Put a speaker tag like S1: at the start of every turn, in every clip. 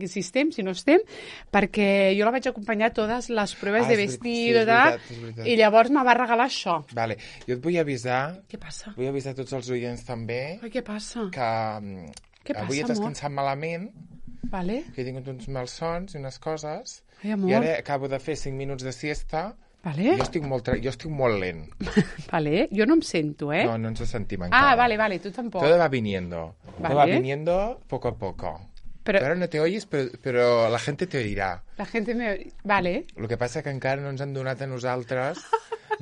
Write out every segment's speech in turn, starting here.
S1: si estem, si no estem, perquè jo la vaig acompanyar a totes les proves de vestir, i llavors me va regalar això.
S2: Vale. Jo et vull avisar...
S1: Què passa?
S2: Vull avisar tots els oients també...
S1: Ai, què passa?
S2: Que avui he descansat malament,
S1: vale.
S2: que he tingut uns malsons i unes coses,
S1: ai, amor.
S2: i ara acabo de fer 5 minuts de siesta,
S1: vale.
S2: jo estic molt lent.
S1: Vale, jo no em sento,
S2: No, no ens sentim encara.
S1: Vale, tu tampoc.
S2: Todo va viniendo.
S1: Vale.
S2: Todo va viniendo poco a poco. Pero ahora no te oyes, pero la gente te oirá.
S1: La gente me... Vale.
S2: Lo que passa que encara no ens han donat a nosaltres,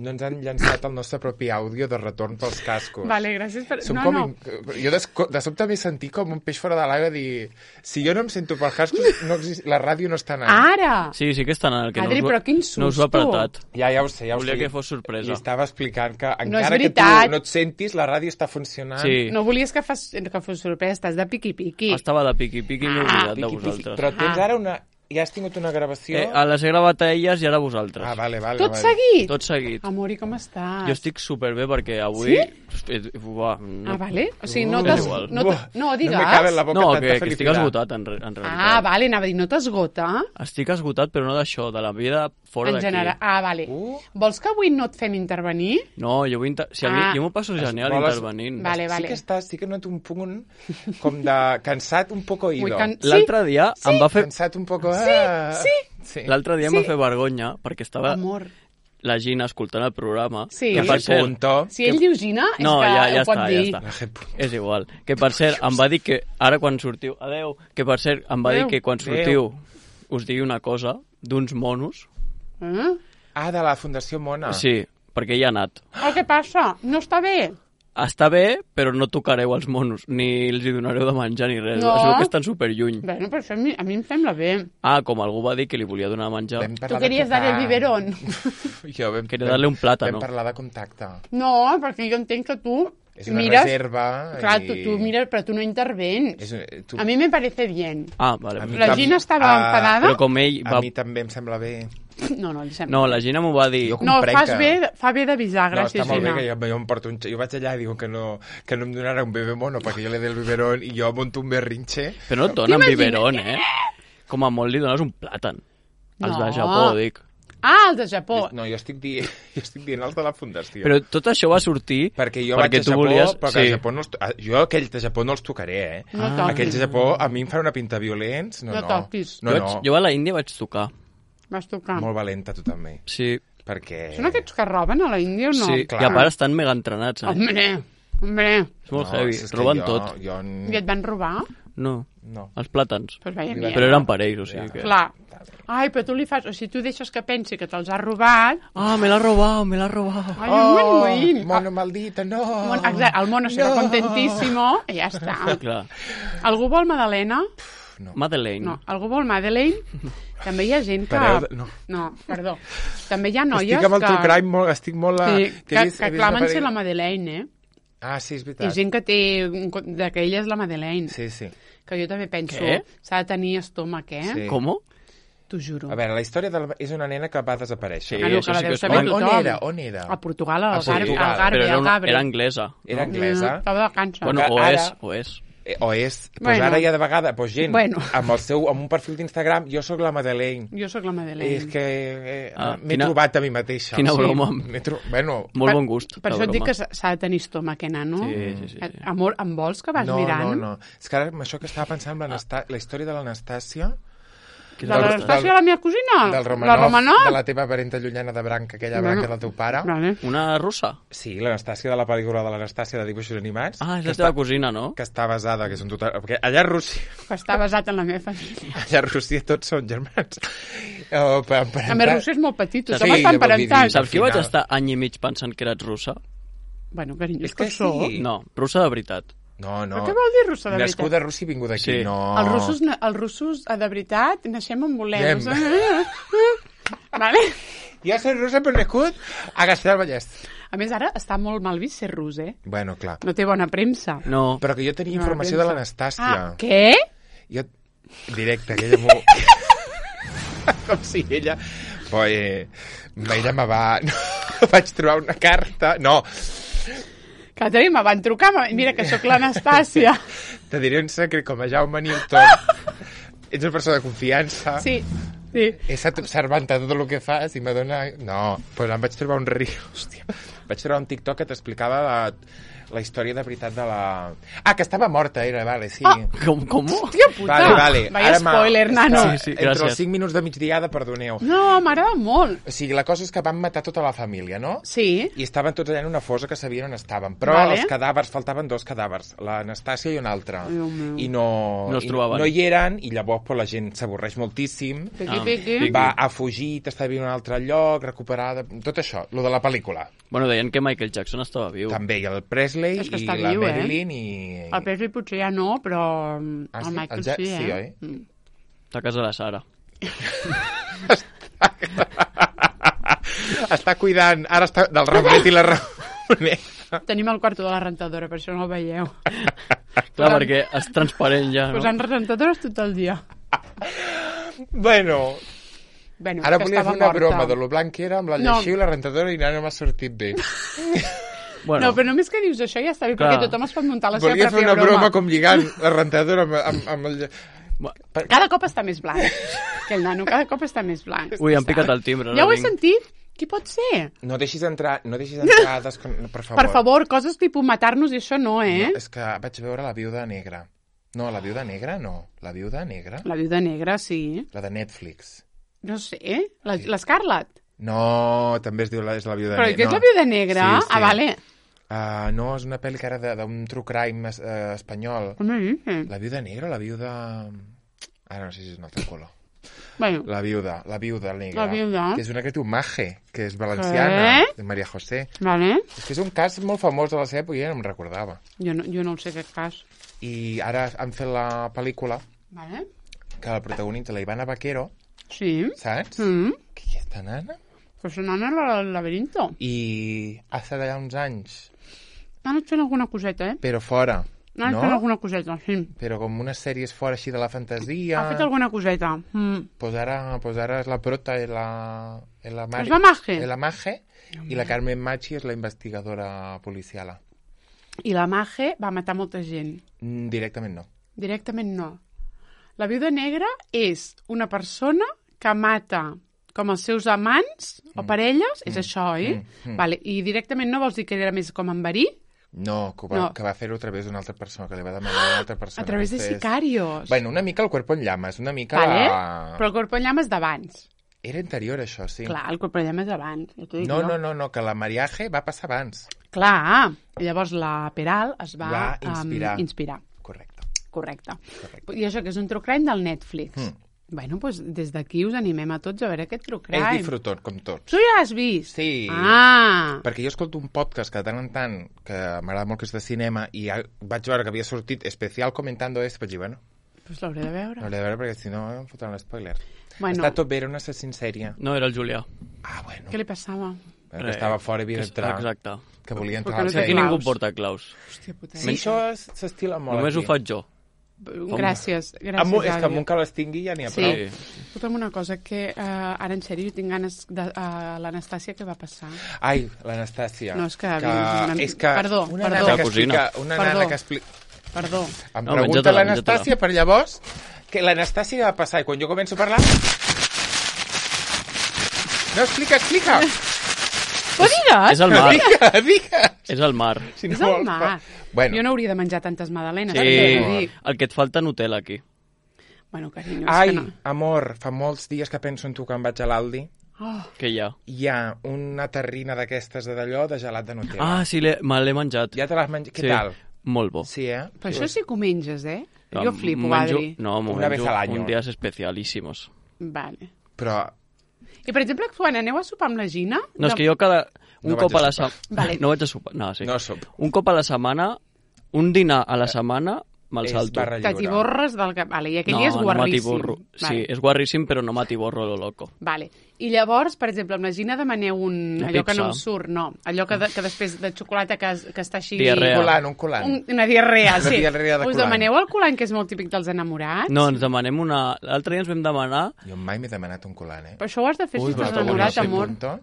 S2: no ens han llançat el nostre propi àudio de retorn pels cascos.
S1: Vale, gràcies per...
S2: Jo de sobte m'he sentit com un peix fora de l'aigua dir, si jo no em sento pels cascos, la ràdio no està anant.
S1: Ara!
S3: Sí que està anant. Que
S1: Adri, però quin susto.
S3: No us ho ha apretat.
S2: Ja ho sé.
S3: Volia que fos sorpresa.
S2: I estava explicant que
S1: no
S2: encara que tu no et sentis, la ràdio està funcionant.
S3: Sí.
S1: No volies que fos sorpresa, estàs de piqui-piqui.
S3: Estava de piqui-piqui, m'he oblidat de vosaltres.
S2: Però tens ara una... Ja has tingut una gravació?
S3: Les he gravat a elles i ara a vosaltres.
S2: Vale.
S1: Tot seguit?
S3: Tot seguit.
S1: Amori, com estàs?
S3: Jo estic superbé perquè avui...
S1: Sí? Vale. O sigui, no t'has... No, digues.
S2: No me cabe en la boca tanta felicitat.
S3: Que estic esgotat, en realitat.
S1: Vale, anava a dir, no t'esgota?
S3: Estic esgotat, però no d'això, de la vida fora d'aquí.
S1: En general. Vale. Vols que avui no et fem intervenir?
S3: No, jo vull... Jo m'ho passo genial intervenint.
S1: Vale.
S2: Sí que noto un punt com de cansat un poco oído.
S3: L'altre dia em va fer...
S2: Cansat un poco...
S1: Sí.
S3: L'altre dia em va fer vergonya, perquè estava la Gina escoltant el programa.
S1: Sí.
S3: Que per cert...
S1: Si ell diu Gina, és que ho pot dir.
S3: Ja està. És igual. Que per cert, em va dir que ara quan sortiu... Adeu. Que per cert, em va dir que quan sortiu us digui una cosa d'uns monos.
S2: De la Fundació Mona.
S3: Sí, perquè hi ha anat.
S1: Què passa? No està bé?
S3: Està bé, però no tocareu els monos, ni els hi donareu de menjar ni res.
S1: No.
S3: Es veu que estan superlluny.
S1: Bueno, però això a mi em sembla bé.
S3: Com algú va dir que li volia donar de menjar.
S1: Tu queries dar el biberón.
S3: Queria darle un plàtano.
S2: Vam parlar de contacte.
S1: No, perquè jo entenc que tu
S2: és una
S1: mires...
S2: reserva.
S1: Clar, tu mires, però tu no intervens. A mi me parece bien.
S3: Vale.
S1: La Gina estava enfadada.
S3: Però com ell va...
S2: A mi també em sembla bé.
S1: No, li sembla.
S3: No, la Gina m'ho va dir.
S1: No, fa bé d'avisar, gràcies,
S2: Gina. No, està molt
S1: Gina.
S2: bé que jo em porto jo vaig allà i digo que no em donarà un bebé mono perquè jo le dé el biberón i jo monto un berrinche.
S3: Però no et donen biberón, Com a molt li dones un plàtan. Els de Japó, dic.
S1: Els de Japó.
S2: No, jo estic dient els de la Fundació.
S3: Però tot això va sortir
S2: perquè jo vaig a Japó, però que a Japó no jo aquells de Japó no els tocaré,
S1: No toquis.
S2: Aquells de Japó a mi em fan una pinta violents.
S1: No toquis.
S3: Jo a la Índia vaig tocar.
S1: Vas tocar.
S2: Molt valenta, tu també.
S3: Sí.
S2: Perquè...
S1: Són aquests que roben a la Índia o no?
S3: Sí, clar. I a part estan mega entrenats,
S1: Hombre.
S3: És molt heavy, roben tot.
S1: I et van robar?
S3: No. Els plàtans.
S1: Pues vaya
S3: però eren per ells, o sigui que...
S1: Clar. Ai, però tu li fas... O sigui, tu deixes que pensi que te'ls has robat...
S3: me l'ha robat.
S1: Ai,
S2: mono maldito, no!
S1: Exacte, el mono serà contentíssimo i ja està.
S3: Clar.
S1: Algú vol Madalena?
S3: No. Madeleine.
S1: No, algú vol Madeleine? També hi ha gent que... No, perdó. També hi ha noies que...
S2: Estic amb el true crime, estic molt...
S1: Sí, que clamen ser la Madeleine,
S2: sí, és veritat.
S1: Hi ha gent que té... que ella és la Madeleine.
S2: Sí.
S1: Que jo també penso... S'ha de tenir estómac,
S3: Sí. Com?
S1: T'ho juro.
S2: A veure, la història és una nena que va desaparèixer.
S3: Sí,
S1: això sí que ho sabem tothom.
S2: On era?
S1: A Portugal, al
S3: Garbi, al Gabre. Era anglesa.
S2: Era anglesa.
S1: Estava de càncer.
S3: Bueno, o és.
S2: Doncs ara ja de vegada, gent, amb un perfil d'Instagram, jo sóc la Madeleine.
S1: Jo sóc la Madeleine.
S2: És que m'he trobat a mi mateixa.
S3: Quina broma.
S2: Molt
S3: bon gust.
S1: Per això et dic que s'ha de tenir estómac, nano.
S3: Sí.
S1: Amor, em vols que vas mirant?
S2: No. És que ara això que estava pensant, la història de l'Anastàcia...
S1: De l'Anastàcia, la meva cosina?
S2: Del
S1: Romanov?
S2: De la teva parenta llunyana de branca, aquella branca del teu pare.
S3: Una russa?
S2: Sí, l'Anastàcia de la pel·lícula de l'Anastàcia de dibuixos animats.
S3: És la teva cosina, no?
S2: Que està basada, que és un total... Perquè allà a Rússia...
S1: Que està basat en la meva família.
S2: Allà a Rússia tots són germans.
S1: A més, Rússia és molt petit, tothom està emparentat.
S3: Saps que vaig estar any i mig pensant que eres russa?
S1: Bueno, carinyo,
S2: és que sí.
S3: No, russa de veritat.
S2: No.
S1: Però què vol dir russa de veritat?
S2: Nascuda a Rússia i vingut d'aquí, no.
S1: Els russos, de veritat, naixem on volem. Vale?
S2: Jo soy russa però nascut a Castellar del Vallès.
S1: A més, ara està molt mal vist ser rus,
S2: Bueno, clar.
S1: No té bona premsa.
S3: No.
S2: Però que jo tenia informació de l'Anastàcia.
S1: Què?
S2: Jo... Directe, que ella m'ho... Com si ella... Ella me va... Vaig trobar una carta... No...
S1: Caterina, me van trucar, mira que sóc l'Anastàcia.
S2: Te diré un secret, com a Jaume Newton, ets una persona de confiança.
S1: Sí.
S2: He estat observant tot el que fas i m'adona... No, però em vaig trobar un riu. Hòstia. Vaig trobar un TikTok que t'explicava la història de veritat de la... que estava morta, era, vale, sí.
S3: Com?
S1: Hòstia puta.
S2: Vale.
S1: Vaya spoiler, nano.
S3: Sí,
S2: Entre
S3: gràcies.
S2: els 5 minuts de migdiada, perdoneu.
S1: No, m'agrada molt.
S2: O sigui, la cosa és que van matar tota la família, no?
S1: Sí.
S2: I estaven tots allà en una fosa que sabien on estaven. Però
S1: Vale.
S2: els cadàvers, faltaven 2 cadàvers, l'Anastàcia i un altre.
S1: Déu meu.
S2: I no
S3: es trobaven.
S2: no hi eren, i llavors pues, la gent s'avorreix moltíssim.
S1: Piqui.
S2: Va a fugir, està vivint en un altre lloc, recuperada... Tot això, lo de la pel·lícula.
S3: Bueno, deien que Michael Jackson estava viu.
S2: També, i el Presley,
S1: És que
S2: i
S1: està
S2: la
S1: viu,
S2: Marilyn,
S1: El Presley potser ja no, però el
S2: sí?
S1: Michael
S2: El Jack-
S1: sí,
S2: sí, oi?
S3: Està a casa de la Sara.
S2: Està cuidant, ara està del Ramonet i la Ramonet.
S1: Tenim el quarto de la rentadora, per això no el veieu.
S3: Clar, perquè és transparent ja, no?
S1: Posant rentadores tot el dia.
S2: Bueno,
S1: Bueno,
S2: ara
S1: que
S2: volia
S1: estava
S2: fer una
S1: morta.
S2: broma de lo blanc que era amb la
S1: No.
S2: lleixiu i la rentadora i no m'ha sortit bé.
S3: Bueno,
S1: No, però només que dius això ja està bé,
S3: Clar.
S1: perquè tothom es pot muntar la seva
S2: Volia fer
S1: pròpia
S2: una broma com lligant la rentadora amb el...
S1: Cada cop està més blanc, que el nano cada cop està més blanc.
S3: ui, han picat el timbre.
S1: Ja ho he
S3: vinc.
S1: sentit? Qui pot ser?
S2: No deixis entrar per favor.
S1: Per favor, coses tipus matar-nos i això no, eh?
S2: No, és que vaig veure La viuda negra. No, La viuda negra no. La viuda negra?
S1: La viuda negra, sí.
S2: La de Netflix.
S1: No sé, l'Scarlett.
S2: No, també es diu és La viuda
S1: Però
S2: negra.
S1: què és la viuda negra?
S2: Sí, sí.
S1: Ah, vale.
S2: No, és una pel·li que era d'un true crime espanyol.
S1: Com me dices?
S2: La viuda negra o la viuda... Ara no sé si és un altre color.
S1: Bueno,
S2: La viuda negra.
S1: La viuda.
S2: Que és una que diu Maje, que és valenciana,
S1: Què?
S2: de María José.
S1: vale.
S2: És que és un cas molt famós de la seva època i ja no em recordava.
S1: Jo no el sé aquest cas.
S2: I ara han fet la pel·lícula
S1: Vale.
S2: que la protagonitza la Ivana Vaquero,
S1: Sí.
S2: saps?
S1: Mm.
S2: Qui és esta nana?
S1: Pues anant al laberinto.
S2: I ha estat allà uns anys,
S1: Han anat fent alguna coseta, eh?
S2: però fora,
S1: Han anat fent alguna coseta, sí.
S2: Però com unes sèries fora així de la fantasia...
S1: Ha fet alguna coseta. Mm.
S2: Pues ara és la prota i la Mari.
S1: És la Maje.
S2: És la Maje, i la Carmen Machi és la investigadora policiala.
S1: I la Maje va matar molta gent.
S2: Directament no.
S1: Directament no. La viuda negra és una persona que mata com els seus amants o parelles, és això, oi? Vale. I directament no vols dir que era més com en verí?
S2: No, que va fer-ho a través d'una altra persona, que li va demanar a una altra persona.
S1: A través de sicarios.
S2: Bueno, una mica el cuerpo en llamas, una mica
S1: Vale?
S2: la...
S1: Però el cuerpo en llamas d'abans.
S2: Era anterior, això, sí.
S1: Clar, el cuerpo en llamas d'abans. Ja t'ho dic
S2: No,
S1: jo.
S2: no, que la mariaje va passar abans.
S1: Clar. Llavors la Peral es va
S2: inspirar. Correcte.
S1: Correcte. I això que és un true crime del Netflix. Bueno, doncs des d'aquí us animem a tots a veure aquest true crime.
S2: És disfrutot, com tots.
S1: Tu ja l'has vist?
S2: Sí.
S1: Ah!
S2: Perquè jo escolto un podcast que de tant en tant, que m'agrada molt que és de cinema, i ja vaig veure que havia sortit especial comentando esto, vaig dir, bueno,
S1: Pues l'hauré de veure.
S2: l'hauré de veure perquè si no em fotran l'espoiler.
S1: Bueno.
S2: Està tot bé, era una assassín sèrie.
S3: No, era el Julià.
S2: Ah, bueno.
S1: Què li passava?
S2: Que estava fora i havia d'entrar.
S3: Exacte.
S2: Que volia entrar
S1: Perquè
S2: al
S1: no té
S3: Aquí
S2: cel.
S3: ningú
S1: claus.
S3: porta claus.
S1: Hòstia puta.
S2: Sí, això s'estila molt
S3: Només
S2: aquí.
S3: ho faig jo.
S1: Gràcies,
S2: És
S1: gràcies,
S2: que amb un que les tingui ja n'hi ha
S1: Sí.
S2: prou.
S1: Escolta'm una cosa, que ara en sèrio jo tinc ganes de l'Anastàcia, què va passar?
S2: Ai, l'Anastàcia.
S1: No, és que...
S2: És que
S1: Perdó,
S2: una
S1: perdó.
S2: nana
S3: La cosina.
S2: una
S1: Perdó.
S2: nana que explica...
S1: Perdó.
S2: Em
S3: No,
S2: pregunta
S3: menja-te-la,
S2: l'Anastàcia per llavors que l'Anastàcia va passar i quan jo començo a parlar... No, explica!
S1: Ho digues?
S3: És el mar.
S2: Digues!
S3: És el mar.
S2: Si
S1: És el
S2: vols,
S1: mar.
S2: Bueno.
S1: Jo no hauria de menjar tantes magdalenes.
S3: Sí,
S1: T'ho dic.
S3: el que et falta Nutella aquí.
S1: Bueno, carinyo, és
S2: Ai,
S1: que no.
S2: amor, fa molts dies que penso en tu quan vaig a l'Aldi.
S1: Oh,
S3: Que hi ha?
S2: Hi ha una terrina d'aquestes de d'allò de gelat de Nutella.
S3: Ah, sí, me l'he menjat.
S2: Ja te l'has menjat? Què
S3: Sí,
S2: tal?
S3: molt bo.
S2: Sí, eh?
S1: però això sí que ho menges, eh?
S3: Em
S1: Jo flipo,
S3: menjo-
S1: Adri.
S3: No, m'ho
S2: Una vez
S3: menjo
S2: al año.
S3: un días especialísimos.
S1: Vale.
S2: Però
S1: I, per exemple, quan aneu a sopar amb la Gina...
S3: No, és que jo cada... Un
S2: No
S3: cop
S2: vaig a
S3: a la
S2: sopar.
S3: setmana...
S1: Vale.
S3: No vaig a sopar. No, sí.
S2: no soc.
S3: Un cop a la setmana, un dinar a la setmana, me'l
S2: És
S3: salto.
S2: barra lliure.
S1: T'atiborres del cap... Vale, i aquell
S3: No,
S1: dia és
S3: no
S1: guarríssim.
S3: m'atiborro.
S1: Vale.
S3: Sí, és guarríssim, però no m'atiborro lo loco.
S1: Vale. I llavors, per exemple, amb la Gina demaneu
S3: Una
S1: allò que no
S3: pizza.
S1: em surt, no. Allò que després de xocolata que està així...
S3: Diarrea.
S2: Un colant.
S1: Una diarrea,
S2: Una
S1: sí.
S2: diarrea de
S1: Us
S2: colant.
S1: demaneu el colant, que és molt típic dels enamorats?
S3: No, ens demanem una... L'altre dia ens vam demanar...
S2: Jo mai m'he demanat un colant, eh?
S1: Però això ho has de fer
S3: Ui,
S1: si
S3: però
S1: estàs
S3: t'ho
S1: enamorat,
S3: volia fer,
S1: amor.
S2: Punto.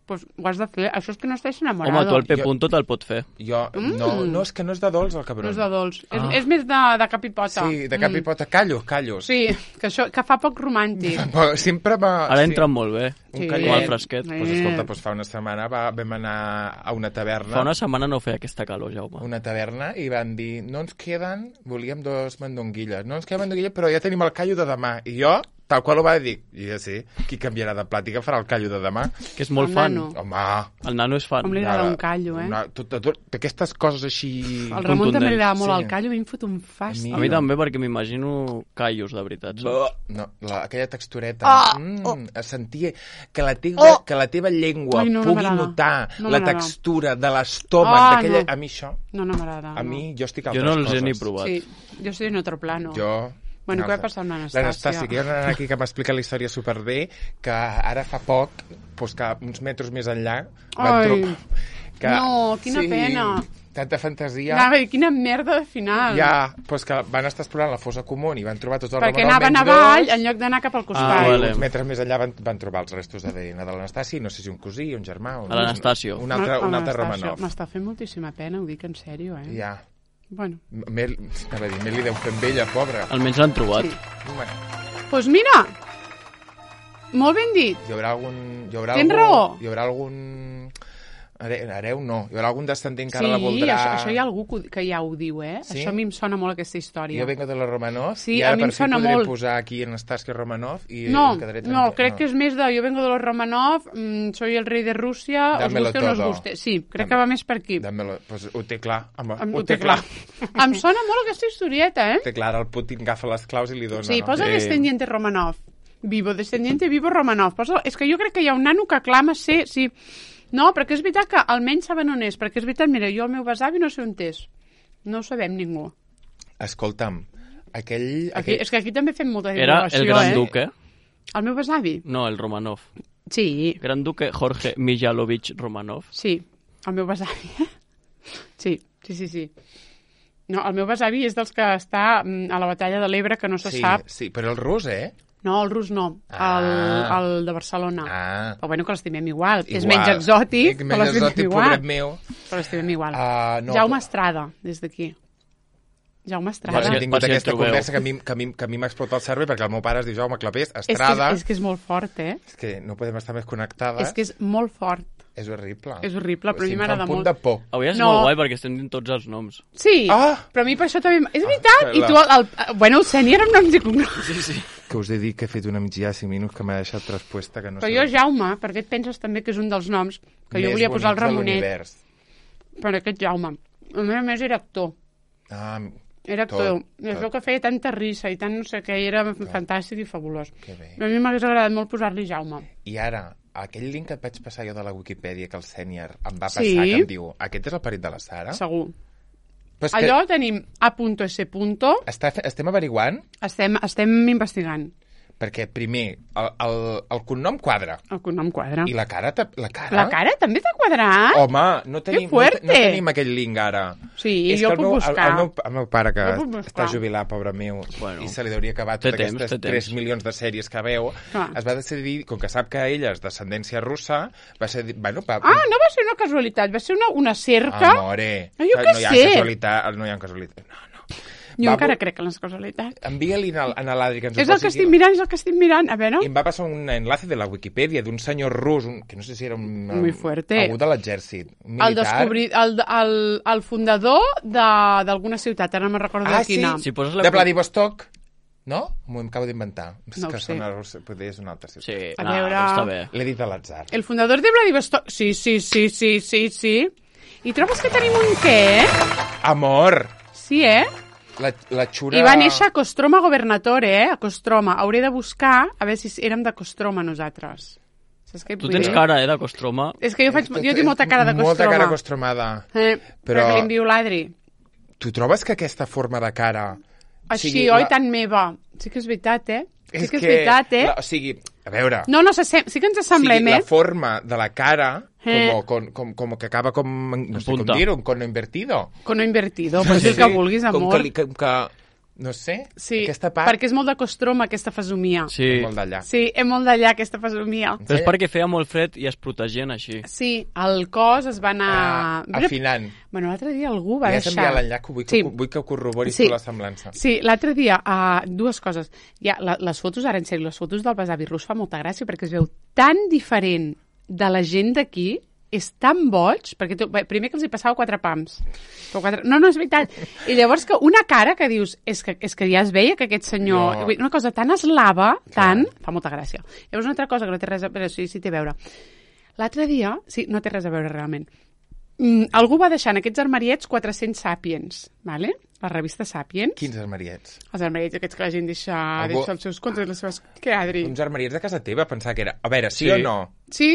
S1: pues ho has de fer. Això és que no estàs enamorado.
S3: Home, tu el P-punto te'l pot fer.
S2: Jo, no, és que no és de dolç, el cabron.
S1: No és de dolç. És més de cap i pota.
S2: Sí, de cap i pota. Callos.
S1: Sí, que fa poc romàntic.
S2: Sempre va...
S3: Ara entra molt bé,
S2: Un
S3: com
S2: callet.
S3: el fresquet.
S2: Pues escolta, fa una setmana vam anar a una taverna.
S3: Fa una setmana no feia aquesta calor, Jaume.
S2: Una taverna i van dir, no ens queden, volíem 2 mandonguilles, no ens queden mandonguilles, però ja tenim el callo de demà. I jo, tal qual ho va dir, i ja sí, qui canviarà de plat i que farà el callo de demà?
S3: Que és molt
S1: El
S3: fan.
S1: nano.
S2: Home,
S3: El nano és fan.
S1: Com li agrada un callo,
S2: D'aquestes coses així...
S1: Al Ramon també li agrada molt
S2: Sí.
S1: el callo, a mi em fot un fàstic.
S3: A mi també, perquè m'imagino callos, de veritat.
S2: No, aquella textureta. Sentir que la teva llengua
S1: Ai, no
S2: pugui
S1: m'agrada.
S2: notar
S1: No
S2: la
S1: m'agrada.
S2: textura de l'estómac d'aquella...
S1: no.
S2: A mi això,
S1: No m'agrada.
S2: a mi, jo estic a
S3: Jo
S2: altres
S3: no els he
S2: coses.
S3: ni provat.
S1: Sí, jo soy en otro plano.
S2: Jo...
S1: Bueno, què
S2: no,
S1: va passar amb l'Anastàcia?
S2: L'Anastàcia, que hi ha una nana aquí que m'explica la història superbé, que ara fa poc, doncs que uns metres més enllà, van
S1: Ai,
S2: trobar...
S1: no, quina pena.
S2: Tanta fantasia.
S1: Anava a dir, quina merda de final.
S2: Ja, doncs que van estar explorant la fossa comú i van trobar tots els
S1: Perquè
S2: Romanov
S1: anaven
S2: menys
S1: avall
S2: dos.
S1: en lloc d'anar cap al costat.
S3: Ah, vale.
S2: Uns metres més enllà van trobar els restos d'ADN de l'Anastàcia, i no sé si un cosí, un germà...
S3: l'Anastasio.
S2: Un altre Romanov.
S1: M'està fent moltíssima pena, ho dic en sèrio, eh?
S2: Ja.
S1: Bueno,
S2: Mel li deu fer amb ella, pobra.
S3: Almenys l'han trobat.
S1: sí.
S2: Bueno,
S1: Doncs mira, molt ben dit.
S2: hi haurà algun...
S1: Tens raó.
S2: Hi haurà algun... Hereu no. Hi haurà algun descendent que
S1: Sí,
S2: ara la voldrà...
S1: això hi ha algú que ja ho diu, eh?
S2: Sí?
S1: Això a mi em sona molt aquesta història.
S2: Jo vengo de los Romanov
S1: Sí,
S2: i
S1: a
S2: ara
S1: mi em
S2: per fi
S1: sona
S2: podré
S1: molt.
S2: posar aquí en Anastàcia Romanov i
S1: No,
S2: em quedaré
S1: no,
S2: tranquil.
S1: crec que és més de yo vengo de los Romanov, soy el rey de Rússia, os
S2: Dámelo
S1: guste o no os
S2: todo.
S1: guste. Sí, crec que va més per aquí.
S2: Dámelo, pues ho té clar. Home,
S1: Ho té clar. Em sona molt aquesta historieta, eh?
S2: Té clar, el Putin agafa les claus i li dona.
S1: Sí,
S2: no?
S1: posa descendiente Romanov. Vivo, descendiente, vivo Romanov. Posa... És que jo crec que hi ha un nano que clama ser... Sí. No, perquè és veritat que almenys saben on és. Perquè és veritat, mira, jo el meu besavi no sé on és. No ho sabem ningú.
S2: Escolta'm, aquell...
S1: És que aquí també fem molta
S3: Era
S1: divulgació,
S3: el gran duque.
S1: El meu besavi?
S3: No, el Romanov.
S1: Sí,
S3: Gran duque Jorge Mijailovich Romanov.
S1: sí, el meu besavi. Sí. No, el meu besavi és dels que està a la batalla de l'Ebre, que no se sap.
S2: Sí, però el rus,
S1: No, el rus no, el de Barcelona.
S2: Ah.
S1: Però bueno, que l'estimem igual. És
S2: Igual.
S1: menys exòtic, però
S2: Menys
S1: l'estimem
S2: exòtic,
S1: igual.
S2: pobret meu.
S1: Però l'estimem igual.
S2: No,
S1: Jaume Estrada, des d'aquí. Jaume Estrada.
S2: Hem
S3: Per
S2: tingut
S3: si el
S2: aquesta
S3: trobeu.
S2: conversa que a mi m'ha explotat el cervell perquè el meu pare es diu Jaume Clapés, Estrada.
S1: És que és molt fort, eh?
S2: És que no podem estar més connectades.
S1: És que és molt fort.
S2: És horrible.
S1: És horrible, però a mi m'agrada
S2: Em fa un
S1: molt.
S2: punt de por.
S3: Avui és
S1: No.
S3: molt guai perquè estem dient tots els noms.
S1: Sí, però a mi per això també... És veritat! I tu, bueno, el sènior amb noms i cognoms.
S3: Sí.
S2: Que us he dit que he fet una migdia de 5 minuts que m'ha deixat resposta que no
S1: Però
S2: sé.
S1: jo, Jaume, perquè et penses també que és un dels noms que jo volia posar el Ramonet. Per aquest Jaume. A més era actor. Era actor. És el que feia tanta risa i tant no sé què, i era fantàstic i fabulós.
S2: Que bé.
S1: A mi m'hagués agradat molt posar-li Jaume.
S2: I ara, aquell link que et vaig passar jo de la Wikipedia que el sènior em va passar,
S1: Sí.
S2: que em diu, aquest és el perit de la Sara?
S1: Segur.
S2: Però és
S1: Allò tenim A.S.
S2: Estem averiguant
S1: Estem investigant.
S2: perquè, primer, el cognom quadra.
S1: El cognom quadra.
S2: I la cara? La cara?
S1: La cara també t'ha quadrat?
S2: Home, no tenim aquell link ara.
S1: Sí,
S2: És
S1: jo
S2: que
S1: el puc buscar.
S2: El meu pare, que
S1: Jo puc buscar.
S2: està jubilat, pobre meu,
S3: Bueno,
S2: i se li hauria acabat
S3: té
S2: totes
S3: temps,
S2: aquestes
S3: té
S2: 3
S3: temps.
S2: milions de sèries que veu,
S1: Clar.
S2: es va decidir, com que sap que ella és d'ascendència russa, va ser... Bueno,
S1: No va ser una casualitat, va ser una cerca.
S2: Amore,
S1: Jo què
S2: no hi ha
S1: sé.
S2: casualitat, no hi ha casualitat. No.
S1: Jo encara crec en les casualitats.
S2: Envia-li a l'Adri que ens ho
S1: És el que estic mirant, és el que estic mirant. A veure...
S2: I em va passar un enlace de la Wikipedia d'un senyor rus, que no sé si era
S1: Muy fuerte.
S2: algú de l'exèrcit, un
S1: El,
S2: militar.
S1: el fundador d'alguna ciutat, ara no me'n recordo de quina.
S3: Si poses
S2: de Vladivostok, no? M'ho acabo d'inventar. És
S1: No ho
S2: que
S1: sé.
S2: sona rus, potser és una altra ciutat.
S3: Sí,
S1: A
S3: no,
S1: veure-
S3: està bé.
S2: L'he dit a l'atzar.
S1: El fundador de Vladivostok... Sí. I trobes que tenim un què, eh?
S2: Amor!
S1: Sí, eh?
S2: La xura...
S1: I va néixer a Kostroma Governatore, a Kostroma. Hauré de buscar a veure si érem de Kostroma nosaltres. Saps què et
S3: Tu
S1: vull
S3: tens
S1: dir?
S3: cara, de Kostroma.
S1: És que jo tinc molta cara de Kostroma.
S2: Molta cara costromada.
S1: Però que l'envio l'Adri.
S2: Tu trobes que aquesta forma de cara...
S1: Així, oi, tan meva. Sí que és veritat, eh? Sí que és veritat, eh?
S2: O sigui, a veure...
S1: No, sí que ens assemblem,
S2: la
S1: eh?
S2: forma de la cara, como que acaba com... No sé com
S3: Punta.
S2: dir-ho, un cono invertido.
S1: Cono invertido, pues el que vulguis, amor.
S2: Com que No sé,
S1: Sí,
S2: aquesta part...
S1: perquè és molt de costrom, aquesta fesomia.
S3: Sí,
S2: És molt d'allà.
S1: Sí, és molt d'allà, aquesta fesomia.
S3: però és perquè feia molt fred i es protegien així.
S1: Sí, el cos es va anar...
S2: Afinant.
S1: Bueno, l'altre dia algú va
S2: Ja has
S1: deixar...
S2: enviat l'enllaç, vull que ho corroboris
S1: Sí.
S2: tu la semblança.
S1: Sí, l'altre dia, dues coses. Ja, les fotos, ara en sèrio, les fotos del besavi rus fa molta gràcia perquè es veu tan diferent de la gent d'aquí, és tan boig, perquè primer que els hi passava 4 pams. No, és veritat. I llavors que una cara que dius, és que ja es veia que aquest senyor...
S2: No.
S1: Una cosa tan eslava, fa molta gràcia. Llavors una altra cosa que no té res a veure, sí té a veure. L'altre dia, sí, no té res a veure realment. Algú va deixar en aquests armariets 400 Sapiens, ¿vale? La revista Sapiens.
S2: Quins armariets?
S1: Els armariets aquests que la gent deixa els seus contes, les seves... Què, Adri?
S2: Uns armariets de casa teva, pensar que era... A veure, sí o no?
S1: Sí.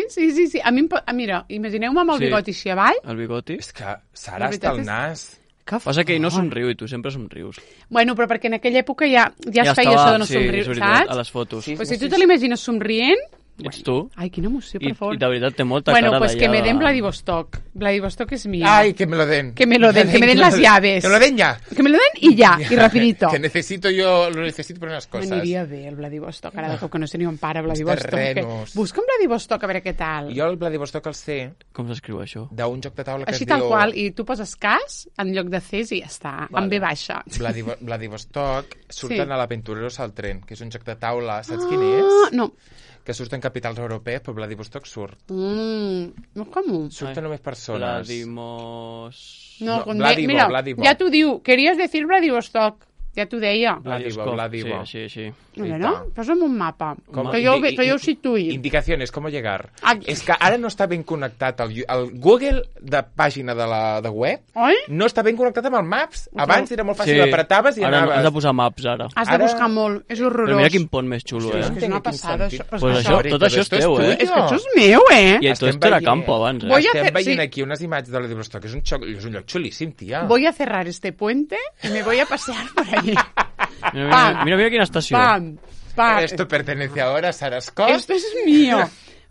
S1: A mi, mira, imagineu-me amb el bigoti així avall.
S3: El bigoti?
S2: És que Sara està al nas.
S3: Passa que ell no somriu i tu sempre somrius.
S1: Bueno, però perquè en aquella època ja es feia això de no somriure, saps?
S3: A les fotos.
S1: Pues si tu te l'imagines somrient...
S3: Ets tu.
S1: Ai, quina emoció, per favor.
S3: I de veritat té molta
S1: bueno,
S3: cara
S1: pues
S3: d'allà...
S1: que me den Vladivostok. Vladivostok es mío.
S2: Ay, que me lo den.
S1: Que me lo den las llaves.
S2: Que me lo den ya.
S1: Que me lo den y ya, y rapidito.
S2: Que necesito yo, lo necesito por unas cosas.
S1: M'aniria bé el Vladivostok, ara de cop que no sé ni on para Vladivostok.
S2: terrenos.
S1: Busca'm Vladivostok a veure què tal.
S2: Jo el Vladivostok el sé
S3: Com s'escriu això?
S2: d'un joc de taula que
S1: Així
S2: es
S1: tal
S2: diu...
S1: qual, i tu poses cas en lloc de Cs i ja està, amb B baixa.
S2: Vladivostok surten a l'Aventureros al tren, que és un joc de taula, saps quin
S1: Ah,
S2: és?
S1: no.
S2: Que surten capitals europees, però Vladivostok surt.
S1: No com?
S2: Surten només persones.
S1: No,
S2: Vladivo,
S1: mira,
S2: Vladivo.
S1: ja t'ho diu. Querías decir Vladivostok. Ja t'ho deia.
S2: Vladivo.
S3: Sí.
S1: Bueno, posa'm un mapa,
S2: Com-
S1: que jo ho situï.
S2: Indicaciones, ¿cómo llegar?
S1: Aquí.
S2: És que ara no està ben connectat el Google de pàgina de web,
S1: Oi?
S2: no està ben connectat amb el Maps. Abans era molt fàcil,
S3: Sí.
S2: apretaves i
S3: Ara
S2: anaves.
S3: has de posar maps, ara.
S1: Has de
S2: Ara-
S1: buscar molt, és
S3: Però
S1: horrorós.
S3: mira quin pont més xulo,
S2: Sí,
S3: eh?
S1: És que és una
S2: Quin
S1: passada,
S2: sentit.
S1: això.
S3: Pues això, tot això és teu, eh?
S1: És que això és meu, eh?
S3: I tot era campo abans, eh?
S1: Voy a
S2: Estem
S1: hacer-
S2: veient
S1: sí.
S2: aquí unes imatges de Vladivostok, és un lloc xulíssim, tia.
S1: Voy a cerrar este puente y me voy a pasear por allí.
S3: Mira quina estació.
S1: Pam, pam.
S2: Esto pertenece ahora a Sara Scott.
S1: Esto es mío.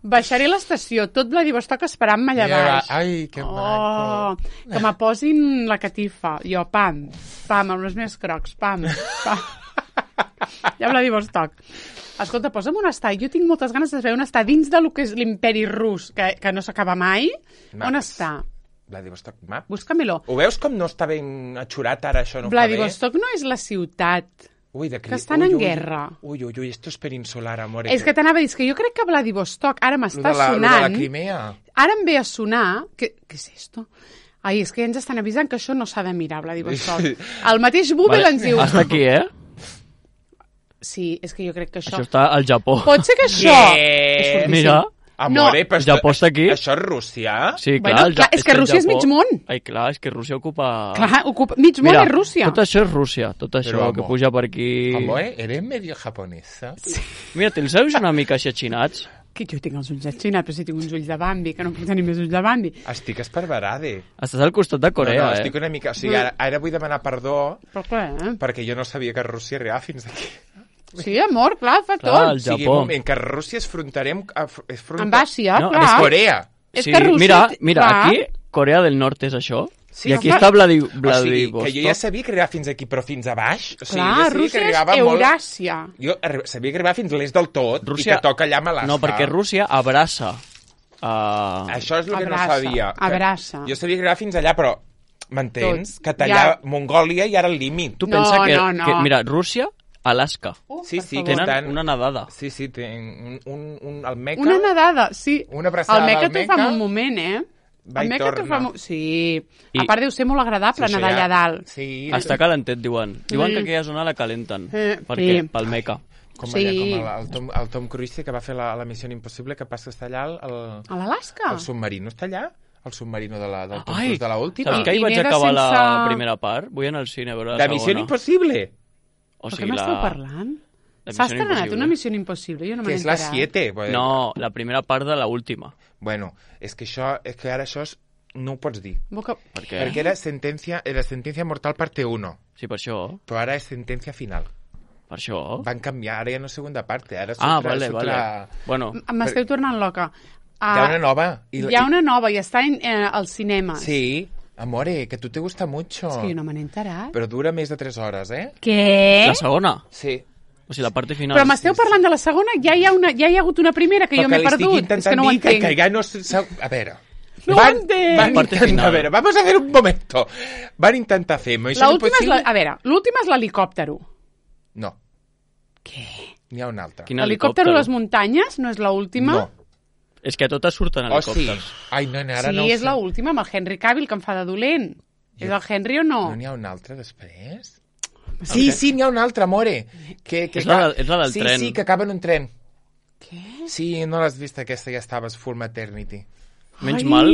S1: Baixaré l'estació, tot Vladivostok esperant-me allà baix.
S2: Ai, que maco.
S1: Oh, que me posin la catifa. Jo, pam, amb els meus crocs, pam. Ja Vladivostok. Escolta, posa'm on està. Jo tinc moltes ganes de saber on està dins de lo que és l'imperi rus, que no s'acaba mai.
S2: Maps.
S1: On està?
S2: Vladivostok Map.
S1: Búscamelo.
S2: Ho veus com no està ben atxurat ara, això no
S1: Vladivostok no és la ciutat.
S2: Ui,
S1: que estan en guerra.
S2: Ui, esto es peninsular, amor.
S1: És que t'anava a dir, que jo crec que Vladivostok ara m'està
S2: Lo de
S1: sonant...
S2: la Crimea.
S1: Ara em ve a sonar... Què és esto? Ai, és que ja ens estan avisant que això no s'ha de mirar, Vladivostok. El mateix Google ens diu...
S3: Hasta aquí, eh?
S1: Sí, és que jo crec que això...
S3: Això està al Japó.
S1: Pot ser que això... És fortíssim.
S3: Mira.
S2: Amore,
S1: No.
S2: però
S3: El Japó està aquí.
S2: Això és Rússia?
S3: Sí,
S1: Bueno,
S3: clar,
S1: clar, és que
S3: el
S1: Rússia és
S3: Japó-
S1: mig món.
S3: Ai, clar, és que Rússia ocupa...
S1: Clar, ocupa... mig món és Rússia.
S3: Tot això és Rússia, tot això
S2: Però,
S3: que
S2: amor.
S3: puja per aquí...
S2: Amore, eres medio japonesa?
S3: Mira, te'ls ulls una mica així achinats.
S1: Que jo tinc els ulls atxinats, però si tinc uns ulls de Bambi, que no puc tenir més ulls de Bambi.
S2: Estic esparverade.
S3: Estàs al costat de Corea,
S2: no, estic una mica... O sigui, ara vull demanar perdó
S1: Però clar,
S2: perquè jo no sabia que Rússia arribava fins aquí.
S1: Sí, amor, clar, fa
S3: Clar,
S1: tot.
S3: el
S2: O sigui,
S3: Japó.
S2: un moment, que Rússia és fronterer amb...
S1: Amb Àsia,
S3: No,
S1: clar.
S2: És Corea.
S1: És que Rússia...
S3: Mira,
S1: clar.
S3: aquí Corea del Nord és això,
S2: Sí,
S3: i aquí
S1: clar.
S3: està
S2: O sigui,
S3: Vladivostok.
S2: que jo ja sabia que arribava fins aquí, però fins a baix. O sigui,
S1: Clar,
S2: jo sabia que
S1: Rússia és
S2: arribava
S1: Euràsia.
S2: Jo sabia que arribava fins a l'est del tot
S3: Rússia-
S2: i que toca allà amb Alaska.
S3: No, perquè Rússia abraça.
S2: Això és el que no
S1: Abraça,
S2: sabia.
S1: abraça.
S2: Jo sabia que arribava fins allà, però m'entens?
S1: Tot.
S2: Que tallar
S1: Ja.
S2: Mongòlia i ara el límit.
S3: Tu
S1: No,
S3: pensa que,
S1: no.
S3: que... Mira, Rússia, Alaska.
S2: Sí, sí, que
S3: Tenen
S2: estan...
S3: una nedada.
S2: Sí, sí, tenen el Meca...
S1: Una nedada, sí.
S2: Una abraçada
S1: El Meca
S2: al
S1: t'ho fa
S2: Meca.
S1: en un moment, eh?
S2: Va
S1: El
S2: i
S1: Meca t'ho
S2: torna.
S1: fa... Sí.
S3: I-
S1: A part deu ser molt agradable
S2: Sí,
S1: nedar
S2: això
S1: allà dalt.
S2: Sí,
S3: Està calentet, diuen. Diuen que aquella zona la calenten. Perquè,
S1: sí.
S3: pel Meca.
S2: com,
S1: Sí.
S2: allà, com el Tom Cruise que va fer la Missió Impossible, que passa a estar allà
S1: A l'Alaska?
S2: el submarino està allà? El submarino del Tom
S3: Ai,
S2: Cruise de l'última?
S3: saps que ahir
S1: I
S3: vaig
S1: neda
S3: acabar la
S1: sense-
S3: primera part? Vull anar al cine a veure la
S2: De
S3: segona.
S2: Missió Impossible!
S3: O
S1: Però
S3: sigui,
S1: què m'esteu parlant?
S3: la
S1: S'ha
S3: Missió
S1: estrenat
S3: Impossible.
S1: una missió impossible, jo no me
S2: Que
S1: n'he
S2: és la
S1: enterat.
S2: 7. Bueno,
S3: No, la primera part de la última.
S2: Bueno, és que ara això no ho pots dir.
S1: Boca...
S3: Per què?
S2: Perquè era sentencia mortal parte 1,
S3: Sí, per això.
S2: però ara és sentencia final.
S3: Per això.
S2: Van canviar, ara ja no és segunda parte, ara
S3: Ah,
S2: surt
S3: vale,
S2: surt
S3: vale. Bueno,
S1: M'esteu tornant loca.
S2: Hi ha una nova.
S1: Hi ha una nova i està al cinema.
S2: Sí, Amore, que a tu te gusta mucho.
S1: És que jo no me n'he enterat.
S2: Però dura més de 3 hores,
S1: Què?
S3: La segona?
S2: Sí.
S3: O sigui, la part final.
S1: Però m'esteu parlant de la segona? Ja hi ha hagut una primera que jo m'he perdut. És que no ho entenc.
S2: Que ja no... A veure...
S1: No ho entenc.
S2: A veure, vamos a hacer un momento. Van intentar fer Mission Impossible...
S1: A veure, l'última és l'helicòptero.
S2: No.
S1: Què?
S2: N'hi ha una altra.
S3: Quin
S1: L'helicòptero a les muntanyes no és l'última?
S2: No.
S3: És que totes surten
S2: Oh, sí.
S3: helicòpters.
S2: Ai, no, ara
S1: Sí,
S2: no ho
S1: és
S2: sé.
S1: l'última, amb el Henry Cavill, que em fa de dolent. És el Henry o no?
S2: No n'hi ha una altra després? Sí, n'hi ha una altra, amore.
S3: És la del tren.
S2: Sí, que acaba en un tren.
S1: Què?
S2: Sí, no l'has vist aquesta, ja estaves Full Maternity.
S3: Menys
S1: Ai.
S3: mal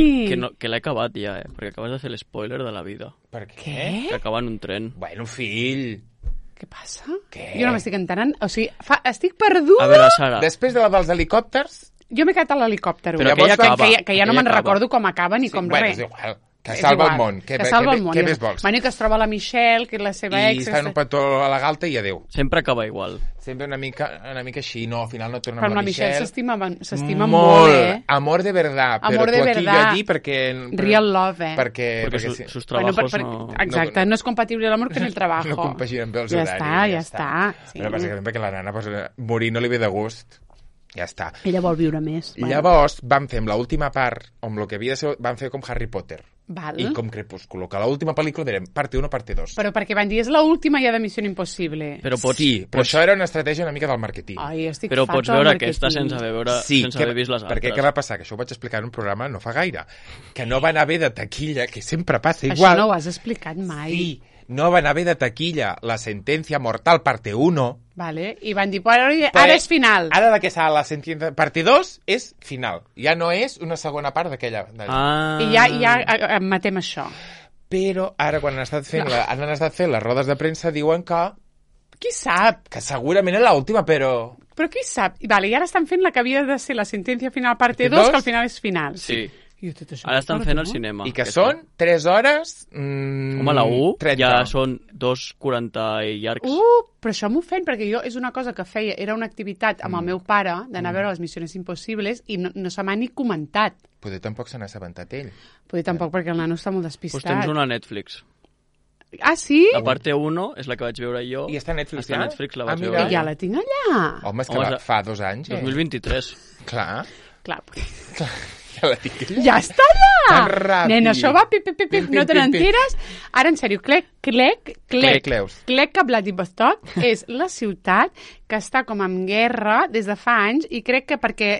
S3: que l'he acabat ja, perquè acabes de fer l'espoiler de la vida.
S2: Per què?
S3: Que acaba en un tren.
S2: Bueno, fill.
S1: Què passa?
S2: Què?
S1: Jo no m'estic entenent. O sigui, estic perduda.
S3: A veure, Sara,
S2: Després de la dels helicòpters...
S1: Jo m'he quedat a l'helicòptero.
S3: Però
S2: aquella acaba.
S1: Que ja no me'n
S3: Aquella acaba.
S1: recordo com acaba ni com
S2: bueno,
S1: res.
S2: és igual. Que
S1: És
S2: salva
S1: igual.
S2: el món.
S1: Que salva el món.
S2: Què més vols?
S1: Bueno, i que es troba la Michelle, que és la seva
S2: I
S1: ex.
S2: està en un petó a la galta i adéu.
S3: sempre acaba igual.
S2: Sempre una mica així. No, al final no torna
S1: Però
S2: amb
S1: la Michelle s'estima
S2: molt,
S1: molt, eh?
S2: Amor de verdad.
S1: Amor
S2: però
S1: de
S2: tu aquí
S1: verdad.
S2: i allí perquè...
S1: Real love, eh?
S2: Perquè
S3: Perquè sus
S1: Bueno,
S3: trabajos
S1: no...
S3: no...
S1: Exacte, no és compatible l'amor con el trabajo.
S2: No compaginen bé els
S1: ja
S2: horaris.
S1: Ja està. Sí.
S2: Però bàsicament perquè la nana pues, morir no li ve de gust. Ja està.
S1: Ella vol viure més.
S2: Llavors van fer amb l'última part, amb el que havia de ser, van fer com Harry Potter.
S1: Val.
S2: I com Crepúsculo, que l'última pel·lícula direm parte 1, parte 2.
S1: Però perquè van dir, és l'última ja de Missió Impossible.
S3: Però pots,
S2: Sí, però això era una estratègia una mica del màrqueting.
S1: Ai, estic
S3: però
S1: farta
S3: pots
S1: del
S3: veure
S1: màrqueting.
S3: aquesta sense haver vist les altres.
S2: perquè què va passar? Que això ho vaig explicar en un programa no fa gaire. Que no van haver de taquilla, que sempre passa
S1: Això
S2: igual.
S1: no ho has explicat mai.
S2: Sí, no van haver de taquilla la sentència mortal parte 1.
S1: Vale? I van dir, ara és final.
S2: Ara de que serà la sentència parte 2 és final. Ja no és una segona part d'aquella.
S1: I ja matem això.
S2: Però ara quan han estat fent les rodes de premsa diuen
S1: Qui sap?
S2: que segurament és l'última, però...
S1: Però qui sap? Vale, i ara estan fent la que havia de ser la sentència final parte 2, que al final és final.
S3: Sí.
S1: Jo tot això
S3: Ara
S1: m'ho
S3: estan
S1: recordo,
S3: fent
S1: no?
S3: al cinema.
S2: I que són 3 hores...
S3: Home, la 1
S2: 30.
S3: ja són 2:40 i llargs.
S1: Però això m'ofèn, perquè jo és una cosa que feia, era una activitat amb el meu pare, d'anar a veure les Missions Impossibles, i no se m'ha ni comentat.
S2: Potser tampoc se n'ha assabentat ell.
S1: Potser tampoc, perquè el nano està molt
S3: Doncs
S1: despistat.
S3: tens una a Netflix.
S1: Ah, sí?
S3: La parte 1 és la que vaig veure jo.
S2: I està a Netflix,
S3: Està a
S2: ja?
S3: Netflix, la
S2: Ah,
S3: vaig
S2: mira.
S3: veure
S1: I ja
S3: jo.
S1: la tinc allà.
S2: Home, és que
S3: Home,
S2: fa 2 anys,
S3: 2023.
S2: Clar,
S1: Clar,
S2: ja la tinc allà.
S1: ja està allà!
S2: Tan ràpid.
S1: Nena, això va pip, pip, pip,
S2: Pim, pim,
S1: no te
S2: pim, pim.
S1: n'enteres? Ara, en sèrio,
S2: Cleus.
S1: Klek Vladivostok és la ciutat que està com en guerra des de fa anys i crec que perquè...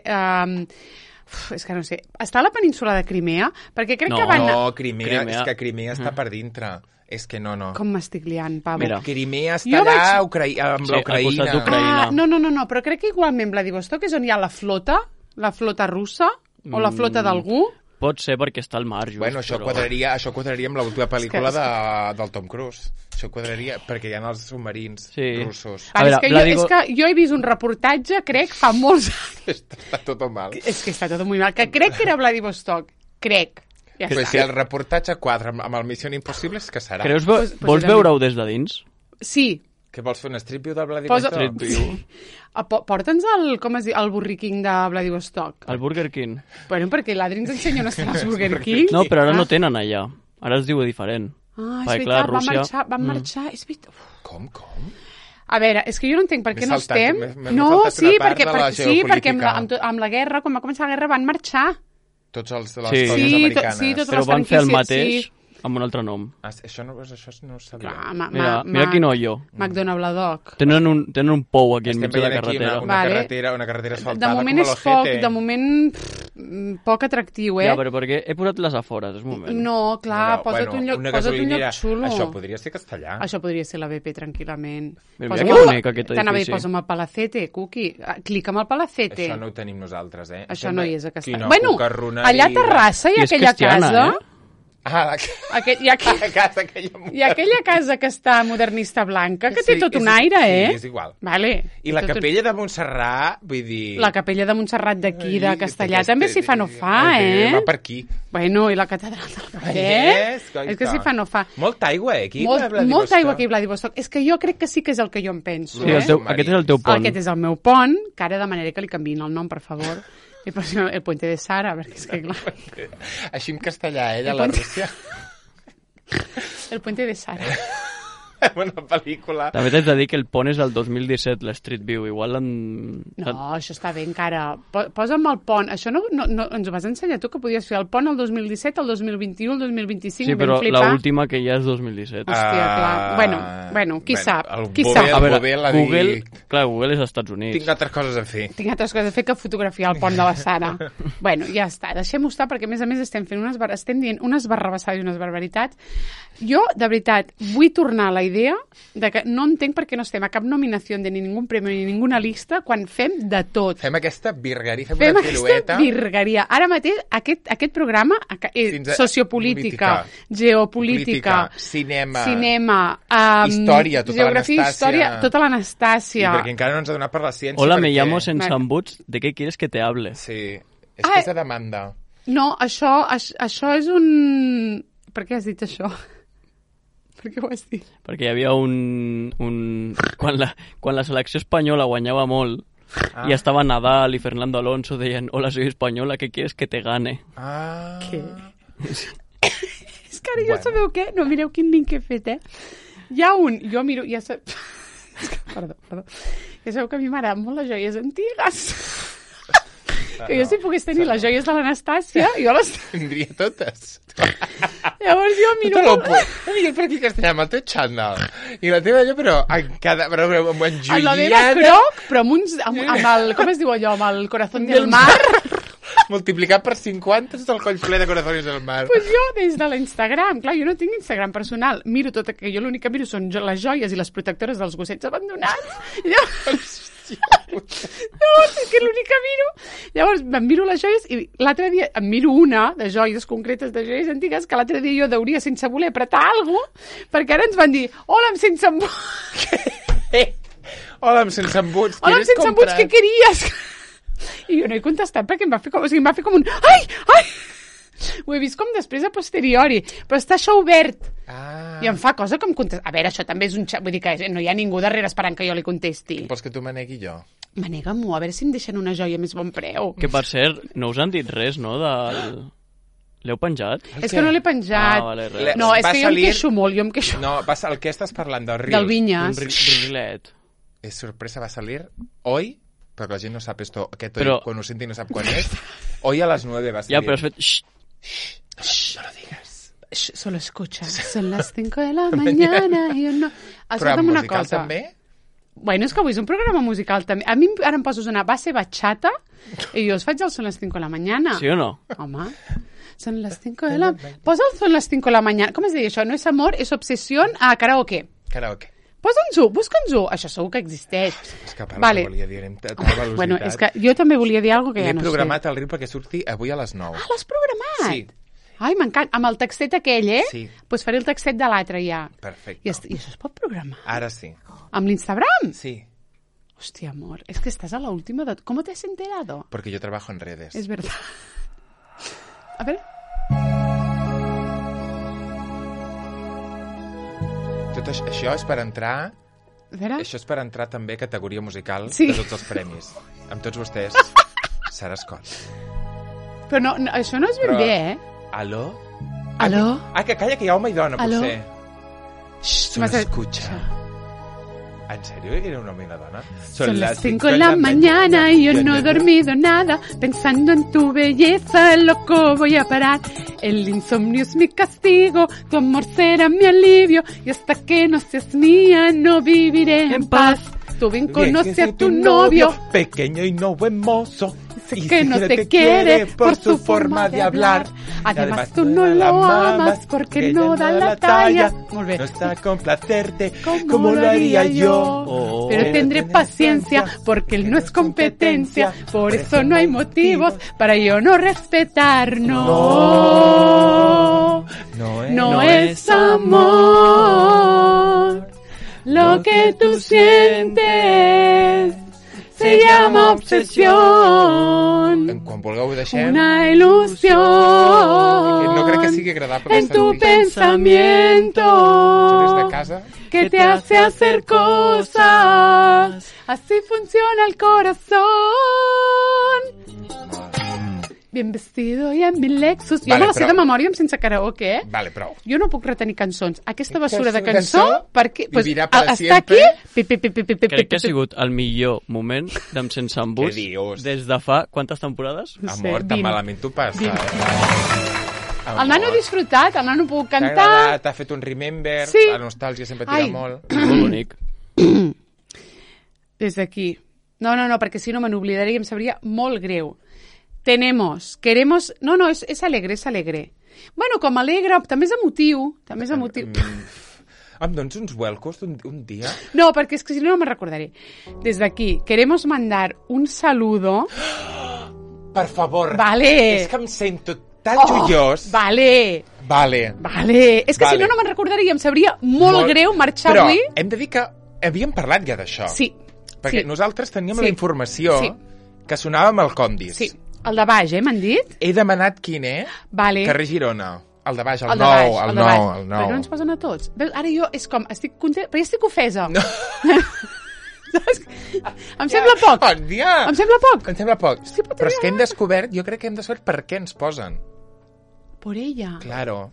S1: és que no sé, està a la península de Crimea, perquè crec que van...
S2: No, Crimea, és que Crimea està per dintre. És que no.
S1: Com m'estic liant, Pablo?
S3: Mira.
S2: Crimea està
S1: Jo
S2: allà
S1: vaig-
S2: amb
S3: Sí, al costat
S2: l'Ucraïna.
S3: d'Ucraïna.
S1: No, però crec que igualment Vladivostok és on hi ha la flota russa, o la flota d'algú.
S3: Pot ser perquè està al mar, just.
S2: Bueno, això
S3: però...
S2: quadraria amb l'última pel·lícula
S1: És que-
S2: del Tom Cruise. Això quadraria, perquè hi ha els submarins
S3: Sí.
S2: russos.
S3: A veure,
S1: És que jo he vist un reportatge, crec, fa molts anys.
S2: Està tot mal.
S1: És que està tot molt mal. Que crec que era Vladivostok. Crec. Ja
S2: Però
S1: està.
S2: si el reportatge quadra amb el Missió Impossible, és que serà.
S3: Creus,
S1: Pues
S3: vols
S1: també.
S3: veure-ho des de dins?
S1: Sí.
S2: Que vols fer un strip view del Vladivostok?
S3: Street View.
S1: Porta'ns el Burger King de Vladivostok.
S3: El Burger King.
S1: Bueno, perquè l'Adri ens ensenya on estan els Burger King.
S3: No, però ara no tenen allà. Ara es diu diferent.
S1: Ah, és
S3: Perquè,
S1: veritat,
S3: clar, Rússia...
S1: van marxar, és veritat. Uf.
S2: Com?
S1: A veure, és que jo no entenc per què
S2: M'he
S1: no
S2: saltat-
S1: estem...
S2: m'he
S1: No,
S2: saltat
S1: sí,
S2: una part
S1: perquè,
S2: de la
S1: sí, perquè
S2: geopolítica.
S1: amb la guerra, quan va començar la guerra, van marxar.
S2: Tots les
S3: Sí.
S2: colònies
S1: Sí,
S2: americanes.
S1: sí, totes
S3: Però
S1: les
S3: van fer el
S1: franquícies,
S3: mateix
S1: sí.
S3: amb un altre nom.
S2: Això no ho sabia.
S1: Clar,
S3: Mira quin hoio.
S1: McDonald Bladoc.
S3: Tenen un pou aquí enmig de la
S2: veient aquí
S3: carretera.
S2: una carretera
S1: De
S2: asfaltada
S1: moment
S2: com
S1: és
S2: l'Ojete.
S1: poc, de moment poc atractiu, eh?
S3: Ja, però perquè he posat les afores, és un moment.
S1: No, clar,
S2: No,
S1: posa't un lloc
S2: una
S1: posa't un
S2: gasolinera.
S1: lloc xulo.
S2: Això podria ser castellà.
S1: Això podria ser la BP, tranquil·lament.
S3: Mira que bonic, aquest
S1: T'anava a dir,
S3: edifici.
S1: posa'm el Palacete, Cuqui. Clica amb el Palacete.
S2: Això no ho tenim nosaltres, eh?
S1: Això no hi és a Castellà.
S2: Quina
S1: Bueno,
S2: cucarroneria.
S1: allà a Terrassa hi
S3: I
S1: ha
S3: és
S1: aquella
S3: cristiana,
S1: casa...
S3: eh?
S2: Ah,
S1: Hi ha
S2: casa aquella...
S1: aquella casa que està modernista blanca, que té
S2: Sí,
S1: tot
S2: és-
S1: un aire, eh?
S2: Sí, és igual.
S1: Vale.
S2: I la
S1: Tot un-
S2: capella de Montserrat, vull dir...
S1: La capella de Montserrat d'aquí, de
S2: Ai,
S1: Castellà,
S2: aquesta-
S1: també s'hi fa no fa, eh?
S2: Va per aquí.
S1: Bueno, i la catedral del Cafè?
S2: Yes,
S1: És que s'hi fa no fa.
S2: Molta aigua, eh, aquí.
S1: Molta aigua aquí a Vladivostok. És que jo crec que sí que és el que jo em penso,
S3: Sí,
S1: eh?
S3: aquest és el teu pont.
S1: Aquest és el meu pont, que ara demanaré que li canviïn el nom, per favor. El puente de Sara, perquè és que clar...
S2: Així en castellà, de
S1: El
S2: la
S1: puente-
S2: Rússia.
S1: El puente de Sara.
S2: Una pel·lícula.
S3: També t'haig de dir que el pont és del 2017, l'Street View. Igual
S1: No, això està bé encara. Posa'm el pont. Això no ens ho vas ensenyar tu, que podies fer el pont el 2017, el 2021, el 2025.
S3: Sí, però l'última que ja és 2017.
S1: Hòstia, clar. Bueno, qui sap? Qui
S2: Google,
S1: sap?
S3: A veure,
S2: Google,
S3: Google és als Estats Units.
S2: Tinc altres coses a fer.
S1: Tinc altres coses a fer que fotografiar el pont de la Sara. Bueno, ja està. Deixem-ho estar, perquè a més estem dient unes barrabassades i unes barbaritats. Jo, de veritat, vull tornar a la idea de que no entenc per què no estem a cap nominació de ni ningú premi ni ninguna llista quan fem de tot.
S2: Fem aquesta virgueria, fem
S1: Fem
S2: una pirueta.
S1: aquesta virgueria. Ara mateix, aquest programa és sociopolítica, geopolítica,
S2: cinema, història, tota
S1: geografia,
S2: l'Anastàcia.
S1: Història, tota l'Anastàcia.
S2: I perquè encara no ens ha donat per la ciència.
S3: Hola,
S2: perquè...
S3: me llamo sense embuts. ¿De què quieres que te hable?
S2: Sí, és que és de demanda.
S1: No, això és un... Per què has dit això? Per què ho has dit?
S3: Perquè hi havia quan la selecció espanyola guanyava molt i estava Nadal i Fernando Alonso deien hola, soy española, ¿qué quieres que te gane?
S1: Què? És que ara jo sabeu què? No, mireu quin link he fet, Hi ha un... Jo miro... Perdó. Ja sabeu que a mi m'agraden molt les joies antigues. Que jo si pogués tenir les joies de l'Anastàcia, jo les...
S2: Tindria totes.
S1: Llavors jo miro...
S2: Jo per aquí castellà amb el teu xandall. I la teva allò, però amb
S1: en la meva croc, però amb el... Com es diu allò? Amb el corazón del mar.
S2: Multiplicat per 50 és el coll ple de corazones del mar.
S1: Pues jo, des de l'Instagram, clar, jo no tinc Instagram personal, miro tot, que jo l'únic que miro són les joies i les protectores dels gossets abandonats. I llavors, és que l'únic que miro. Llavors, em miro les joies i l'altre dia em miro una de joies concretes, de joies antigues, que l'altre dia jo deuria sense voler apretar alguna cosa, perquè ara ens van dir, hola, amb sense embuts.
S2: Hola, amb sense embuts.
S1: Hola, amb sense embuts, què queries? I jo no he contestat perquè em va fer com un... Ai! Ho he vist com després a posteriori, però està això obert. I em fa cosa com contestar. A veure, això també és un xat, vull dir que no hi ha ningú darrere esperant que jo li contesti.
S2: Vols que tu me negui jo?
S1: Manega-m'ho, a veure si em deixen una joia més bon preu.
S3: Que per cert, no us han dit res, no? L'heu penjat?
S1: És que no l'he penjat.
S3: Vale,
S1: no, és que jo em queixo molt,
S2: No, el que estàs parlant del Reels.
S1: Del Vinyes.
S3: Un rilet.
S2: És sorpresa, va salir hoy, perquè la gent no sap esto, aquest hoy, quan ho senti no sap quan és. Hoy a las 9 va salir.
S3: Ja, però has fet...
S2: No lo digas.
S1: Solo escucha. Son las 5 de la mañana i jo no...
S2: Però musical també?
S1: Bueno, és que avui és un programa musical també. A mi ara em poses una base bachata i jo us faig el Son las 5 de la mañana.
S3: Sí o no?
S1: Home, son las 5 de la... Posa el Son las 5 de la mañana. Com es deia això? No és amor, és obsessió a karaoke.
S2: Karaoke.
S1: Posa'ns-ho, busca'ns-ho. Això segur que existeix.
S2: És que vale. Volia dir amb tal velocitat.
S1: Bueno, és que jo també volia dir alguna cosa que ja no sé.
S2: L'he programat al Reel perquè surti avui a les 9.
S1: Ah, l'has programat?
S2: Sí.
S1: Ai, m'encanta. Amb el textet aquell,
S2: Sí.
S1: Pues faré el textet de l'altre ja.
S2: Perfecte.
S1: I això es pot programar?
S2: Ara sí.
S1: Amb l'Instagram?
S2: Sí.
S1: Hostia, amor, es que estás a la última de... ¿Cómo te has enterado?
S2: Porque yo trabajo en redes.
S1: Es verdad. A ver...
S2: Tot això és per entrar...
S1: A veure...
S2: Això és per entrar també a categoria musical
S1: Sí.
S2: de tots els premis. Amb tots vostès, Sara Scott.
S1: Però no, això no és ben bé,
S2: Aló?
S1: Aló?
S2: Que calla, que hi ha home i dona,
S1: Aló?
S2: potser. Solo
S1: M'has de-
S2: escucha. ¿En serio era un hombre y una dona?
S1: Son las 5 de la mañana y yo no he dormido nada. Pensando en tu belleza, loco voy a parar. El insomnio es mi castigo, tu amor será mi alivio. Y hasta que no seas mía, no viviré en paz. Tú bien conoces a tu novio,
S2: pequeño y no buen mozo.
S1: y que no te quiere por su forma de hablar. Además tú no lo amas porque no da la talla. Molt bé.
S2: No está a complacerte
S1: Como lo haría yo. Pero tendré paciencia porque él no es competencia. Por eso no hay motivos para yo no respetar. No, no es amor. Lo que tú sientes se llama obsesión.
S2: Quan vulgueu ho deixem.
S1: Una ilusión.
S2: No crec que sigui agradable.
S1: En tu pensamiento.
S2: Des de casa.
S1: Que te hace hacer cosas. Así funciona el corazón. bien vestido y en mi Lexus. Jo
S2: Vale,
S1: me la sé
S2: però-
S1: de memòria sense karaoke,
S2: Vale, prou.
S1: Jo no puc retenir cançons. Aquesta basura de
S2: Cançó
S1: cançó, perquè
S2: vivirà para
S1: està aquí...
S2: siempre.
S3: Crec que ha sigut el millor moment d'Em Sense Embús
S2: Què dius?
S3: des de fa quantes temporades?
S1: No sé,
S2: Amor, tan
S1: 20.
S2: malament t'ho passa.
S1: 20. El nano ha disfrutat, el nano ha pogut cantar...
S2: T'ha fet un remember,
S1: Sí.
S2: la nostàlgia sempre tira
S1: Ai.
S2: molt.
S3: És molt bonic.
S1: Des d'aquí. No, perquè si no me n'oblidaria i em sabria molt greu. Tenemos, queremos... No, és alegre, és alegre. Bueno, com alegre, també és emotiu. També és emotiu.
S2: Em dones uns vuelcos un dia?
S1: No, perquè és que si no me'n recordaré. Des d'aquí, queremos mandar un saludo...
S2: Per favor.
S1: Vale.
S2: És que em sento tan joiós.
S1: Vale. És que si no me'n recordaria i em sabria molt greu marxar
S2: Però
S1: avui.
S2: hem de dir que havíem parlat ja d'això.
S1: Sí.
S2: Perquè
S1: sí.
S2: nosaltres teníem
S1: Sí.
S2: la informació
S1: Sí.
S2: que sonava amb el Condis.
S1: Sí, el de baix, m'han dit?
S2: He demanat quin és.
S1: Vale.
S2: Carrer Girona. El de baix, el
S1: de
S2: nou,
S1: baix,
S2: el
S1: de baix.
S2: nou, el nou.
S1: Però no ens posen a tots. Veus, ara jo és com, estic content, però ja estic ofesa.
S2: No.
S1: Em sembla poc.
S2: Bon dia.
S1: Em sembla poc.
S2: Em sembla poc.
S1: Sí, però
S2: Però és que hem descobert, jo crec que hem descobert per què ens posen.
S1: Por ella.
S2: Claro.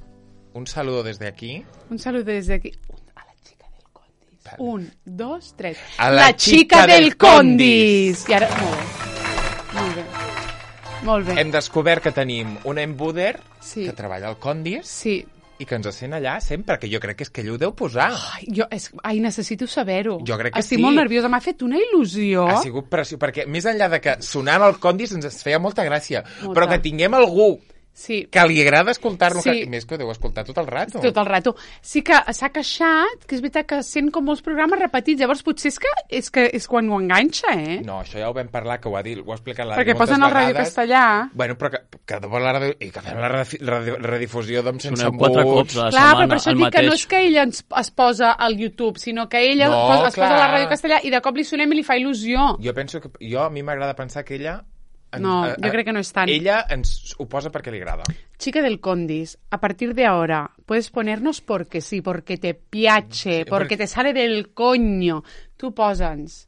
S2: Un saludo desde aquí.
S1: Un saludo desde aquí. A la chica del Condis.
S2: Vale.
S1: 1, 2, 3.
S2: A la chica del Condis.
S1: I ara, molt bé. Molt bé.
S2: Hem descobert que tenim un embuder
S1: Sí.
S2: que treballa al Condis
S1: Sí.
S2: i que ens sent allà sempre, que jo crec que és que ell ho deu posar.
S1: Ai, necessito saber-ho.
S2: Jo crec que
S1: Estic
S2: sí.
S1: molt nerviosa, m'ha fet una il·lusió.
S2: Ha sigut pressió, perquè més enllà de que sonant al Condis ens feia molta gràcia,
S1: Molta.
S2: però que tinguem algú
S1: Sí.
S2: que li agrada escoltar-lo,
S1: Sí.
S2: que, i més que ho deu escoltar tot el rato.
S1: Tot el rato. Sí que s'ha queixat, que és veritat que sent com molts programes repetits, llavors potser és quan ho enganxa, eh?
S2: No, això ja ho vam parlar, que ho ha explicat l'Adri
S1: Perquè
S2: moltes
S1: posen el ràdio
S2: vegades.
S1: castellà.
S2: Bueno, però que de la ràdio, i que fem la redifusió d'Em Sense
S3: Soneu 4 cops
S2: Embuts.
S3: a la
S1: Clar, però
S3: setmana,
S1: per això
S3: el
S1: dic que no
S3: mateix.
S1: és que ella es posa al YouTube, sinó que ella
S2: No,
S1: es posa a
S2: clar.
S1: la ràdio castellà i de cop li sonem i li fa il·lusió.
S2: Jo penso que... A mi m'agrada pensar que ella...
S1: No, jo crec que no és tant.
S2: Ella ens ho posa perquè li agrada.
S1: Chica del Condis, a partir de ahora puedes ponernos porque sí, porque te piace, porque te sale del coño. Tu posa'ns.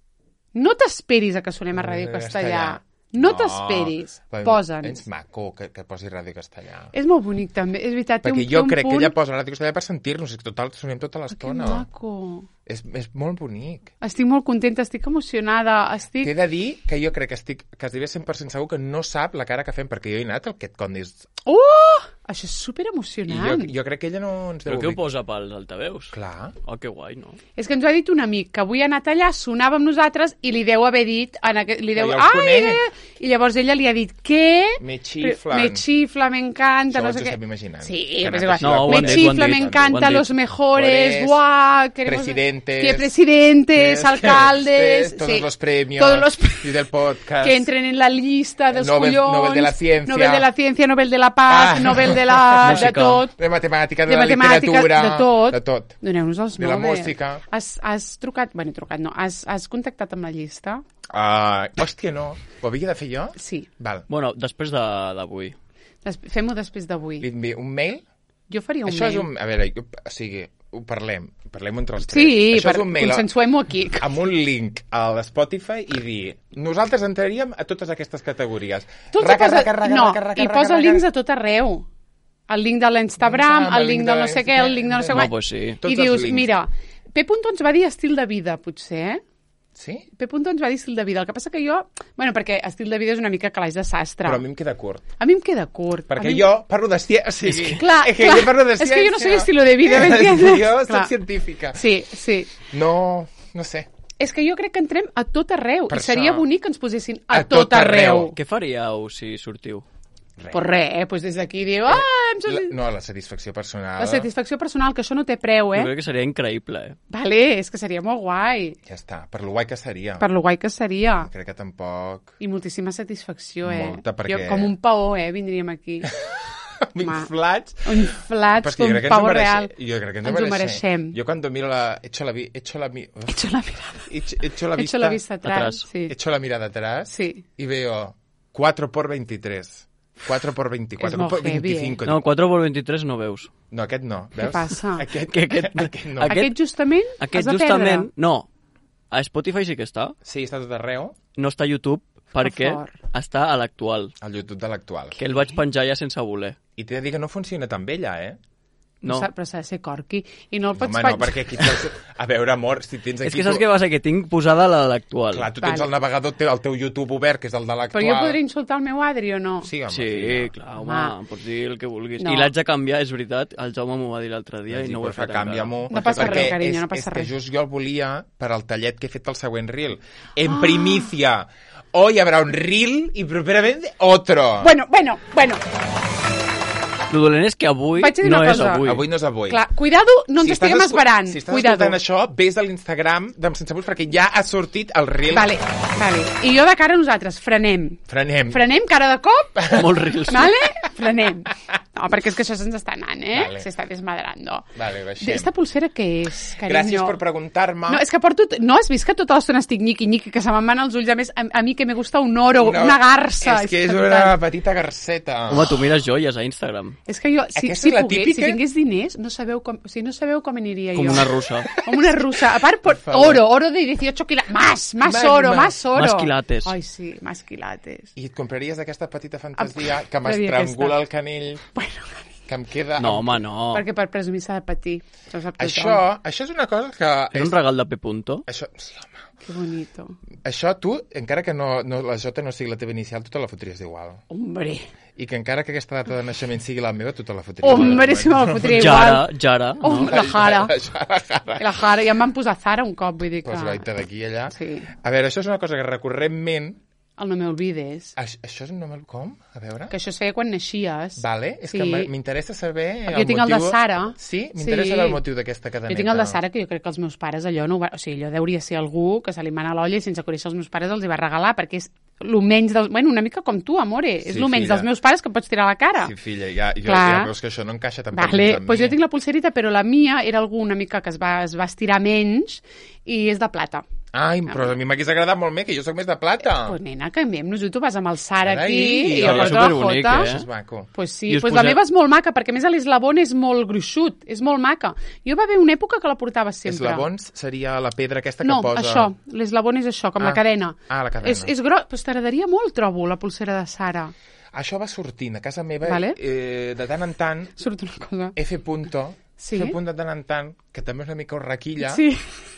S1: No t'esperis a que sonem a Ràdio Castellà. No t'esperis. Posa'ns.
S2: És maco que posi ràdio castellà.
S1: És molt bonic, també. És veritat, té
S2: Perquè
S1: un,
S2: jo
S1: té un
S2: crec
S1: punt...
S2: que ella posa ràdio castellà per sentir-nos, i que total sonem tota
S1: Que
S2: l'estona.
S1: maco.
S2: És molt bonic.
S1: Estic molt contenta, estic emocionada, estic...
S2: T'he de dir que jo crec que estic quasi 100% segur que no sap la cara que fem, perquè jo he anat al Aquest Condis.
S1: Això és super
S2: I
S1: emocionant.
S2: jo crec que ella no ens deu
S3: Però què ho
S2: dir.
S3: posa pels altaveus?
S2: Clar.
S3: Oh, que guai, no?
S1: És que ens ho ha dit un amic, que avui ha anat allà, sonava amb nosaltres i li deu haver dit... Li deu...
S2: Ja els conec.
S1: I llavors ella li ha dit, què?
S2: Me xiflan.
S1: Me xifla, me encanta,
S2: Això
S1: no
S2: ens
S1: sé
S2: ho
S1: què.
S2: estem imaginant.
S1: Sí,
S2: Que ha
S1: pues
S2: anat
S1: igual.
S2: així
S3: No, ho
S1: Me
S3: han dit,
S1: chifla,
S3: ho han
S1: me
S3: dit,
S1: encanta,
S3: ho han
S1: los
S3: dit.
S1: mejores,
S2: Mejores,
S1: guau,
S2: presidentes,
S1: presidentes, alcaldes,
S2: todos
S1: sí.
S2: los premios,
S1: Todos los
S2: y del podcast.
S1: que entren en la lista dels
S2: Nobel-
S1: collons,
S2: Nobel de la Ciència.
S1: Nobel de la Ciència, Nobel de la Paz,
S2: Ah.
S1: Nobel de la... de
S3: Música.
S1: tot.
S2: De matemàtica, de,
S1: De
S2: la
S1: matemàtica,
S2: literatura,
S1: de tot.
S2: de tot.
S1: Doneu-nos els
S2: De la
S1: Nobel.
S2: música.
S1: Has trucat... Bueno, trucat no. Has contactat amb la llista?
S2: Hòstia, no. Ho havia de fer jo?
S1: Sí.
S2: Val.
S3: Bueno, després d'avui.
S1: Fem-ho després d'avui.
S2: Li envio un mail?
S1: Jo faria un
S2: Això
S1: mail.
S2: és un... A veure, o sigui, ho parlem entre els tres.
S1: Sí,
S2: Això és un mail
S1: consensuem-ho aquí.
S2: amb un link a l'Spotify i dir nosaltres entraríem a totes aquestes categories.
S1: Tu els poses... No, i posa links a tot arreu. El link de l'Instagram, el link del no sé què, el link de no sé
S3: No,
S1: què.
S3: pues sí.
S2: Tots
S1: I dius,
S2: els links.
S1: mira, P. ens va dir estil de vida, potser, eh?
S2: Sí?
S1: P. ens va dir estil de vida. El que passa que jo... Bueno, perquè estil de vida és una mica calaix de sastre.
S2: Però a mi em queda curt.
S1: A mi em queda curt.
S2: Perquè
S1: A mi...
S2: jo parlo de ciència... O sigui,
S1: Clar,
S2: és que
S1: clar.
S2: jo parlo de
S1: És
S2: ciència.
S1: que jo no soy estilo de vida, ¿me entiendes?
S2: Jo
S1: Clar.
S2: soc científica.
S1: Sí, sí.
S2: No sé.
S1: És que jo crec que entrem a tot arreu.
S2: Per
S1: I seria
S2: això.
S1: bonic que ens posessin
S2: A
S1: a tot
S2: tot arreu.
S1: arreu.
S3: Què faríeu si sortiu?
S1: Pues res, pues des d'aquí diu...
S2: La satisfacció personal...
S1: La satisfacció personal, que això no té preu,
S3: Jo
S1: eh?
S3: crec que seria increïble, eh?
S1: Vale, és que seria molt guai.
S2: Ja està, per lo guai que seria.
S1: Per lo guai que seria.
S2: Crec que tampoc...
S1: I moltíssima satisfacció, eh?
S2: Molta, perquè-
S1: Jo, com un paó, vindríem aquí.
S2: Inflats.
S1: Inflats,
S2: Però és que
S1: com
S2: jo crec
S1: un
S2: que
S1: pau real.
S2: Jo crec que
S1: Ens ho mereixem.
S2: Jo cuando miro la... Echo la
S1: vista atrás. Sí.
S2: Echo la mirada atrás
S1: Sí.
S2: y veo 4 por 23. 4 por 24.
S1: És molt
S2: 4 por
S1: heavy,
S2: 25.
S3: No, 4x23 no veus.
S2: No, aquest no. Veus?
S1: passa?
S2: Aquest,
S3: Aquest
S2: no.
S1: Aquest justament
S3: Aquest
S1: has de
S3: justament...
S1: perdre.
S3: No. A Spotify sí que està.
S2: Sí, està tot arreu.
S3: No està a YouTube perquè
S1: fort.
S3: està a l'actual,
S2: Al YouTube de l'actual.
S3: que el vaig penjar ja sense voler.
S2: I t'he de dir que no funciona tan bé, ella,
S3: No.
S1: Però s'ha de ser corqui. I no el pots
S2: Home, no, perquè aquí... A veure, amor, si tens aquí...
S3: És que saps què passa? Que tinc posada l'actual.
S2: Clar, tu tens
S1: Vale.
S2: el navegador, el teu YouTube obert, que és el de l'actual.
S1: Però jo podré insultar el meu Adri o no?
S2: Sí, home,
S3: Sí, clar, home,
S1: Home.
S3: pots dir el que vulguis.
S1: No.
S3: I l'haig de canviar, és veritat, el Jaume m'ho va dir l'altre dia i no ho he fet encara.
S2: Canvia-m'ho.
S1: No passa
S2: perquè
S1: res, carinyo, no passa
S2: és
S1: res.
S2: que just jo el volia per al tallet que he fet al següent reel. En primicia. Hoy habrá un reel y properamente otro.
S1: Bueno.
S3: Lo dolent és que avui
S1: Vaig a dir
S3: no
S1: una
S3: és
S1: cosa.
S3: avui.
S2: Avui no és avui.
S1: Clar, cuidado, no ens estiguem esperant.
S2: Si estàs
S1: Cuidado.
S2: escoltant això, vés a l'Instagram d'Em Sense Buls perquè ja ha sortit el reel.
S1: Vale. I jo de cara a nosaltres, frenem.
S2: Frenem.
S1: Frenem, cara de cop.
S3: Molts reels.
S1: Vale? Frenem. No, perquè és que això se'ns està anant,
S2: Vale.
S1: Se està desmadrando.
S2: Vale, baixem.
S1: Esta pulsera què és, carinyo?
S2: Gràcies per preguntar-me.
S1: No, és que porto... No has vist que tota l'estona estic nyiqui, que se me'n van els ulls? A més, a mi que me gusta un oro, una garça.
S2: És que és
S1: que
S2: una petita garceta.
S3: Home, tu mires joies a Instagram.
S1: És que jo, si
S2: Aquesta és la
S1: pogués,
S2: típica?
S1: si tingués diners, no sabeu com aniria
S3: Com
S1: jo.
S3: una russa.
S1: Com una russa. A part,
S2: favor.
S1: oro de 18 quilates. Más
S2: Más,
S1: oro.
S3: Más quilates.
S1: Ai, sí, más quilates.
S2: I et compraries aquesta petita fantasia que
S1: compraria
S2: m'estrangula
S1: aquesta.
S2: el canell,
S1: Bueno,
S2: que em queda...
S3: No, home, no.
S1: perquè per presumir s'ha de patir. Això ho sap
S2: Això
S1: tothom.
S2: és una cosa que...
S3: És un regal de P. Punto.
S2: Això, sí, home.
S1: Que bonito.
S2: Això tu, encara que no, la J no sigui la teva inicial, tu te la fotries igual.
S1: Hombre.
S2: I que encara que aquesta data de naixement sigui la meva, tu te la fotries
S1: Hombre, si me la fotria igual.
S3: Jara, no?
S1: Oh, la Jara.
S2: Jara.
S1: La Jara. Ja em van posar Zara un cop, vull dir que...
S2: Pues gaita d'aquí i allà.
S1: Sí.
S2: A veure, això és una cosa que recurrentment...
S1: El no me olvides.
S2: Això és un nom... Com? A veure...
S1: Que això es feia quan naixies.
S2: Vale, és
S1: Sí.
S2: que m'interessa saber...
S1: Perquè jo tinc el de Sara.
S2: Sí? M'interessa saber el motiu d'aquesta cadeneta.
S1: Jo tinc el de Sara, que jo crec que els meus pares allò no ho va... O sigui, allò deuria ser algú que se li mana l'olla i sense conèixer els meus pares els hi va regalar, perquè és lo menys dels... Bueno, una mica com tu, amore. És
S2: Sí,
S1: lo menys
S2: filla.
S1: dels meus pares que em pots tirar a la cara.
S2: Sí, filla, ja
S1: Clar.
S2: veus que això no encaixa tampoc
S1: Vale,
S2: dins amb
S1: pues
S2: mi.
S1: jo tinc la pulserita, però la mia era algú una mica que es va estirar menys i és de plata.
S2: Ai, però a mi m'hagués agradat molt més, que jo sóc més de plata.
S1: Pues nena, canviem-nos, tu vas amb el Sara
S2: Ara
S1: aquí
S2: i-
S1: i jo
S2: és
S1: porto la
S3: superbonic,
S1: Jota.
S2: Això és maco.
S1: Pues sí,
S3: I us
S1: pues la
S3: poseu-
S1: meva és molt maca, perquè a més l'eslabón és molt gruixut, és molt maca. Jo va haver una època que la portava sempre.
S2: Eslabons seria la pedra aquesta que
S1: No,
S2: posa...
S1: això, l'eslabón és això, com la cadena.
S2: Ah, la cadena.
S1: És gros, però t'agradaria molt, trobo, la pulsera de Sara.
S2: Això va sortint. A casa meva,
S1: Vale.
S2: de tant en tant,
S1: Surt una cosa.
S2: F. Punto,
S1: Sí?
S2: F. Punto de tant en tant, que també és una mica horraquilla,
S1: Sí.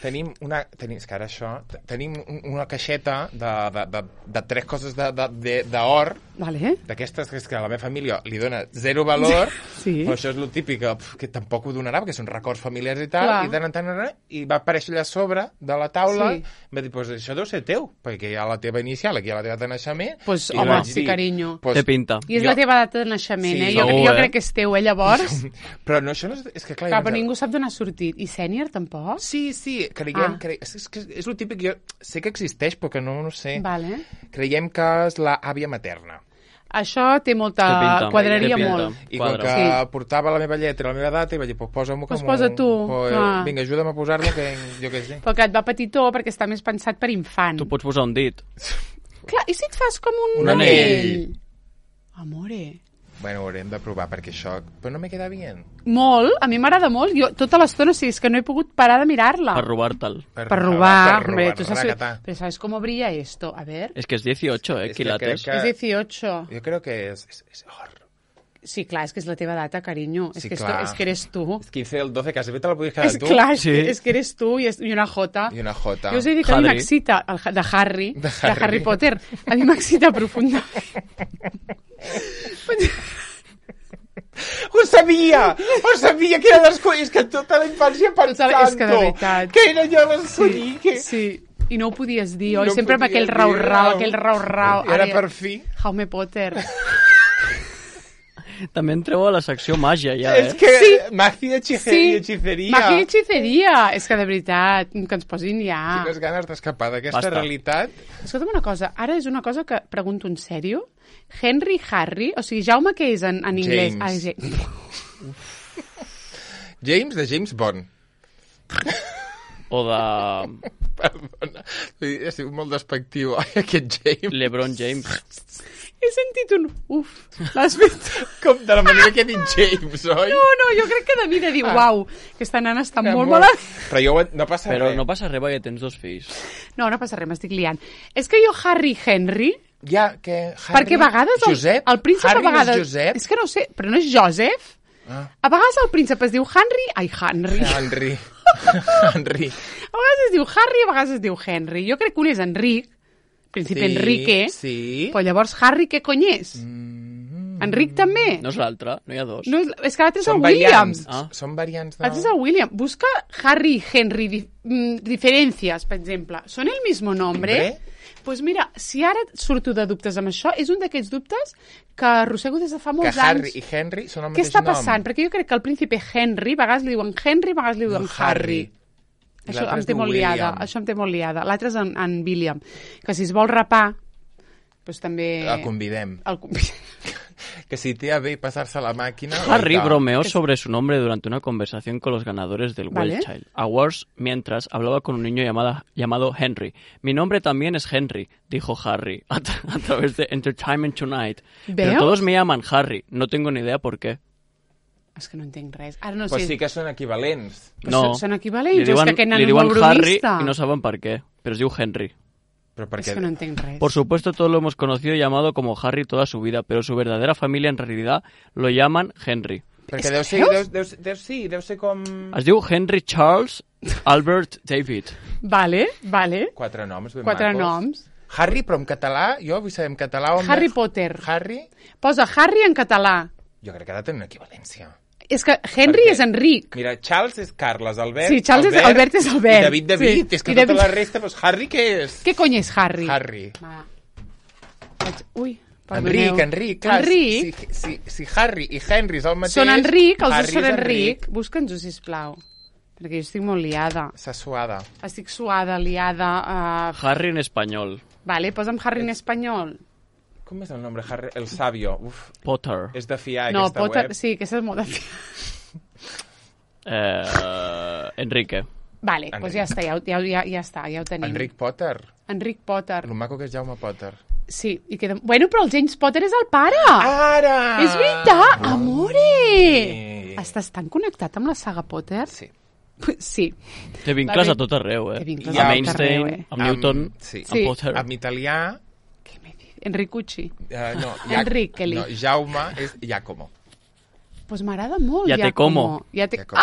S2: és que ara això, tenim una caixeta de tres coses d'or,
S1: Vale.
S2: d'aquestes que a la meva família li dona zero valor,
S1: Sí.
S2: però això és el típic que tampoc ho donarà, perquè són records familiars i tal,
S1: Clar.
S2: i de tant en tant, i va aparèixer allà a sobre de la taula,
S1: Sí.
S2: va dir, pues això deu ser teu, perquè hi ha la teva inicial, aquí hi ha la teva data de naixement,
S1: Pues,
S2: i
S1: home,
S2: vaig
S1: sí,
S2: dir,
S1: carinyo.
S2: Pues,
S3: Té pinta.
S1: I és
S2: Jo-
S1: la teva data de naixement,
S2: Sí,
S1: Jo
S3: segur,
S1: crec que és teu, llavors.
S2: Però no, això no és que clar...
S1: Clar, però ningú sap d'on ha sortit. I sènior, tampoc?
S2: Sí, creiem... És que és el típic... Jo sé que existeix, però que no sé.
S1: Vale.
S2: Creiem que és la àvia materna.
S1: Això té molta...
S3: Té pinta,
S1: Quadraria
S3: té pinta.
S1: molt.
S2: I com
S3: Quadra.
S2: que
S1: Sí.
S2: portava la meva lletra, la meva data, i vaig dir, pues posa-m'ho
S1: Pues
S2: com...
S1: posa tu, clar.
S2: Vinga, ajuda'm a posar-lo, que jo què sé.
S1: Però que et va petitó perquè està més pensat per infant.
S3: Tu pots posar un dit.
S1: Clar, i si et fas com un
S2: Un
S1: anell? Amore.
S2: Bueno, ho haurem de provar, perquè això... Però no me queda bien.
S1: Molt, a mi m'agrada molt. Jo tota l'estona, sí, és que no he pogut parar de mirar-la.
S3: Per robar-te'l.
S1: Per robar.
S2: Per
S1: Hombre,
S2: robar,
S1: tú sabes,
S2: racatà.
S1: pero ¿sabes cómo brilla esto? A ver.
S3: És que és 18,
S2: És que
S3: quilates.
S2: crec
S1: Es 18.
S2: Jo crec que és or.
S1: Sí, clar, és que és la teva data, carinyo.
S2: Sí,
S1: és que
S2: clar.
S1: és que eres tu.
S2: És 15 del 12, quasi bé te la podies quedar
S1: És
S2: tu.
S1: clar,
S3: Sí.
S1: és que eres tu i una J.
S2: I una J.
S1: Jo us he dit que a mi
S3: Harry.
S1: m'excita, de Harry,
S2: De
S1: de
S2: Harry.
S1: Harry Potter, a mi m'excita profundament.
S2: Ho sabia que era l'escollir, és que tota la infància pensant
S1: És que de veritat.
S2: que era jo l'escollir, que...
S1: Sí, i no ho podies dir, oi?
S2: No
S1: Sempre amb
S2: podia
S1: aquell
S2: dir,
S1: rau-rau,
S2: no.
S1: aquell rau-rau.
S2: I ara per fi...
S1: Jaume Potter.
S3: També entreu a la secció màgia, ja,
S2: És que
S1: Sí.
S2: màgia, hechiceria.
S1: Màgia i hechiceria. És que de veritat, que ens posin ja.
S2: Quines ganes d'escapar d'aquesta
S3: Basta.
S2: realitat.
S1: Escolta'm una cosa, ara és una cosa que pregunto en sèrio. Henry, Harry, o sigui, Jaume què és en anglès?
S2: James.
S1: James.
S2: James de James Bond.
S3: O de
S2: Perdona, he sigut molt despectiu. Ai, aquest James.
S3: LeBron James.
S1: He sentit un uf. L'has fet?
S2: Com de la manera que he dit James, oi?
S1: No, jo crec que de mi de dir, uau, aquesta nana està molt
S2: Molt.
S1: mala.
S2: Però jo no passa
S3: Però
S2: res.
S3: no passa res perquè tens dos fills.
S1: No passa res, m'estic liant. És que jo Harry Henry
S2: Ja, que Harry...
S1: Perquè a vegades
S2: Josep?
S1: el príncep
S2: Harry
S1: a vegades...
S2: no és Josep?
S1: És que no ho sé, però no és Joseph?
S2: Ah.
S1: A vegades el príncep es diu Henry... Ai, Henry.
S2: Henry. Henry.
S1: A vegades es diu Harry, a vegades es diu Henry. Jo crec que un és Enric, príncipe Enrique,
S2: Sí.
S1: però llavors Harry què cony és? Enric també?
S3: No és l'altre, no hi ha dos.
S1: No, és que l'altre és el
S2: Són
S1: Williams.
S2: variants.
S3: Ah.
S2: Són variants de...
S1: L'altre és el William. Busca Harry i Henry, diferències, per exemple. Són el mismo nombre? Pues mira, si ara surto de dubtes amb això, és un d'aquests dubtes que arrossego des de fa
S2: Que
S1: molts
S2: Harry
S1: anys.
S2: i Henry són el
S1: Què
S2: mateix
S1: està
S2: nom.
S1: passant? Perquè jo crec que el príncipe Henry, a vegades li diuen Henry, a vegades li diuen Harry.
S2: I
S1: Això
S2: l'altre
S1: em
S2: es
S1: té
S2: diu
S1: molt liada.
S2: William.
S1: Això em té molt liada. L'altre és en William. Que si es vol rapar, doncs també...
S2: El convidem.
S1: El convidem.
S2: Que si té a bé pasar-se la màquina...
S3: Harry
S2: oiga.
S3: bromeó sobre su nombre durante una conversación con los ganadores del
S1: Vale.
S3: Well Child Awards mientras hablaba con un niño llamado Henry. Mi nombre también es Henry, dijo Harry a través de Entertainment Tonight. Pero
S1: ¿Veus?
S3: todos me llaman Harry, no tengo ni idea por qué.
S1: És que no entenc res. Ara no
S2: Pues
S1: sé...
S2: sí que són equivalents.
S1: Però són equivalents,
S3: li
S1: o és
S3: diuen,
S1: que aquest nano
S3: li
S1: és
S3: diuen
S1: molt
S3: Harry
S1: bromista.
S3: y no saben por qué, pero es diu Henry.
S2: Però
S1: És
S2: perquè...
S1: que no entenc res.
S3: Por supuesto, todos lo hemos conocido y llamado como Harry toda su vida, pero su verdadera familia en realidad lo llaman Henry.
S2: Perquè deu ser, deu ser com...
S3: Es diu Henry Charles Albert David.
S1: Vale, vale.
S2: Quatre noms ben
S1: Quatre
S2: macos.
S1: noms.
S2: Harry, però en català, jo vull saber en català on...
S1: Harry Potter.
S2: Harry,
S1: Posa Harry en català.
S2: jo crec que ha de tenir una equivalència.
S1: És que Henry
S2: Perquè-
S1: és Enric.
S2: Mira, Charles és Carles, Albert...
S1: Sí, Charles és- Albert és Albert.
S2: I David,
S1: Sí.
S2: és que
S1: I
S2: tota
S1: David-
S2: la resta, doncs Harry què és?
S1: Què cony és Harry?
S2: Harry.
S1: Va. Ui, perdoneu.
S2: Enric, clar.
S1: Enric.
S2: Si Harry i Henry és el mateix...
S1: Són Enric, els dos
S2: Harry
S1: són
S2: és
S1: Enric. Busca'ns-ho, sisplau. Perquè jo estic molt liada.
S2: S'ha suada.
S1: Estic suada, liada.
S3: Harry en español.
S1: Vale, posa'm Harry en espanyol.
S2: Com és el nombre? Harry... El Sabio. Uf,
S3: Potter.
S2: és de fiar,
S1: No,
S2: aquesta
S1: Potter,
S2: web.
S1: sí, aquesta és molt de fi.
S3: Enrique.
S1: Vale,
S2: Enric.
S1: doncs ja està, ja està, ja ho tenim.
S2: Enric Potter.
S1: Enric Potter.
S2: Lo maco que és Jaume Potter.
S1: Sí, i queda... Bueno, però el James Potter és el pare!
S2: Ara!
S1: És veritat! Amore!
S2: Sí.
S1: Estàs tan connectat amb la saga Potter?
S2: Sí.
S1: Sí.
S3: Té vincles
S1: Vale.
S3: a tot arreu,
S1: Té vincles
S2: a
S3: Amb
S2: tot
S3: Einstein,
S1: arreu,
S3: amb Newton,
S2: sí.
S3: amb Potter.
S2: Amb italià...
S1: Què me dius? Enricucci.
S2: No,
S1: Enriqueli.
S2: No, Jaume és Giacomo.
S1: Pues m'agrada molt,
S3: Ja té
S1: Giacomo.
S3: como.
S1: Ja té...
S2: Giacomo.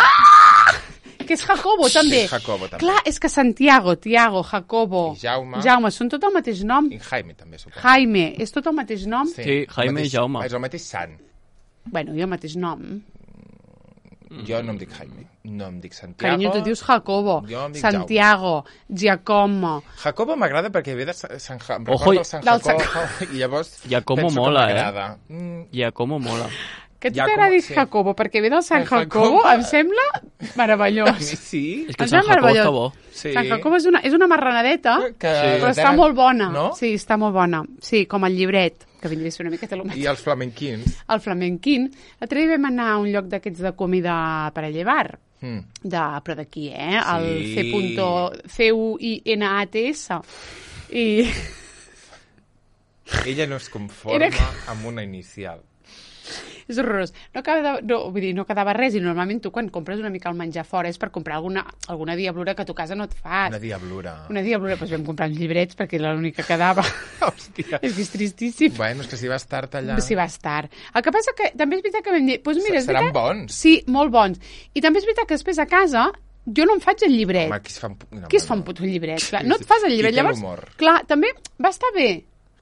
S1: Que és Jacobo, també.
S2: és Jacobo, també.
S1: Clar, és que Santiago, Tiago, Jacobo...
S2: I Jaume.
S1: Jaume, són tot el mateix nom.
S2: I Jaime també, suposo.
S1: Jaime, és tot el mateix nom?
S3: Sí, Jaime i Jaume.
S2: És el mateix sant.
S1: Bueno, i el mateix nom.
S2: Jo no em dic Jaime. No em dic Santiago.
S1: Carinyo, tu dius Jacobo,
S2: Jo em dic
S1: Santiago, Giacomo...
S2: Jacobo m'agrada perquè ve de Sant Jacobo. Em
S3: Ojo,
S2: recorda el Sant
S1: del
S2: Jacobo. I llavors
S3: Giacomo
S2: penso
S3: mola,
S2: que m'agrada.
S3: Ja, com mola.
S1: Que a tu
S2: Giacomo,
S1: t'agradi
S2: sí.
S1: Jacobo, perquè ve del Sant
S2: Sant
S1: Jacobo,
S2: Jacobo.
S1: em sembla
S2: A mi
S1: meravellós.
S2: sí.
S3: És que
S1: Em
S3: el Sant
S1: sembla
S3: Jacobo està
S1: meravellós.
S3: bo.
S2: Sí.
S1: Sant Jacobo és una marranadeta,
S2: Que-
S1: però està molt bona.
S2: No?
S1: Sí, està molt bona. Sí, com el llibret, que vindria a ser una miqueta el mateix.
S2: I els flamenquins.
S1: El flamenquín. L'altre dia vam anar a un lloc d'aquests de comida per a llevar, però d'aquí, el C.CUINATS. I
S2: Ella no es conforma
S1: Era-
S2: amb una inicial.
S1: és horrorós. Vull dir, no quedava res, i normalment tu quan compres una mica el menjar fora és per comprar alguna diablura que a tu casa no et fas.
S2: Una diablura.
S1: Una diablura, doncs vam comprar uns llibrets perquè era l'únic que quedava.
S2: Hòstia.
S1: És que és tristíssim.
S2: Bueno, és que si vas tard allà...
S1: Sí, va estar. El que passa que també és veritat que vam dir... Doncs mira, és
S2: Seran
S1: veritat...
S2: bons.
S1: Sí, molt bons. I també és veritat que després a casa jo no em faig el llibret.
S2: Home, qui es fa un... No,
S1: Qui es fa un puto llibret? Clar, no et fas el llibret.
S2: Qui té
S1: Llavors,
S2: l'humor?
S1: clar, també va estar bé.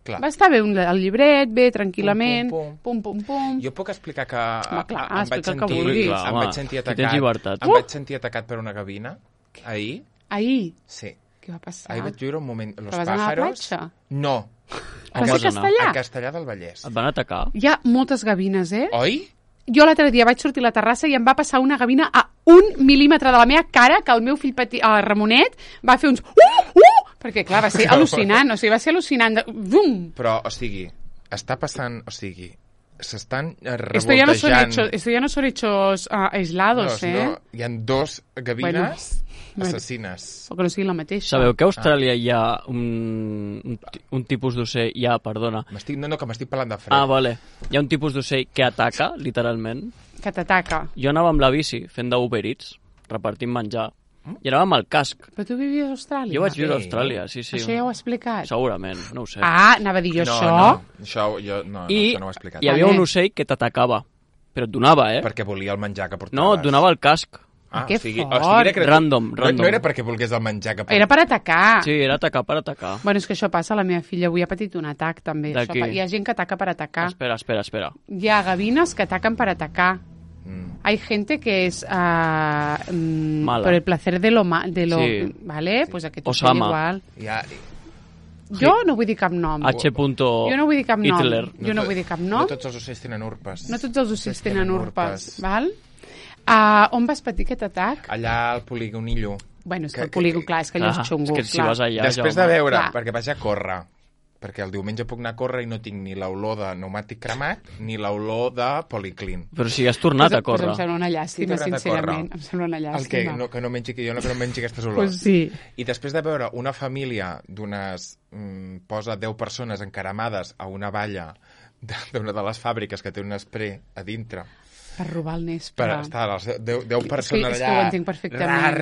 S2: Clar.
S1: Va estar bé el llibret, bé, tranquil·lament,
S2: Pum,
S1: pum.
S2: Jo puc explicar que
S1: clar,
S2: em vaig
S1: explica el que
S2: sentir,
S1: vulguis.
S3: Clar,
S2: em
S3: home,
S2: vaig sentir
S3: aquí tens
S2: atacat.
S3: llibertat.
S2: Em vaig sentir atacat per una gavina ahir.
S1: Ahir,
S2: Sí.
S1: què va passar?
S2: Ahir vaig viure un moment... Los
S1: Però vas anar a la
S2: pájaros...
S1: platja?
S2: No.
S1: Vas a
S3: vas anar?
S1: Castellà?
S2: A Castellà del Vallès.
S3: Et van atacar?
S1: Hi ha moltes gavines,
S2: Oi?
S1: Jo l'altre dia vaig sortir a la terrassa i em va passar una gavina a 1 mil·límetre de la meva cara, que el meu fill petit, Ramonet, va fer uns... Perquè, clar, va ser al·lucinant. O sigui, va ser al·lucinant. Bum!
S2: Però, o sigui, està passant... O sigui, s'estan
S1: Esto ya no son hechos aislados,
S2: No, hi ha dos gavines
S1: Bueno.
S2: assassines.
S1: O que no sigui la mateixa.
S3: Sabeu que a Austràlia hi ha un tipus d'ocell... Perdona.
S2: No, que m'estic parlant de fred.
S3: Ah, vale. Hi ha un tipus d'ocell que ataca, literalment.
S1: Que t'ataca.
S3: Jo anava amb la bici fent d'Uber Eats, repartint menjar, I anàvem al casc.
S1: Però tu vivies a Austràlia?
S3: Jo vaig viure a Austràlia, sí.
S1: Això ja ho he explicat?
S3: Segurament, no ho sé.
S1: Anava a dir jo això.
S2: Això no ho he explicat.
S3: Hi havia un ocell que t'atacava, però et donava,
S2: Perquè volia el menjar que portaves.
S3: No, et donava el casc.
S1: Que fort.
S3: Random.
S2: No era perquè volgués el menjar que portaves.
S1: Era per atacar.
S3: Sí, era atacar per atacar.
S1: Bueno, és que això passa, la meva filla avui ha patit un atac, també.
S3: D'aquí?
S1: Hi ha gent que ataca per atacar.
S3: Espera.
S1: Hi ha gavines que ataquen per atacar. Hay gente que es por el placer de lo
S3: sí.
S1: ¿vale? Pues aquest
S3: Osama.
S1: igual.
S2: Ja...
S1: Jo no vull dir cap nom.
S3: H.
S1: Jo no vull dir cap nom.
S3: Hitler.
S1: Jo no vull dir cap nom.
S2: No tots els ocells tenen urpes.
S1: No tots els ocells tenen urpes, val? On vas patir aquest atac?
S2: Allà al polígonillo.
S1: Bueno, és que el polígon, clar, és que allò és xungo.
S3: És que si vas allà...
S2: Després de veure, perquè vaig a córrer, perquè el diumenge puc anar a córrer i no tinc ni l'olor de pneumàtic cremat ni l'olor de policlin.
S3: Però si has tornat a córrer.
S1: Pues em sembla una llàstima, sincerament. Em sembla una llàstima.
S2: El que no mengi aquestes olors.
S1: Pues sí.
S2: I després de veure una família d'unes... posa 10 persones encaramades a una valla d'una de les fàbriques que té un spray a dintre.
S1: Per robar el nespre.
S2: Per estar les 10 persones allà...
S1: És que ho entenc perfectament.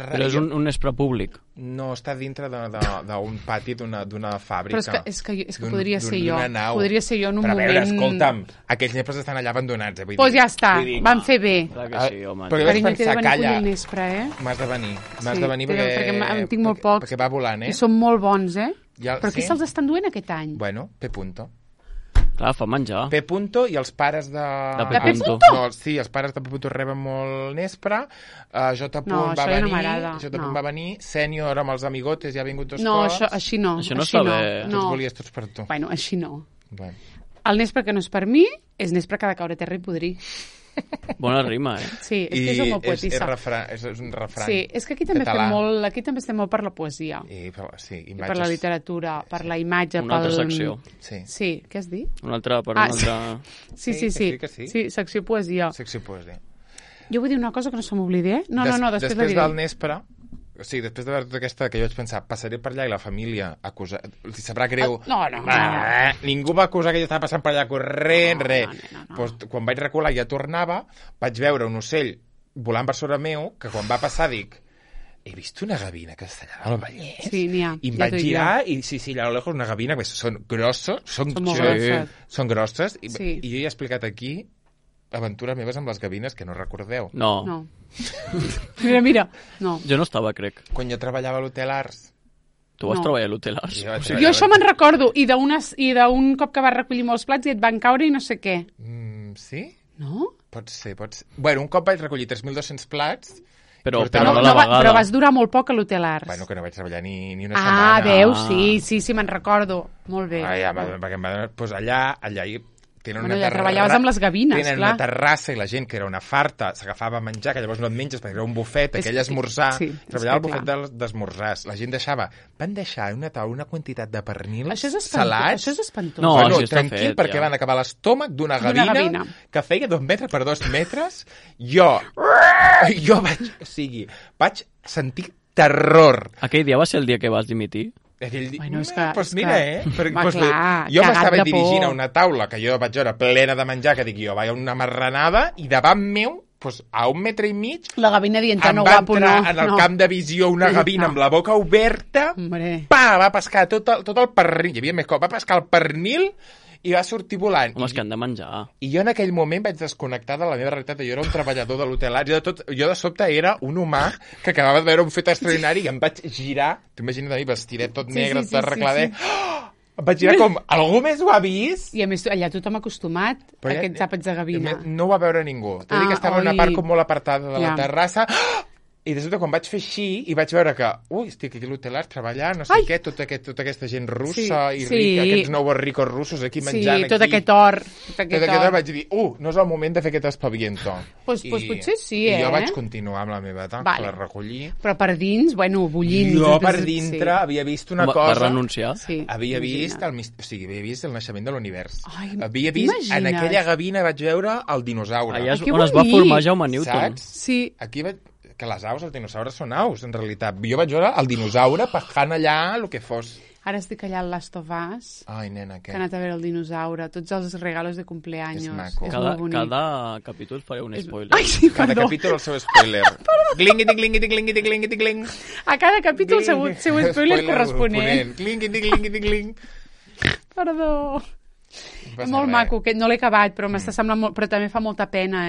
S2: Però
S3: és un nespre públic.
S2: No, està dintre d'un pati d'una fàbrica.
S1: Però és que podria ser jo.
S2: Nau.
S1: Podria ser jo en un moment...
S2: Però a veure, escolta'm, aquells nespres estan allà abandonats.
S1: Doncs ja està, van fer bé.
S3: Clar que sí, home.
S2: Perquè vaig
S1: Carinyo, t'he de
S2: pensar,
S1: venir a
S2: calla,
S1: collir el nespre,
S2: m'has de venir. M'has de venir
S1: perquè en tinc molt pocs.
S2: Perquè va volant,
S1: I són molt bons, Però qui
S2: sí?
S1: se'ls estan duent aquest any?
S2: Bueno, P. Punto.
S3: Clar, fa menjar.
S2: P. Punto i els pares de...
S3: De P. Punto?
S2: No, sí, els pares de P. Punto reben molt nespre. J.
S1: No,
S2: va
S1: això ja
S2: venir,
S1: no m'agrada.
S2: J. va venir. Sènior amb els amigotes ja ha vingut 2
S1: No,
S2: cops.
S1: així no.
S3: Això no està bé.
S2: Tu els volies tots per tu.
S1: Bueno, així no.
S2: Bueno.
S1: El nespre que no és per mi és nespre que ha de caure a terra i podrir.
S3: Bona rima,
S1: Sí, és que és molt poetissa.
S2: És un refrany.
S1: Sí, és que aquí també estem molt per la poesia.
S2: I
S1: per la literatura, per la imatge,
S3: una altra secció.
S1: Sí, què has dit?
S3: Una altra, una altra...
S1: Sí, secció poesia.
S2: Secció poesia.
S1: Jo vull dir una cosa que no se m'oblidi, No, després
S2: Després del nespre, sí, després de veure tota aquesta, que jo vaig pensar, passaré per allà i la família acusar... Els sabrà greu.
S1: No.
S2: Ningú va acusar que jo estava passant per allà corrent, res. Pues, quan vaig recular i ja tornava, vaig veure un ocell volant per sobre meu, que quan va passar dic, he vist una gavina que està allà al Vallès.
S1: Sí, n'hi ha.
S2: I em vaig girar i sí, allà a lo lejos una gavina, que són grossos, són grosses, i jo ja he explicat aquí aventures meves amb les gavines que no recordeu.
S3: No.
S1: Mira, no.
S3: Jo no estava, crec.
S2: Quan jo treballava a l'Hotel Ars.
S3: Tu vas treballar a l'Hotel Ars?
S1: Jo això me'n recordo, i d'un cop que vas recollir molts plats i et van caure i no sé què.
S2: Sí?
S1: No?
S2: Pot ser. Bueno, un cop vaig recollir 3.200 plats...
S3: Però no la vegada.
S1: Però vas durar molt poc a l'Hotel Ars.
S2: Bueno, que no vaig treballar ni una setmana.
S1: Veus? Sí, me'n recordo. Molt bé.
S2: Perquè em va donar... Doncs allà
S1: ja treballaves amb les gavines,
S2: tenen una terrassa i la gent que era una farta s'agafava a menjar, que llavors no et menges perquè era un bufet, aquell esmorzar, treballava al bufet d'esmorzars, la gent van deixar una quantitat de pernils salats.
S1: Això és espantós.
S3: No,
S2: bueno,
S3: això està
S2: tranquil,
S3: fet,
S2: perquè van acabar l'estómac d'una gavina que feia 2 metres per 2 metres. Jo vaig sentir terror.
S3: Aquell dia va ser el dia que vas dimitir?
S1: Bueno,
S2: Jo m'estava dirigint a una taula que jo vaig veure plena de menjar, que dic jo, vaig a una marranada, i davant meu, a 1,5 metres,
S1: la gavina dient
S2: em va entrar en el camp de visió una gavina amb la boca oberta, va pescar tot el pernil, hi havia més cop, va pescar el pernil i va sortir volant.
S3: Home, és que han de menjar.
S2: I jo en aquell moment vaig desconnectar de la meva realitat. Jo era un treballador de l'Hotel Ars. Jo de sobte era un humà que acabava de veure un fet extraordinari i em vaig girar. T'imagines a mi, vestidet tot negre, tot arregladet. Em vaig girar com, algú més ho ha vist?
S1: I a més, allà tothom acostumat a aquests àpats de gavina.
S2: No ho va veure ningú. T'he dit que estava en una part com molt apartada de la terrassa. I de sobte, quan vaig fer així, i vaig veure que, estic aquí a l'Hotel Ars treballant, no sé què, tota aquesta gent russa i rica, aquests nous ricos russos aquí menjant aquí.
S1: Sí, tot aquest or.
S2: Vaig dir, no és el moment de fer aquest espaviento.
S1: Doncs potser sí,
S2: I jo vaig continuar amb la meva tasca, la recollir.
S1: Però per dins, bullint.
S2: Jo per dintre havia vist una cosa...
S3: Va renunciar?
S2: Havia vist el naixement de l'univers. Havia vist, en aquella gavina vaig veure el dinosaure.
S3: Allà és on es va formar Jaume Newton.
S1: Sí.
S2: Aquí vaig... Que les aus, els dinosaures són aus, en realitat. Jo vaig veure el dinosaure pajant allà el que fos.
S1: Ara estic allà al Last of Us,
S2: Ai, nena, què?
S1: que he anat a veure el dinosaure, tots els regalos de cumpleaños.
S2: És maco.
S1: molt bonic.
S3: Cada capítol faré un spoiler.
S1: Ai, sí,
S2: Cada
S1: perdó.
S2: capítol el seu spoiler. Glingui-di, glingui-di, glingui-di, glingui-di, gling.
S1: A cada capítol el seu spoiler corresponent.
S2: Glingui-di, glingui-di, gling.
S1: Perdó.
S2: No passa
S1: És molt
S2: res.
S1: maco, que no l'he acabat, però m'està semblant molt... Però també fa molta pena,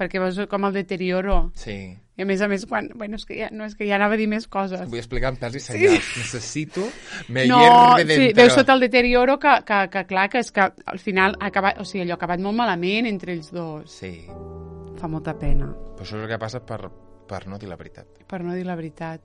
S1: Perquè veus com el deterioro.
S2: Sí.
S1: I a més, quan... Bueno, és que ja anava a dir més coses.
S2: Vull explicar amb pèls i senyals. Necessito... Me
S1: No,
S2: hierve dentro.
S1: sí, veus tot el deterioro que clar, que és que al final ha acabat, o sigui, allò ha acabat molt malament entre ells dos.
S2: Sí.
S1: Fa molta pena,
S2: Però això és el que passa per no dir la veritat.
S1: per no dir la veritat.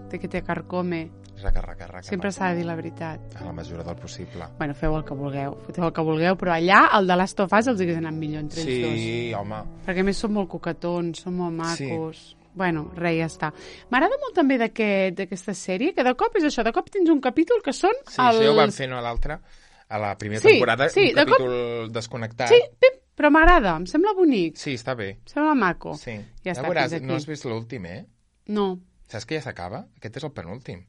S1: Té que te carcome.
S2: Raca.
S1: Sempre s'ha de dir la veritat.
S2: A la mesura del possible.
S1: Bueno, feu el que vulgueu, però allà, el de Last of Us els hagués anat millor entre ells dos.
S2: Sí, home.
S1: Perquè a més són molt coquetons, són molt macos. Sí. Bueno, res, ja està. M'agrada molt també d'aquesta sèrie, que de cop és això, de cop tens un capítol que són
S2: Sí, això ja ho van fer a l'altra, a la primera temporada, un
S1: de
S2: capítol desconnectat.
S1: Sí, però m'agrada, em sembla bonic,
S2: Sí, està bé.
S1: em sembla maco.
S2: Sí.
S1: Ja està,
S2: veuràs,
S1: fins aquí.
S2: no has vist l'últim,
S1: No.
S2: Saps que ja s'acaba? Aquest és el penúltim.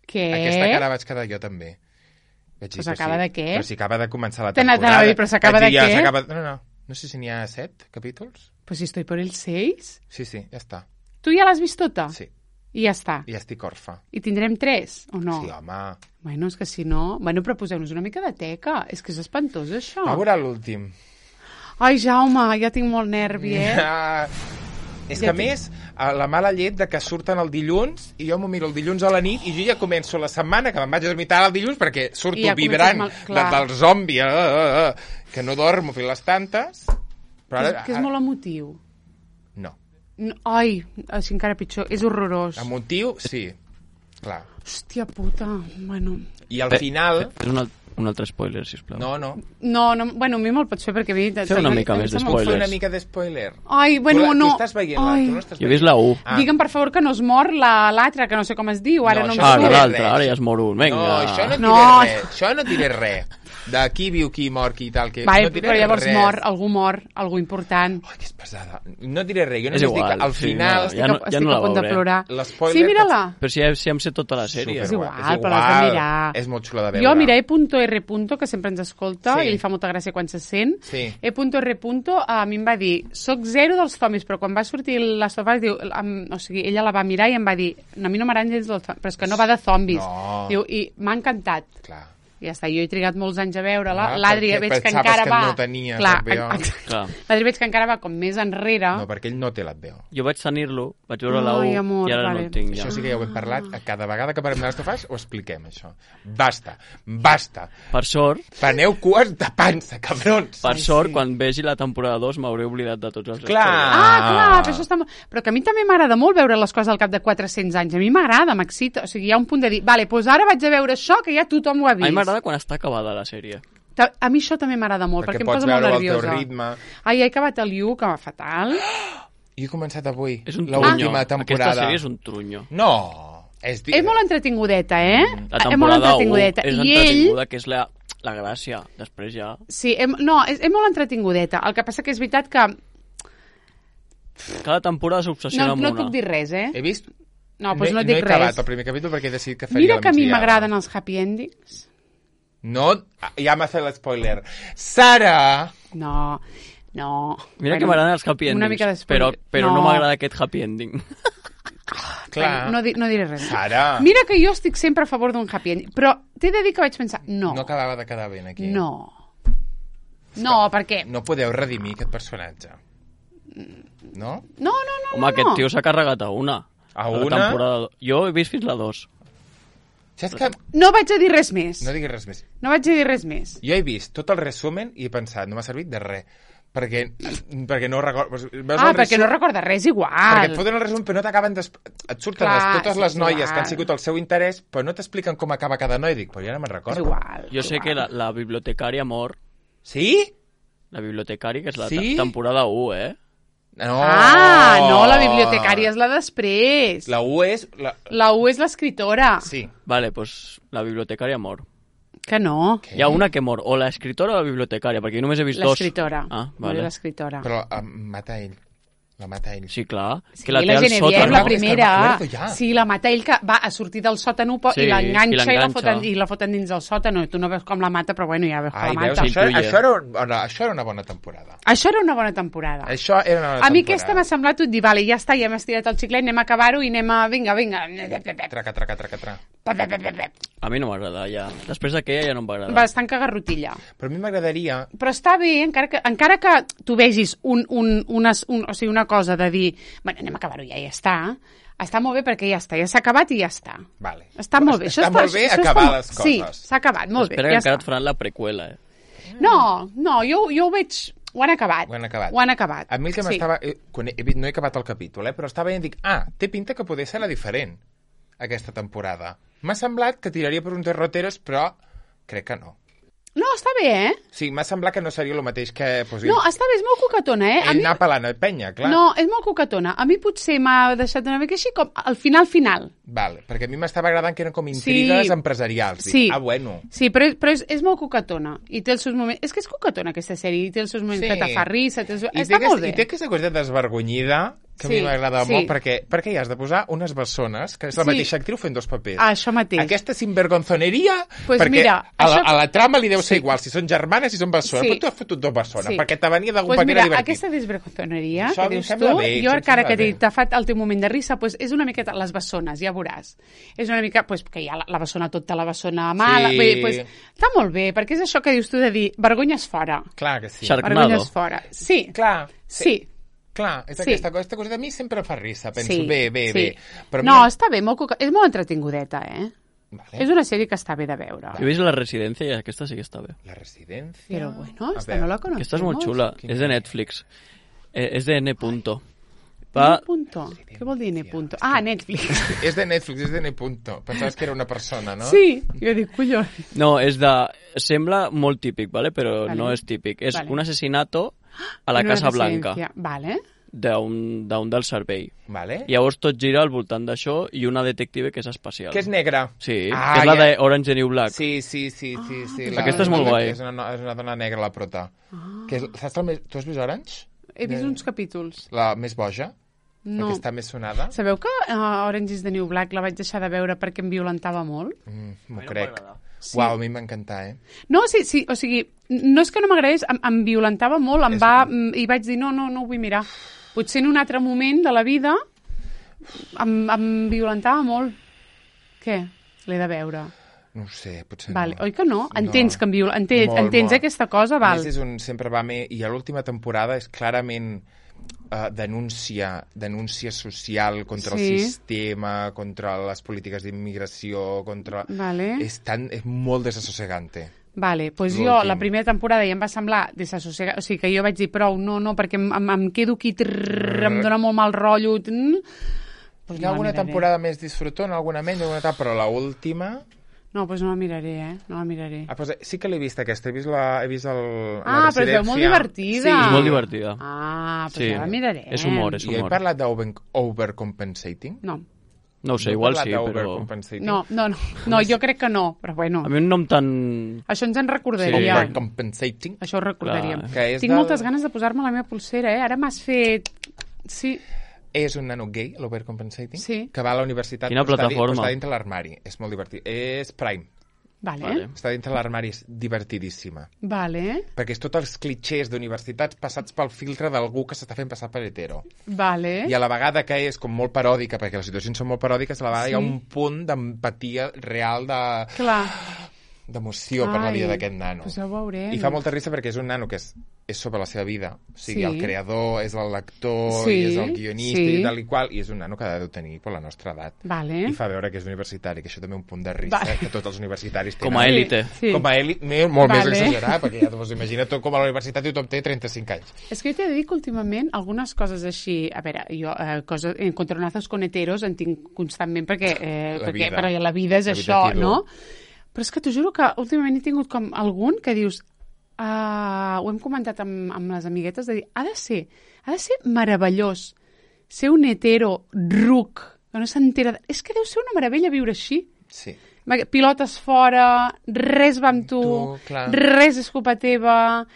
S1: Què?
S2: Aquesta cara vaig quedar jo també. Vaig dir,
S1: Però s'acaba de què?
S2: Però si acaba de començar la
S1: T'anava
S2: temporada.
S1: a dir, però s'acaba
S2: Vaig dir,
S1: de què?
S2: No sé si n'hi ha 7 capítols.
S1: Pues si estoy por el 6.
S2: Sí, ja està.
S1: Tu ja l'has vist tota?
S2: Sí,
S1: I ja està.
S2: i ja estic orfa.
S1: I tindrem 3, o no?
S2: Sí, home.
S1: Bueno, és que si no... Bueno, però poseu-nos una mica de teca. És que és espantós, això.
S2: Va veure l'últim.
S1: Ai, Jaume, ja tinc molt nervi,
S2: És
S1: Ja
S2: que a més, la mala llet de que surten el dilluns i jo m'ho miro el dilluns a la nit i jo ja començo la setmana que me'n vaig a dormir tard el dilluns perquè surto
S1: I ja
S2: vibrant
S1: comences mal- clar.
S2: del zombi que no dormo fins les tantes. Però ara,
S1: que és molt emotiu.
S2: No.
S1: No, ai, així encara pitjor. És horrorós.
S2: Emotiu, sí. Clar.
S1: Hòstia puta. Bueno...
S2: I al final...
S3: És un altre spoiler, sisplau.
S2: No.
S1: No, bueno, a mi me'l pots fer perquè a mi...
S3: Feu una mica més de
S2: Fer
S3: spoilers.
S2: una mica de spoiler.
S1: Ai, bueno,
S2: tu
S1: no.
S2: estàs veient-la,
S1: Ai.
S2: tu no estàs
S3: Jo he vist la 1.
S2: Ah.
S1: Digue'm, per favor, que no es mor l'altra, que no sé com es diu. Ara
S2: No,
S1: no,
S2: això
S1: em
S3: Ah,
S2: no
S1: surt.
S2: diré
S3: l'altre,
S2: res.
S3: ara ja es mor un. Vinga.
S2: No, això no diré
S1: No.
S2: res. Això no diré res. De qui viu, qui mor, qui tal. Que
S1: Vale,
S2: no diré
S1: però llavors
S2: res.
S1: mor, algú important.
S2: Ai, que és pesada. No diré res. Jo
S3: És
S2: només dic
S3: igual,
S2: que al
S3: sí,
S2: final...
S3: no,
S1: Estic,
S3: ja no-
S1: estic
S3: ja no la
S1: a punt de
S3: veuré.
S1: plorar.
S2: L'espoiler
S1: Sí, mira-la.
S3: Però si em sé tota la sèrie.
S1: És igual, però l'has de mirar.
S2: És molt xula de veure.
S1: Jo, mira, E.R. que sempre ens escolta,
S2: Sí.
S1: i li fa molta gràcia quan se sent.
S2: Sí.
S1: E.R. a mi em va dir, soc zero dels zombis, però quan va sortir la Sofà, diu, o sigui, ella la va mirar i em va dir, a mi no m'agraden gens dels zombis, però és que no va de zombis.
S2: No.
S1: Diu, i m'ha encantat.
S2: Clar.
S1: Ja està, jo he trigat molts anys a veure-la.
S2: Ah,
S1: L'Adri
S2: perquè
S1: veig que
S2: pensaves
S1: encara
S2: que
S1: va...
S2: no tenia
S1: Clar,
S2: HBO.
S3: Clar.
S1: L'Adri veig que encara va com més enrere.
S2: No, perquè ell no té l'HBO.
S3: Jo vaig tenir-lo, vaig veure la
S1: Ai,
S3: 1
S1: amor,
S3: i ara
S1: vale.
S3: no el tinc ja.
S2: Això sí que ja ho hem parlat. A cada vegada que parlem de les tofes ho expliquem, això. Basta.
S3: Per sort,
S2: Preneu cues de pansa, cabrons.
S3: per
S1: Ai,
S3: sort,
S1: sí.
S3: quan vegi la temporada 2 m'hauré oblidat de tots els
S2: Clar.
S1: Ah, clar, però això està... Però que a mi també m'agrada molt veure les coses al cap de 400 anys. A mi m'agrada, m'excita. O sigui, hi ha un punt de dir, vale, doncs ara vaig a veure això, que ja tothom ho ha
S3: A mi
S1: vist.
S3: m'agrada quan està acabada la sèrie.
S1: A mi això també m'agrada molt, perquè em
S2: pots
S1: posa molt
S2: veure al teu
S1: nerviosa.
S2: ritme.
S1: Ai, he acabat el You, que va fatal.
S2: Jo he començat avui
S3: És un trunyo.
S2: l'última temporada.
S3: Aquesta sèrie és un trunyo.
S2: No.
S1: És molt entretingudeta, eh?
S3: La
S1: És molt
S3: temporada 1
S1: entretingudeta.
S3: és
S1: I ell...
S3: entretinguda, que és la gràcia. Després ja...
S1: Sí, és molt entretingudeta. El que passa que és veritat que...
S3: Cada temporada s'obsessiona amb
S1: No
S3: una.
S1: et puc dir res, eh?
S2: He vist...
S1: No, doncs no et
S2: he
S1: dic
S2: acabat
S1: res.
S2: el primer capítol perquè he decidit que faria
S1: Mira
S2: la
S1: que a mi
S2: migdiada.
S1: m'agraden els happy endings.
S2: No, ja m'ha fet l'espoiler. Sara!
S1: No.
S3: Mira que m'agraden els happy
S1: una
S3: endings,
S1: mica d'espoiler.
S3: però no m'agrada aquest happy ending.
S2: Clar.
S1: No diré res.
S2: Sara!
S1: Mira que jo estic sempre a favor d'un happy ending, però t'he de dir que vaig pensar, no.
S2: No acabava de quedar ben aquí.
S1: No, perquè...
S2: No podeu redimir aquest personatge. No?
S1: No.
S3: Home, aquest tio s'ha carregat a una.
S2: A
S3: la
S2: una?
S3: temporada... Jo he vist fins la 2.
S2: Saps que...
S1: No vaig a dir res més.
S2: No diguis res més.
S1: No vaig a dir res més.
S2: Jo he vist tot el resumen i he pensat, no m'ha servit de res. Perquè no recordo...
S1: Perquè no recorda res igual.
S2: Perquè et foten el resum, però no t'acaben... Et surten
S1: Clar,
S2: totes
S1: sí,
S2: les
S1: és
S2: noies
S1: igual.
S2: que han sigut el seu interès, però no t'expliquen com acaba cada noi. Dic, però ja no me'n
S1: És
S2: recordo.
S1: igual.
S3: Jo sé que la bibliotecària mor.
S2: Sí?
S3: La bibliotecària, que és la
S2: Sí?
S3: temporada 1, eh?
S2: No.
S1: No, la bibliotecària és la després.
S2: La U és...
S1: La U és l'escriptora.
S2: Sí.
S3: Vale, pues la bibliotecària mor.
S1: Que no.
S2: Què?
S3: Hi ha una que mor, o l'escriptora o la bibliotecària, perquè jo només he vist dos.
S1: L'escriptora.
S3: Ah,
S1: Mori
S3: vale.
S1: l'escriptora.
S2: Però mata ell. La mata ell.
S3: Sí, clar.
S1: Sí,
S3: Que la té
S1: la
S3: al
S1: Genevieve,
S3: sòtan.
S1: la
S2: És que
S1: primera.
S2: no m'acuerdo ja.
S1: Sí, la mata ell que va a sortir del sòtano
S3: Sí,
S1: i l'enganxa
S3: i
S1: i,
S3: l'enganxa.
S1: la foten dins del sòtano. I tu no veus com la mata, però bueno, ja veus que
S2: Ai,
S1: la
S2: veus,
S1: mata.
S2: això era una bona temporada.
S1: Això era una bona temporada.
S2: Això era una bona
S1: A mi
S2: temporada.
S1: aquesta m'ha semblat tot dir, vale, ja està, ja hem estirat el xiclet, anem a acabar-ho i anem a... Vinga.
S2: Traca.
S3: A mi no m'agrada, ja. Després d'aquella ja no em va agradar.
S1: Bastant cagarrotilla.
S2: Però a mi m'agradaria...
S1: Però està bé, encara que tu vegis o sigui, una cosa de dir, bueno, anem a acabar-ho ja està. Està molt bé perquè ja està, ja s'ha acabat i ja està.
S2: Vale.
S1: Està molt bé.
S2: Està molt bé acabar les coses.
S1: Sí, s'ha acabat, molt bé.
S3: Espera
S1: Ja
S3: que encara
S1: està.
S3: et faran la preqüela,
S1: No, jo ho veig... Ho han acabat.
S2: Ho han acabat.
S1: Ho han acabat.
S2: A mi el que m'estava... Quan no he acabat el capítol, però estava veient, dic, té pinta que poder ser la diferent, aquesta temporada. M'ha semblat que tiraria per un derroteros, però crec que no.
S1: No, està bé, eh?
S2: Sí, m'ha semblat que no seria el mateix que... Pues,
S1: No, està bé, és molt coquetona, eh?
S2: ell anar pelant el penya, clar.
S1: No, és molt coquetona. A mi potser m'ha deixat una mica així com al final.
S2: Vale, perquè a mi m'estava agradant que eren com intrigues empresarials. Dic,
S1: Sí.
S2: Bueno.
S1: Sí, però és molt coquetona. I té els seus moments... És que és coquetona, aquesta sèrie. I té els seus moments que te fa risa. Està molt bé.
S2: I té aquesta cosa desvergonyida que a mi m'agrada molt, perquè hi has de posar unes bessones, que és la mateixa actriu fent dos papers.
S1: Això mateix.
S2: Aquesta sinvergonzoneria,
S1: Pues
S2: perquè
S1: mira,
S2: a la trama li deu ser igual si són germanes, si són bessones, però tu has fotut dos bessones, perquè te venia d'algun paper divertit.
S1: Aquesta desvergonzoneria
S2: Això
S1: que
S2: em
S1: dius
S2: sembla
S1: tu,
S2: bé,
S1: jo
S2: això em
S1: encara
S2: sembla
S1: que
S2: bé.
S1: t'ha fet el teu moment de risa, pues és una miqueta les bessones, ja veuràs. És una mica, pues, que hi ha la bessona tota, la bessona mala...
S2: Sí.
S1: Bé, pues, està molt bé, perquè és això que dius tu de dir, vergonyes fora.
S2: Clar que sí.
S3: Sharknado.
S1: Vergonyes fora. Sí,
S2: Clar.
S1: sí.
S2: Clar, és
S1: Sí.
S2: aquesta cosa de mi sempre fa risa. Penso,
S1: Sí,
S2: bé.
S1: sí.
S2: Però
S1: No, està bé, és molt entretingudeta, eh?
S2: Vale.
S1: És una sèrie que està bé de veure.
S3: Jo he vist La Residència i aquesta sí que està bé.
S2: La residència...
S1: Però bueno,
S2: A
S1: esta
S2: veure,
S1: no la conocemos.
S3: Aquesta és molt xula.
S2: Quina
S3: És de
S2: és?
S3: Netflix. És de N. Punto.
S1: N. Punto. Què vol dir N. Punto? Ah, Netflix.
S2: És de Netflix, és de N. Punto. Pensaves que era una persona, no?
S1: Sí, jo dic, collons.
S3: No, és de... Sembla molt típic, ¿vale? Però
S1: Vale.
S3: no és típic. És
S1: Vale.
S3: un assassinato a la
S1: En una
S3: Casa Blanca
S1: residència. Vale.
S3: d'un del servei.
S2: Vale.
S3: Llavors tot gira al voltant d'això i una detective que és espacial.
S2: Que és negra.
S3: Sí,
S2: Ah,
S3: que és la
S2: ja.
S3: de Orange is the New Black.
S2: Sí.
S3: Aquesta és molt guai.
S2: És una dona negra, la prota. Que és, saps tu has vist Orange?
S1: He vist uns capítols.
S2: La més boja?
S1: No.
S2: La que està més sonada?
S1: Sabeu que Orange is the New Black la vaig deixar de veure perquè em violentava molt?
S2: M'ho
S3: no
S2: crec.
S3: m'agrada.
S1: Sí.
S2: Uau, a mi m'encanta,
S1: No, sí, o sigui, no és que no m'agradés, em violentava molt, i vaig dir, no ho vull mirar. Potser en un altre moment de la vida em violentava molt. Què? L'he de veure.
S2: No ho sé, potser
S1: Vale,
S2: no.
S1: oi que no? Entens que entens
S2: Molt.
S1: aquesta cosa,
S2: A
S1: val?
S2: més, sempre va més... I a l'última temporada és clarament denúncia social contra
S1: Sí.
S2: el sistema, contra les polítiques d'immigració, contra...
S1: Vale.
S2: És molt desassossegante.
S1: Vale, doncs jo
S2: L'últim.
S1: la primera temporada ja em va semblar desassossegat, o sigui que jo vaig dir prou, no, perquè em quedo aquí, em dona molt mal rotllo. Pues
S2: Hi ha alguna temporada més disfrutona, alguna menys, alguna tal, però l'última...
S1: No, doncs no la miraré, No la miraré.
S2: Pues sí que l'he vist aquesta, he vist la
S1: Però es veu molt divertida.
S2: Sí.
S3: És molt divertida.
S1: Ah, doncs
S3: Sí.
S1: ja la miraré.
S3: És humor, és
S2: I he
S3: humor.
S2: parlat d'overcompensating?
S1: No.
S3: No ho sé,
S2: he
S3: igual
S2: parlat
S3: sí, però...
S2: d'overcompensating?
S1: No, jo crec que no, però bueno.
S3: A mi un nom tan...
S1: Això ens en recordaria.
S3: Sí.
S2: Overcompensating?
S1: Això ho recordaríem.
S3: Clar.
S2: Que és
S1: Tinc moltes ganes de posar-me la meva pulsera, Ara m'has fet... Sí,
S2: És un nano gay, l'overcompensating,
S1: Sí.
S2: que va a la universitat
S3: Quina
S2: però
S3: plataforma?
S2: està dintre l'armari. És molt divertit. És Prime.
S1: vale.
S2: Està dintre l'armari, és divertidíssima.
S1: Vale,
S2: Perquè és tots els clichés d'universitats passats pel filtre d'algú que s'està fent passar per hetero.
S1: vale.
S2: I a la vegada que és com molt paròdica, perquè les situacions són molt paròdiques, a la vegada
S1: Sí.
S2: hi ha un punt d'empatia real
S1: Clar.
S2: d'emoció per la vida d'aquest nano.
S1: Doncs ja ho veurem.
S2: I fa molta risa perquè és un nano que és sobre la seva vida. O sigui,
S1: Sí.
S2: el creador, és el lector,
S1: Sí,
S2: i és el guionista,
S1: sí.
S2: i tal i qual, i és un nano que ha de tenir per la nostra edat.
S1: Vale.
S2: I fa veure que és universitari, que això també un punt de risa,
S1: Vale.
S2: que tots els universitaris tenen.
S3: Com a élite.
S1: Sí.
S2: Com a élite, molt
S1: Vale.
S2: més exagerat, perquè ja t'ho imagina tot com a la universitat i tothom té 35 anys.
S1: És que jo t'he de dir que últimament algunes coses així... A veure, jo coses, encontronazos con heteros en tinc constantment perquè,
S2: La vida.
S1: perquè la vida és
S2: La vida
S1: això,
S2: t'hi du.
S1: no? Però és que t'ho juro que últimament he tingut com algun que dius... ho hem comentat amb les amiguetes, de dir, ha de ser meravellós ser un hetero ruc, que no s'entera... És que deu ser una meravella viure així.
S2: Sí.
S1: pilotes fora, res va amb tu, res és culpa teva,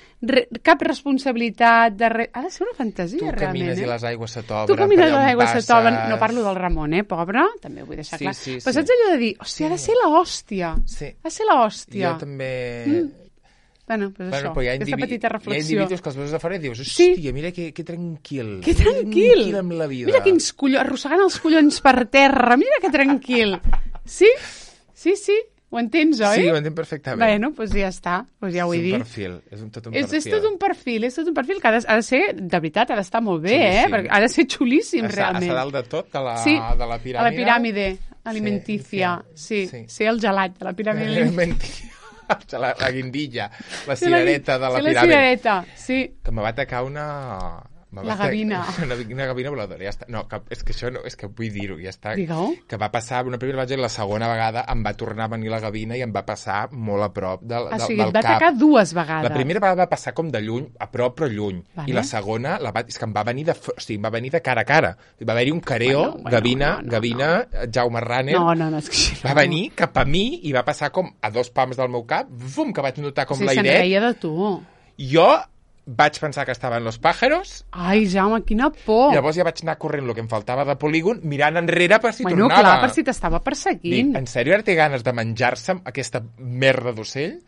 S1: cap responsabilitat, ha de ser una fantasia, realment.
S2: Tu camines i les aigües se t'obren.
S1: Tu camines i les aigües se t'obren, no parlo del Ramon, pobre, també ho vull deixar clar. Però saps allò de dir, hòstia, ha de ser l'hòstia, ha de ser l'hòstia.
S2: Jo també...
S1: Bueno, doncs això, aquesta petita reflexió.
S2: Hi ha individus que els veus de fora i dius, hòstia, mira que tranquil.
S1: Que tranquil.
S2: Tranquil amb la vida.
S1: Mira quins collons, arrossegant els collons per terra, mira que tranquil. Sí, ho entens, oi?
S2: Sí, ho entenc perfectament.
S1: Bueno, doncs ja està, doncs ja ho he dit.
S2: És tot un perfil.
S1: És tot un perfil que ha de ser, de veritat, ha d'estar molt bé, perquè ha de ser xulíssim, realment.
S2: A dalt de tot, de la piràmide.
S1: A la piràmide alimentícia, sí, ser el gelat de la piràmide alimentícia.
S2: La guindilla, la cirereta de la piràmide.
S1: La cirereta, sí.
S2: Que me va atacar una
S1: gavina.
S2: Una gavina voladora, ja està. No, és que això no, és que vull dir-ho, ja està.
S1: Digue-ho.
S2: Que va passar, una primera vegada i la segona vegada em va tornar a venir la gavina i em va passar molt a prop del cap. O sigui,
S1: et va atacar 2 vegades.
S2: La primera vegada va passar com de lluny, a prop però lluny. Vale. I la segona, és que em va venir de cara a cara. Va haver-hi un careo, gavina, Jaume Ranner.
S1: No, és que
S2: va venir cap a mi i va passar com a 2 pams del meu cap, que vaig notar com l'airet.
S1: Se'n reia de tu.
S2: Jo vaig pensar que estaven los pájaros.
S1: Ai, Jaume, quina por.
S2: Llavors ja vaig anar corrent el que em faltava de polígon, mirant enrere per si tornava.
S1: Bueno, clar, per si t'estava perseguint.
S2: Dic, en sèrio ara té ganes de menjar-se aquesta merda d'ocell?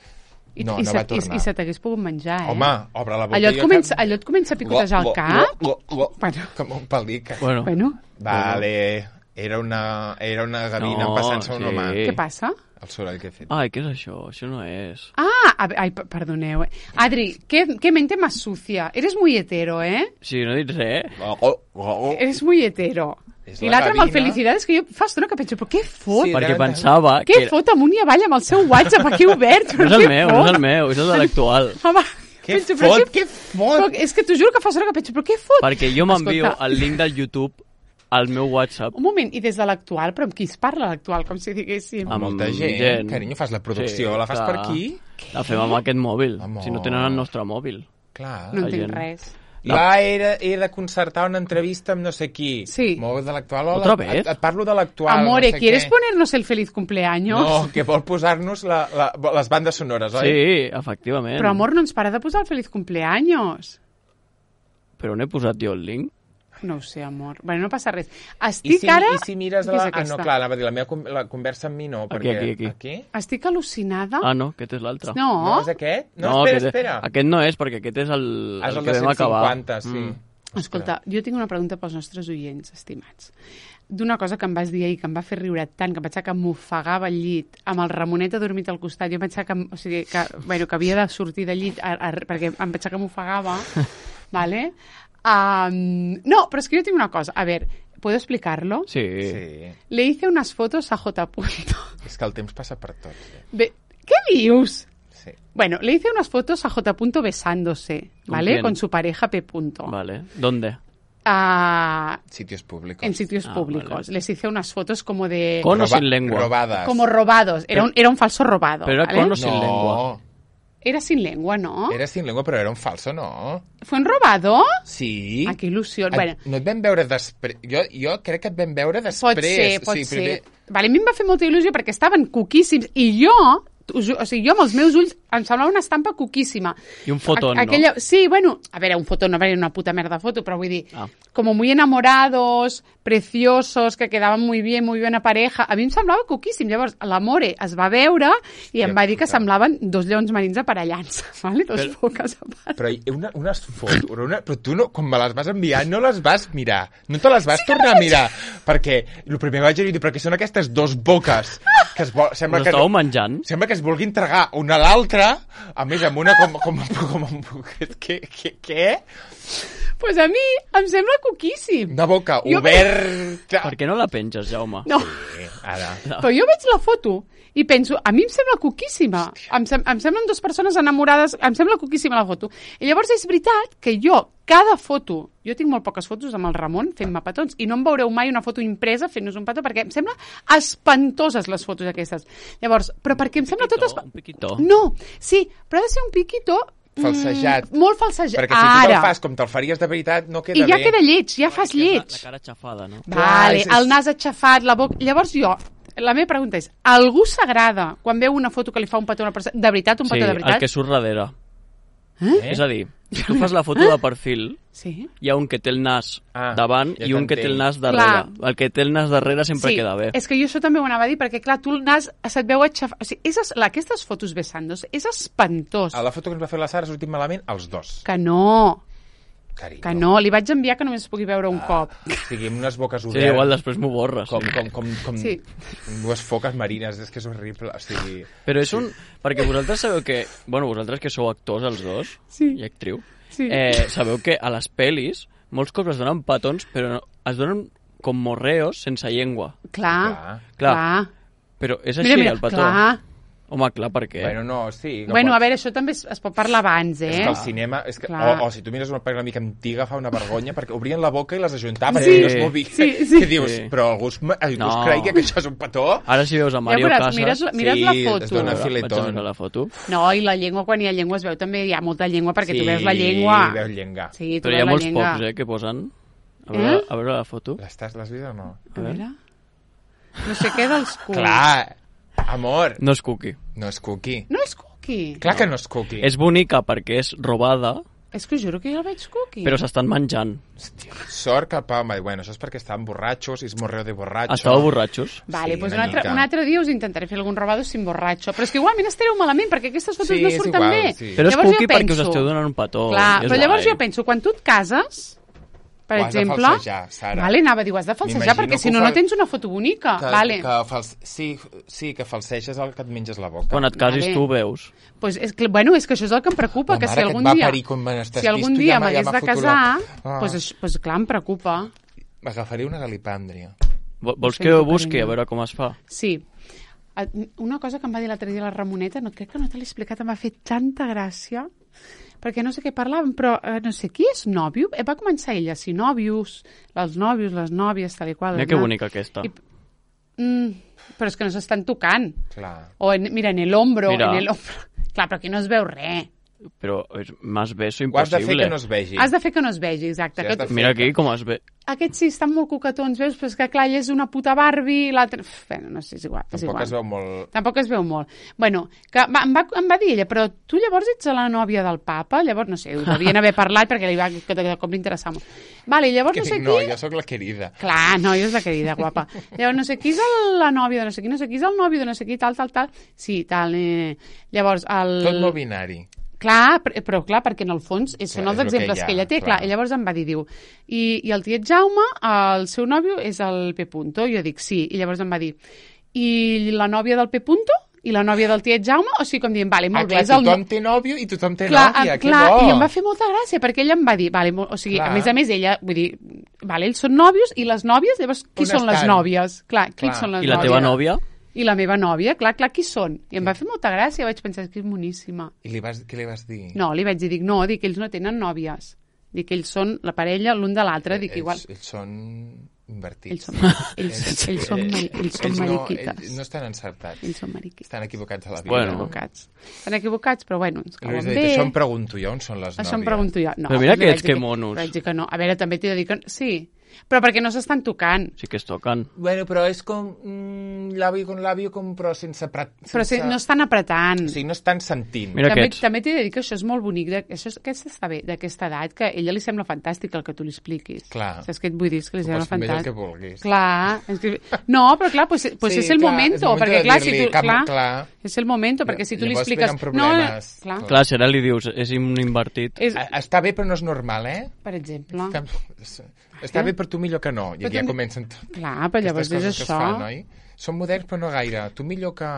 S2: No va tornar.
S1: I se t'hagués pogut menjar,
S2: Home, obre la boca.
S1: Allò et comença a picotejar el cap?
S2: Com un pelic.
S1: Bueno.
S2: Vale, era una gavina passant-se un home.
S1: Què passa?
S2: El soroll que he fet.
S3: Ai, què és això? Això no és...
S1: Ai, perdoneu. Adri, ¿qué mente más sucia? Eres muy hetero,
S3: Sí, no he dit res.
S1: Eres muy hetero. I l'altre amb el felicitats, que jo fa estona que penso, però què fot?
S3: Sí, perquè pensava...
S1: Què fot amunt i avall amb el seu WhatsApp aquí obert?
S3: No és el meu, és el de l'actual.
S2: Què fot?
S1: És que t'ho juro que fa estona que penso, però què fot?
S3: Perquè jo m'envio el link del YouTube al meu WhatsApp.
S1: Un moment, i des de l'actual, però amb qui es parla l'actual, com si diguéssim?
S2: Amb molta gent. Carinyo, fas la producció, la fas per aquí?
S3: La fem amb aquest mòbil, si no tenen el nostre mòbil.
S2: Clar.
S1: No entenc res.
S2: He de concertar una entrevista amb no sé qui.
S1: Sí.
S2: Molt de l'actual.
S3: ¿Otra vez?
S2: Et parlo de l'actual.
S1: Amore, ¿quieres ponernos el feliz cumpleaños?
S2: No, que vol posar-nos les bandes sonores, oi?
S3: Sí, efectivament.
S1: Però, amor, no ens para de posar el feliz cumpleaños.
S3: Però on he posat jo el link?
S1: No ho sé, amor. Bueno, no passa res.
S2: I si mires la... no, clar, anava a dir, la conversa amb mi no, perquè...
S3: Aquí.
S1: Estic al·lucinada.
S3: No, aquest és l'altre.
S1: No,
S2: és aquest? No, espera.
S3: Aquest no és, perquè aquest és el que vam acabar.
S2: És el de 150, sí.
S1: Escolta, jo tinc una pregunta pels nostres oients, estimats. D'una cosa que em vas dir ahir, que em va fer riure tant, que em pensava que m'ofegava al llit, amb el Ramonet adormit al costat, jo em pensava que havia de sortir del llit perquè em pensava que m'ofegava, ¿vale? No, pero es que yo tengo una cosa. A ver, ¿puedo explicarlo?
S3: Sí.
S1: Le hice unas fotos a J.
S2: És que el temps passa per tot.
S1: ¿Qué dius?
S2: Sí.
S1: Bueno, le hice unas fotos a J. besándose, ¿vale? Con su pareja P.
S3: Vale. ¿Dónde?
S2: Sitios públicos.
S1: En sitios públicos. Vale. Les hice unas fotos como de...
S3: ¿Con o sin lengua?
S2: Robadas.
S1: Como robados. Era un falso robado.
S3: Pero
S1: ¿vale?
S3: ¿Con o sin lengua?
S1: Era sin lengua, ¿no?
S2: Era sin lengua, però era un falso, ¿no?
S1: ¿Fue un robado?
S2: Sí.
S1: Que il·lusió. Bueno.
S2: No et vam veure després... Jo crec que et vam veure després.
S1: Pot ser. Vale, a mi em va fer molta il·lusió perquè estaven cuquíssims i jo amb els meus ulls em semblava una estampa cuquíssima.
S3: I un fotón,
S1: no? Sí, bueno, a veure, un fotón no va ser una puta merda foto, però vull dir, como muy enamorados, preciosos, que quedaven muy bien a pareja. A mi em semblava cuquíssim. Llavors, l'Amore es va veure i em va dir que semblaven 2 lleons marins aparellants, ¿vale? 2 foques aparellants.
S2: Però unes fotos, però tu no, quan me les vas enviar no les vas mirar, no te les vas tornar a mirar, perquè el primer que vaig dir, perquè són aquestes 2 boques que sembla que...
S3: Estàveu menjant?
S2: Sembla que es vulguin tragar una a l'altra, a més amb una com què?
S1: Pues a mi em sembla cuquíssim.
S2: Una boca oberta.
S3: Per què no la penges, Jaume?
S1: No.
S2: Sí, ara.
S1: Però jo veig la foto i penso, a mi em sembla cuquíssima. Em semblen 2 persones enamorades, em sembla cuquíssima la foto. I llavors és veritat que cada foto, jo tinc molt poques fotos amb el Ramon fent-me petons i no em veureu mai una foto impresa fent-nos un petó perquè em sembla espantoses les fotos aquestes. Llavors, però perquè em sembla tot...
S3: Un piquitó.
S1: No, sí, però ha de ser un piquitó
S2: falsejat.
S1: Molt falsejat.
S2: Perquè si tu te'l fas com te'l faries de veritat, no queda bé.
S1: I ja queda lleig, ja fas lleig.
S3: La cara aixafada, no?
S1: Vale, el nas aixafat, la boca... Llavors jo, la meva pregunta és, algú s'agrada quan veu una foto que li fa un petó a una persona? De veritat, un petó de veritat?
S3: Sí, el que surt darrere. És a dir, si tu fas la foto de perfil, hi ha un que té el nas davant i un que té el nas darrere. El que té el nas darrere sempre queda bé.
S1: És que jo això també ho anava a dir, perquè clar, tu el nas se't veu aixafar... O sigui, aquestes fotos besandos és espantós.
S2: A la foto que ens va fer la Sara ha sortit malament els dos.
S1: Que no...
S2: Carinyo.
S1: Que no, li vaig enviar que només es pugui veure un cop.
S2: O sigui, amb unes boques
S3: Sí,
S2: obertes.
S3: igual després m'ho borres.
S2: Com
S1: Sí.
S2: dues foques marines, és que és horrible. O sigui...
S3: Però és un... Perquè vosaltres sabeu que... Bueno, vosaltres que sou actors, els dos, i actriu, sabeu que a les pel·lis molts cops es donen petons, però es donen com morreos sense llengua.
S1: Clar.
S3: Però és així, el petó?
S1: Clar.
S3: Home, clar, per què?
S2: Bueno, no, sí. No
S1: bueno, a veure, això també es pot parlar abans,
S2: És que el cinema... És que, o si tu mires una pel·lícula una mica antiga fa una vergonya, perquè obrien la boca i les ajuntaven, i no es movia. Que dius, però algú es creia que això és un petó?
S3: Ara si veus a Mario Casas...
S1: Mires la foto.
S2: Es dona filetón.
S3: La foto.
S1: No, i la llengua, quan hi ha llengua es veu també, hi ha molta llengua, perquè tu veus la llengua.
S2: Sí, veus llengua.
S1: Sí, tu
S3: però
S1: veus
S3: hi ha
S1: la
S3: molts
S1: llengua.
S3: pocs, que posen... A veure la foto.
S2: L'has vist o no?
S1: A veure... No sé què dels culs.
S2: Clar, amor.
S3: No és cookie.
S2: No és cookie.
S1: No és cookie.
S2: Clar que no és cookie.
S3: És bonica perquè és robada,
S1: és que juro que jo el veig cookie.
S3: però s'estan menjant.
S2: Hòstia, sort que Palma... Bueno, això és perquè estaven borratxos i és morreo de borratxo.
S3: Estàveu borratxos?
S1: Vale,
S2: Sí,
S1: pues
S2: una mica.
S1: un altre dia us intentaré fer algun robado sin borratxo. Però és que igualment estareu malament, perquè aquestes fotos no
S2: és
S1: surten
S2: igual,
S1: bé.
S2: sí.
S3: Però és
S1: Llavors
S3: cookie
S1: jo
S3: perquè us
S1: penso-
S3: esteu donant un petó.
S1: Clar,
S3: és
S1: però llavors
S3: guai.
S1: jo penso, quan tu et cases, per
S2: Ho has de
S1: exemple...
S2: falsejar, Sara.
S1: Vale, anava a dir, ho has de falsejar,
S2: M'imagino
S1: perquè
S2: que
S1: si
S2: ho
S1: no,
S2: fa-
S1: no tens una foto bonica. Vale.
S2: Sí, que falseges el que et menges la boca.
S3: Quan et casis
S1: Vale.
S3: tu ho veus.
S1: Pues és que, bueno, és que això és el que em preocupa,
S2: La
S1: que
S2: mare
S1: si
S2: que
S1: algun
S2: et va
S1: dia...
S2: parir quan estàs
S1: Si algun
S2: vist,
S1: dia
S2: ja m'ha
S1: m'hagués de
S2: fotut
S1: casar,
S2: la-
S1: pues clar, em preocupa.
S2: M'agafaria una galipàndria.
S3: Vols
S1: Això
S3: que ho
S1: és
S3: busqui
S1: carinyo.
S3: a veure com es fa?
S1: Sí. Una cosa que em va dir l'altre dia la Ramoneta, crec que no te l'he explicat, em va fer tanta gràcia, perquè no sé què parlàvem, però no sé, qui és nòvio? Va començar ella, si nòvios, els nòvios, les nòvies, tal i qual.
S3: Mira que bonica aquesta.
S1: Però és que no s'estan tocant.
S2: Clar.
S1: O, mira, en el hombro,
S3: Mira.
S1: en el hombro. Clar, però aquí no es veu res.
S3: Però és més beso
S2: Ho has de fer
S3: impossible.
S2: que no es vegi.
S1: Has de fer que no es vegi, exacte.
S2: Sí, has de fer.
S3: Mira aquí com es ve.
S1: Aquests sí, estan molt coquetons, veus? Però és que clar, ella és una puta Barbie, i l'altre... Bueno, no sé, és igual.
S2: Tampoc es veu molt...
S1: Tampoc es veu molt. Bueno, que em va dir ella, però tu llavors ets la nòvia del papa? Llavors, no sé, ho devien haver parlat perquè li va, que de cop li interessava molt. Vale, llavors
S2: Que
S1: no sé
S2: dic, no,
S1: qui...
S2: jo sóc la querida.
S1: Clar, no, jo és la querida, guapa. Llavors, no sé qui és la nòvia de no sé qui, no sé qui és el nòvio de no sé qui, tal. Sí, tal. Llavors,
S2: Tot molt binari.
S1: Clar, però clar, perquè en el fons són els
S2: és el que
S1: exemples
S2: hi ha,
S1: que ella té,
S2: clar.
S1: clar. I llavors em va dir, diu, i el tiet Jaume, el seu nòvio és el P. Punto. Jo dic, sí. I llavors em va dir, i la nòvia del P. Punto? I la nòvia del tiet Jaume? O sigui, com dient, vale, molt bé.
S2: Clar,
S1: és el...
S2: tothom té nòvio i tothom té
S1: Clar,
S2: nòvia, que
S1: clar,
S2: bo!
S1: i em va fer molta gràcia, perquè ella em va dir, vale, o sigui,
S2: Clar.
S1: a més, ella, vull dir, vale, ells són nòvios, i les nòvies, llavors, qui
S2: On
S1: són les
S2: estan?
S1: nòvies? Clar, qui
S2: Clar.
S1: són les
S3: I la
S1: nòvies?
S3: teva nòvia?
S1: I la meva nòvia, clar, qui són? I em va fer molta gràcia, vaig pensar que és boníssima.
S2: I què li vas dir?
S1: No, li vaig dir, dic, ells no tenen nòvies. Dic que ells són la parella l'un de l'altre, dic igual.
S2: Ells són invertits.
S1: Ells són mariquites.
S2: Ells no estan encertats.
S1: Ells són mariquites.
S2: Estan equivocats a la vida.
S3: Bueno.
S1: Estan equivocats, però bueno, ens cauen bé.
S2: Això em pregunto jo, on són les nòvies?
S1: Això em pregunto jo. No,
S3: Però mira
S1: li
S3: que
S1: vaig
S3: ets
S1: dir
S3: que monos.
S1: Vaig dir que no. A veure, també t'he de dir que... Sí, però perquè no s'estan tocant.
S3: Sí que es toquen.
S2: Bueno, però és com l'àvio con l'àvio, però sense...
S1: Però no estan apretant.
S2: O sigui, no estan sentint.
S3: Mira
S1: També,
S3: aquests.
S1: també t'he de dir que això és molt bonic, aquest està bé, d'aquesta edat, que a ella li sembla fantàstic el que tu li expliquis.
S2: Clar.
S1: Saps què et vull dir? És que li
S2: Tu
S1: sembla
S2: pots fer el
S1: fantàstic.
S2: que vulguis.
S1: Clar. No, però clar, pues
S2: Sí,
S1: és el
S2: clar,
S1: momento,
S2: és el momento
S1: perquè
S2: de
S1: clar, si
S2: dir-li,
S1: tu...
S2: clar.
S1: És el momento, perquè si tu li
S2: Llavors
S1: expliques...
S2: venen problemes.
S1: No, clar,
S3: Clar, si ara li dius, és un invertit.
S2: Està bé, però no és normal, eh?
S1: per exemple.
S2: Està bé per tu millor que no. I
S1: Però
S2: aquí ja
S1: també-
S2: comencen
S1: Clar, però llavors és
S2: aquestes coses que es
S1: això.
S2: fan, oi? Som moderns, però no gaire. Tu millor que...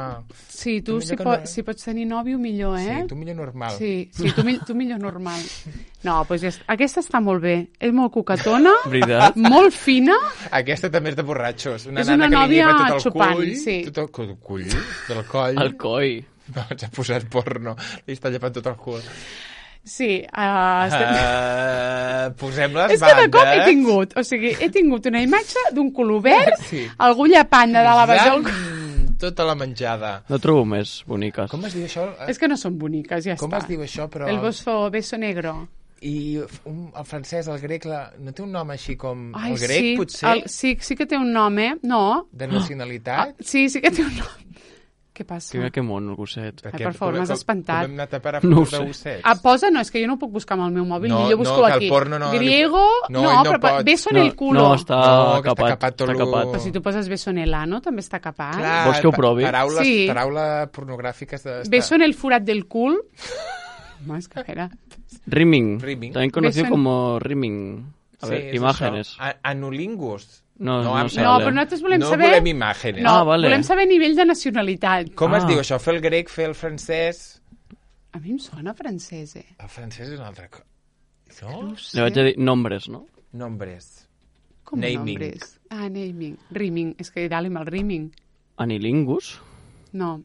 S1: Sí, tu
S2: millor
S1: si,
S2: que no-
S1: si pots tenir nòvio, millor, eh?
S2: Sí, tu millor normal.
S1: Sí, tu millor normal. No, doncs aquesta està molt bé. És molt coquetona,
S3: Veritat?
S1: molt fina.
S2: Aquesta també és de borratxos. Una
S1: És
S2: nana
S1: una
S2: que li
S1: nòvia
S2: lleva tot el
S1: xupant,
S2: cull.
S1: sí.
S2: Tot el cull? Del coll.
S3: El coi.
S2: No, ens ha posat porno. Li està llevant tot el cul.
S1: Sí,
S2: Posem les
S1: és que de cop he
S2: bandes.
S1: tingut, o sigui, he tingut una imatge d'un color verd,
S2: Sí.
S1: algú llepant de dalt a baix del...
S2: Tota la menjada.
S3: No trobo més boniques.
S2: Com es diu això?
S1: És que no són boniques, ja
S2: Com
S1: està.
S2: es diu això, però...
S1: El beso negro.
S2: I el francès, el grec, no té un nom així com... El grec, potser?
S1: Sí que té un nom, No.
S2: De nacionalitat?
S1: Sí que té un nom. Què passa?
S3: Que món, el gosset.
S1: Per favor, m'has espantat.
S2: Com hem anat a parar no de gossets?
S1: Posa, no, és que jo no ho puc buscar amb el meu mòbil, jo busco aquí. Griego, però beso en el culo.
S3: No, està capat.
S1: Però si tu poses beso en el ano, també està capat.
S2: Clar,
S3: vols que ho provi?
S2: Paraules pornogràfiques.
S1: Beso en el forat del cul. Más que era.
S3: Rimming. También conocido como rimming. A ver, imágenes.
S2: Anulingus.
S3: No,
S1: però nosaltres volem saber...
S2: No volem imágenes.
S1: Volem saber nivell de nacionalitat.
S2: Com es diu això? Fer el grec, fer el francès...
S1: A mi em sona francès,
S2: El francès és una altra cosa.
S1: No ho sé.
S3: Le vaig a dir nombres, no?
S2: Nombres.
S1: Com nombres? Naming. Rimming. És que dale mal rimming.
S3: Anilingus?
S1: No.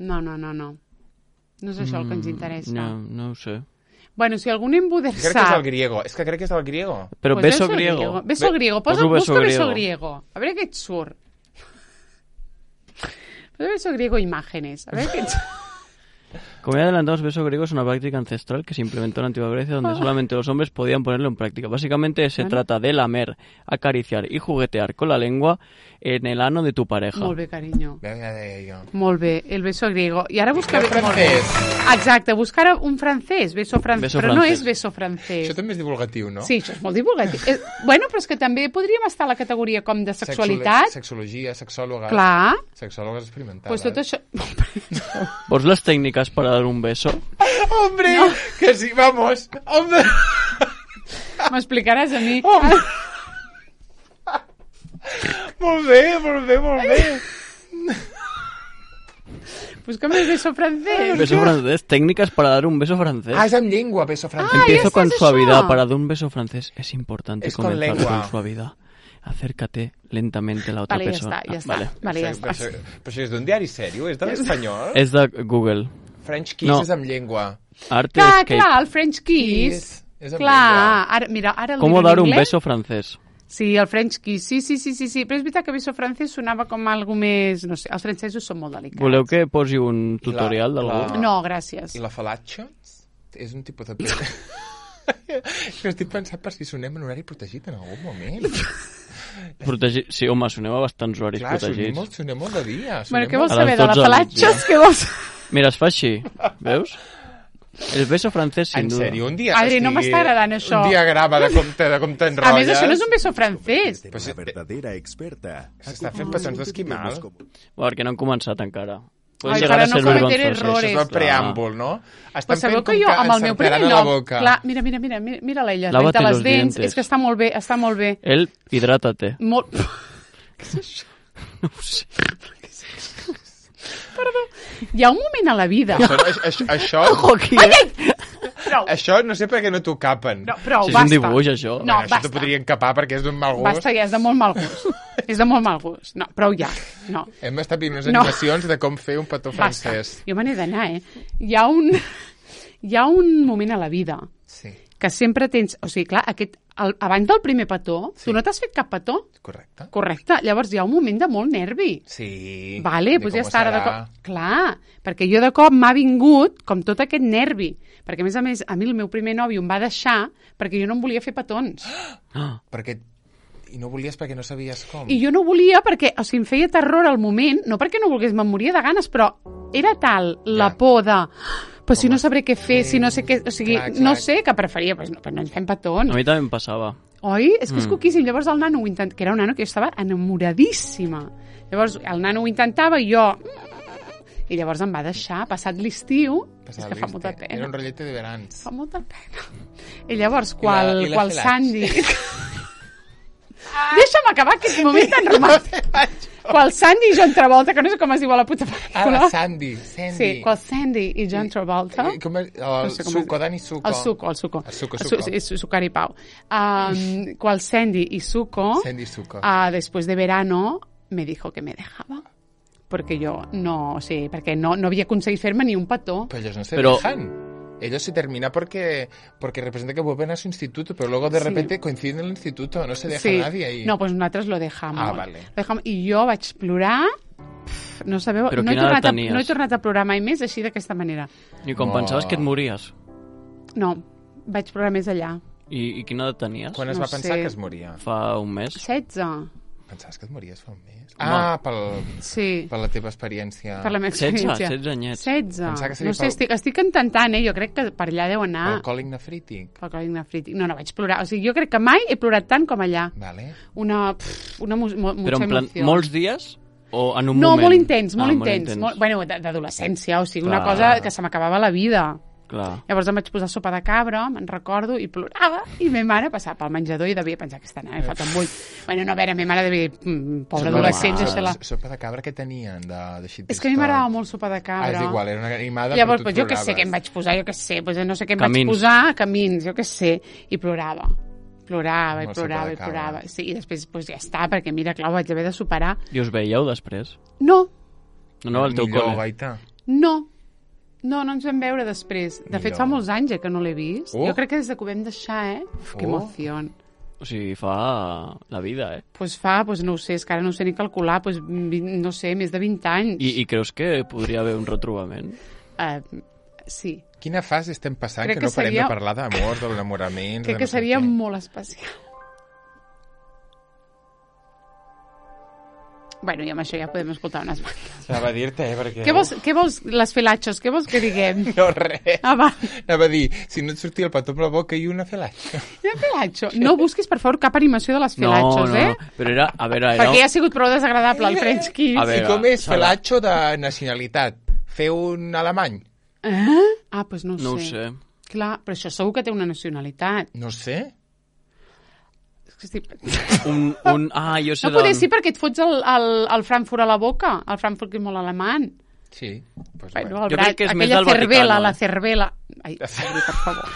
S1: No és això el que ens interessa.
S3: No ho sé.
S1: Bueno, si algun embuder
S2: sap... Crec que és el griego. És que crec que és el griego.
S3: Però pues beso griego.
S1: Beso griego. Busca beso griego. A veure què et surt. Beso griego imágenes. A veure què et surt.
S3: Como ya adelantamos, beso griego es una práctica ancestral que se implementó en la antigua Grecia donde solamente los hombres podían ponerlo en práctica. Básicamente se trata de lamer, acariciar y juguetear con la lengua en el ano de tu pareja.
S1: Molt bé, carinyo.
S2: Venga de ello.
S1: Molt bé, el beso griego. I ara busca...
S2: El francès.
S1: Exacte, buscar un francès, beso francès. Però no és beso francès.
S2: Això també és divulgatiu, no?
S1: Sí, això és molt divulgatiu. Bueno, però és que també podríem estar a la categoria com de sexualitat.
S2: Sexologia, sexòloga.
S1: Clar.
S2: Sexòlogues experimentades.
S1: Pues tot això...
S3: ¿Vos las técnicas para dar un beso?
S2: ¡Hombre! No. Que sí, vamos. ¡Hombre!
S1: M'explicaràs a mi.
S2: Molt bé.
S1: Búscame el beso francés.
S3: Beso francés. Técnicas para dar un beso francés.
S2: Es en lengua, beso francés.
S3: Empiezo con suavidad. Para dar un beso francés es importante comenzar
S2: con
S3: suavidad. Acércate lentamente a la otra persona.
S1: Ja està. Vale, ja està.
S2: Però això és d'un diari sèrio? És de l'espanyol?
S3: És de Google.
S2: French Kiss és amb llengua.
S1: Clar, el French Kiss.
S2: És amb llengua.
S1: Mira, ara el
S3: ¿Cómo dar un beso francés?
S1: Sí, el French Kiss, sí. Però és veritat que beso francès sonava com algo més... No sé, els francesos són molt delicats.
S3: Voleu que posi un tutorial d'algú?
S1: No, gràcies.
S2: I la falatge? És un tipus de... Estic pensant per si sonem en horari protegit en algun moment.
S3: Sí, home, sonem a bastants horaris protegits.
S2: Clar, sonem molt de dia.
S1: Bueno, què vols saber de la falatge? Què vols...
S3: Mira, es fa així, veus? El beso francès, sin duda.
S2: En sèrio, un dia...
S1: Adri, no m'està agradant això.
S2: Un diagrama de com t'enrotlles.
S1: A més, això no és un beso francès.
S4: Una verdadera experta.
S2: S'està fent petons d'esquimal.
S3: Perquè no han començat encara.
S1: Ai, para no cometer errores.
S2: Això és el preàmbul, no?
S1: Pues sabeu que jo, amb el meu primer nom... Clar, mira l'ella, renta les dents. És que està molt bé, està molt bé.
S3: El, hidrátate.
S1: Molt...
S3: Què és això? No ho sé.
S1: Perdó. Hi ha un moment a la vida...
S2: Això... Això no sé per què no t'ho capen.
S1: No, prou,
S3: basta.
S1: Si
S3: és un dibuix, això.
S1: No,
S2: això t'ho podrien capar perquè és d'un mal gust.
S1: Basta, ja és de molt mal gust. És de molt mal gust. No, prou ja. No.
S2: Hem estat veient unes animacions de com fer un petó francès.
S1: Jo me n'he d'anar, Hi ha un moment a la vida que sempre tens... O sigui, clar, abans del primer petó, tu no t'has fet cap petó? Correcte. Llavors hi ha un moment de molt nervi.
S2: Sí.
S1: Vale, doncs ja està. Ara de cop... Clar, perquè jo de cop m'ha vingut com tot aquest nervi. Perquè, a més, a mi el meu primer nòvio em va deixar perquè jo no em volia fer petons.
S2: Perquè... I no volies perquè no sabies com?
S1: I jo no volia perquè, o sigui, em feia terror al moment, no perquè no volgués, me'n moria de ganes, però era tal la por de... Però si no sabré què fer, si no sé què... O sigui, no sé què preferia, però no ens fem petons.
S3: A mi també em passava.
S1: Oi? És que és coquíssim. Llavors el nano ho intentava, que era un nano que jo estava enamoradíssima. Llavors el nano ho intentava i jo... I llavors em va deixar, passat l'estiu, és que fa molta pena.
S2: Era un rotllete de verans.
S1: Fa molta pena. I llavors, qual Sandy... Deixa'm acabar aquest moment tan romàntic. Qual Sandy i John Travolta, que no sé com es diu a la puta pel·lícula.
S2: La Sandy.
S1: Sí, qual Sandy i John Travolta.
S2: El Suco, Dani Suco.
S1: El Suco. És Sucari Pau. Qual Sandy y Suco, después de verano, me dijo que me dejaba. Porque yo no sé, porque no había conseguido hacerme ni un petó.
S2: Pero ellos no se dejan. Ellos se termina porque representa que vuelven a su instituto, pero luego de repente coinciden en el instituto, no se deja nadie ahí.
S1: No, pues nosotros lo dejamos.
S2: Ah, vale.
S1: I jo vaig plorar, no sabeu, no he tornat a plorar mai més així d'aquesta manera.
S3: I quan pensaves que et mories?
S1: No, vaig plorar més allà.
S3: I quina edat tenies?
S2: Quan es
S1: No
S2: va pensar
S1: sé.
S2: que es moria?
S3: Fa un mes?
S1: 16.
S2: Pensaves que et mories fa un mes?
S1: Sí,
S2: per la teva experiència.
S1: per la meva
S3: 16,
S1: experiència.
S3: 16 anyets.
S1: 16.
S2: Pensava que seria
S1: No sé, estic intentant, Jo crec que per allà deu anar.
S2: Pel còlic nefrític.
S1: Pel còlic nefrític. No vaig plorar. O sigui, jo crec que mai he plorat tant com allà.
S2: Vale.
S1: Una mucha
S3: Però en plan,
S1: emoció.
S3: molts dies o en un
S1: No,
S3: moment?
S1: molt intens, molt
S3: Molt
S1: intens. Bueno, d'adolescència, o sigui,
S3: Clar.
S1: una cosa que se m'acabava la vida.
S3: Clar.
S1: Llavors em vaig posar sopa de cabra, me'n recordo, i plorava, i ma mare passava pel menjador i devia pensar que m'he fet un bull. Bueno, no, a veure, ma mare devia... Pobra adolescent, deixa-la...
S2: Sopa de cabra que tenien de xitista?
S1: És que a mi m'agradava molt sopa de cabra.
S2: És igual, era una animada,
S1: Llavors,
S2: però tu
S1: jo què sé què em vaig posar, no sé què em
S3: Camins.
S1: vaig posar, camins, jo què sé, i plorava. Plorava i
S2: Amb la sopa
S1: plorava
S2: de
S1: i
S2: cabra.
S1: plorava. Sí, i després ja està, perquè mira, clar, ho vaig haver de superar.
S3: I us veieu després?
S1: No,
S3: No, al teu
S2: Millor,
S3: col·le.
S2: Gaita.
S1: no ens vam veure després. De fet,
S2: Millor.
S1: fa molts anys que no l'he vist.
S2: Oh.
S1: Jo crec que des que ho vam deixar, Que emoció.
S3: O sigui, fa la vida,
S1: Pues fa, no ho sé, és que ara no ho sé ni calcular, no sé, més de 20 anys.
S3: I creus que podria haver un retrobament?
S1: Sí.
S2: Quina fase estem passant
S1: Crec
S2: que no
S1: que
S2: parem
S1: seria-
S2: de parlar d'amor, de l'enamorament...
S1: Crec
S2: de
S1: que
S2: no sé
S1: seria
S2: què.
S1: molt especial. Bueno, i amb això ja podem escoltar unes bandes.
S2: Anava a dir-te, perquè...
S1: Què vols, les felachos, què vols que diguem?
S2: No, res.
S1: Va.
S2: Anava a dir, si no et sortia el petó amb la boca i una felatxa.
S1: Una felacho. No busquis, per favor, cap animació de les felachos,
S3: no, però era... A veure, era...
S1: Perquè ja ha sigut prou desagradable el French Kiss.
S3: A
S2: I
S3: veure,
S2: com és
S3: Sara.
S2: felatxo de nacionalitat? Fer un alemany?
S1: Pues no ho sé.
S3: No ho sé.
S1: Clar, però això segur que té una nacionalitat.
S2: No sé.
S1: És que estic...
S3: Jo sé
S1: No poder sí perquè et fots el Frankfurt a la boca. El Frankfurt que és molt alemany.
S2: Sí. Pues
S1: Bueno,
S3: Jo crec que és més
S1: aquella
S3: del Vaticano,
S1: la cervela. Ai, Adri, per favor.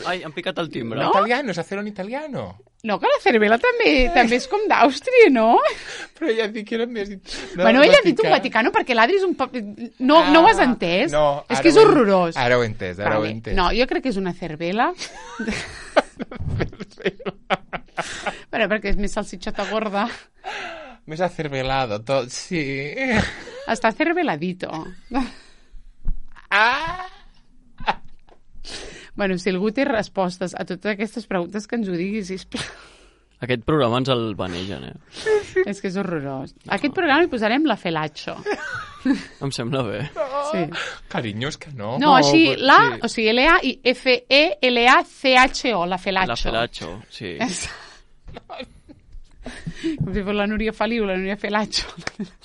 S3: Ai, hem picat el timbre.
S2: No? Italiano, és hacer un italiano.
S1: No, que la cervela també és com d'Àustria, no?
S2: Però ja et dic que era més... No,
S1: Bueno, ella ha dit un Vaticano perquè l'Adri és un poc... No ho has entès?
S2: No,
S1: és que és horrorós.
S2: Ara ho he entès, ara ho he entès.
S1: No, jo crec que és una cervela. Bueno, perquè és més salsitxota gorda.
S2: Més acervelado tot, sí.
S1: Està cerveladito. Bueno, si algú té respostes a totes aquestes preguntes, que ens ho digui, sisplau.
S3: Aquest programa ens el vanegen,
S1: És que és horrorós. A aquest programa hi posarem la felacho.
S3: Em sembla bé.
S1: Sí.
S2: Carinyo, és que no.
S1: No, així,
S3: però
S1: la,
S3: sí.
S1: o sigui, L-A i F-E-L-A-C-H-O, la felacho.
S3: La Felacho, sí.
S1: Com si fos la Núria Feliu, la Núria Felacho.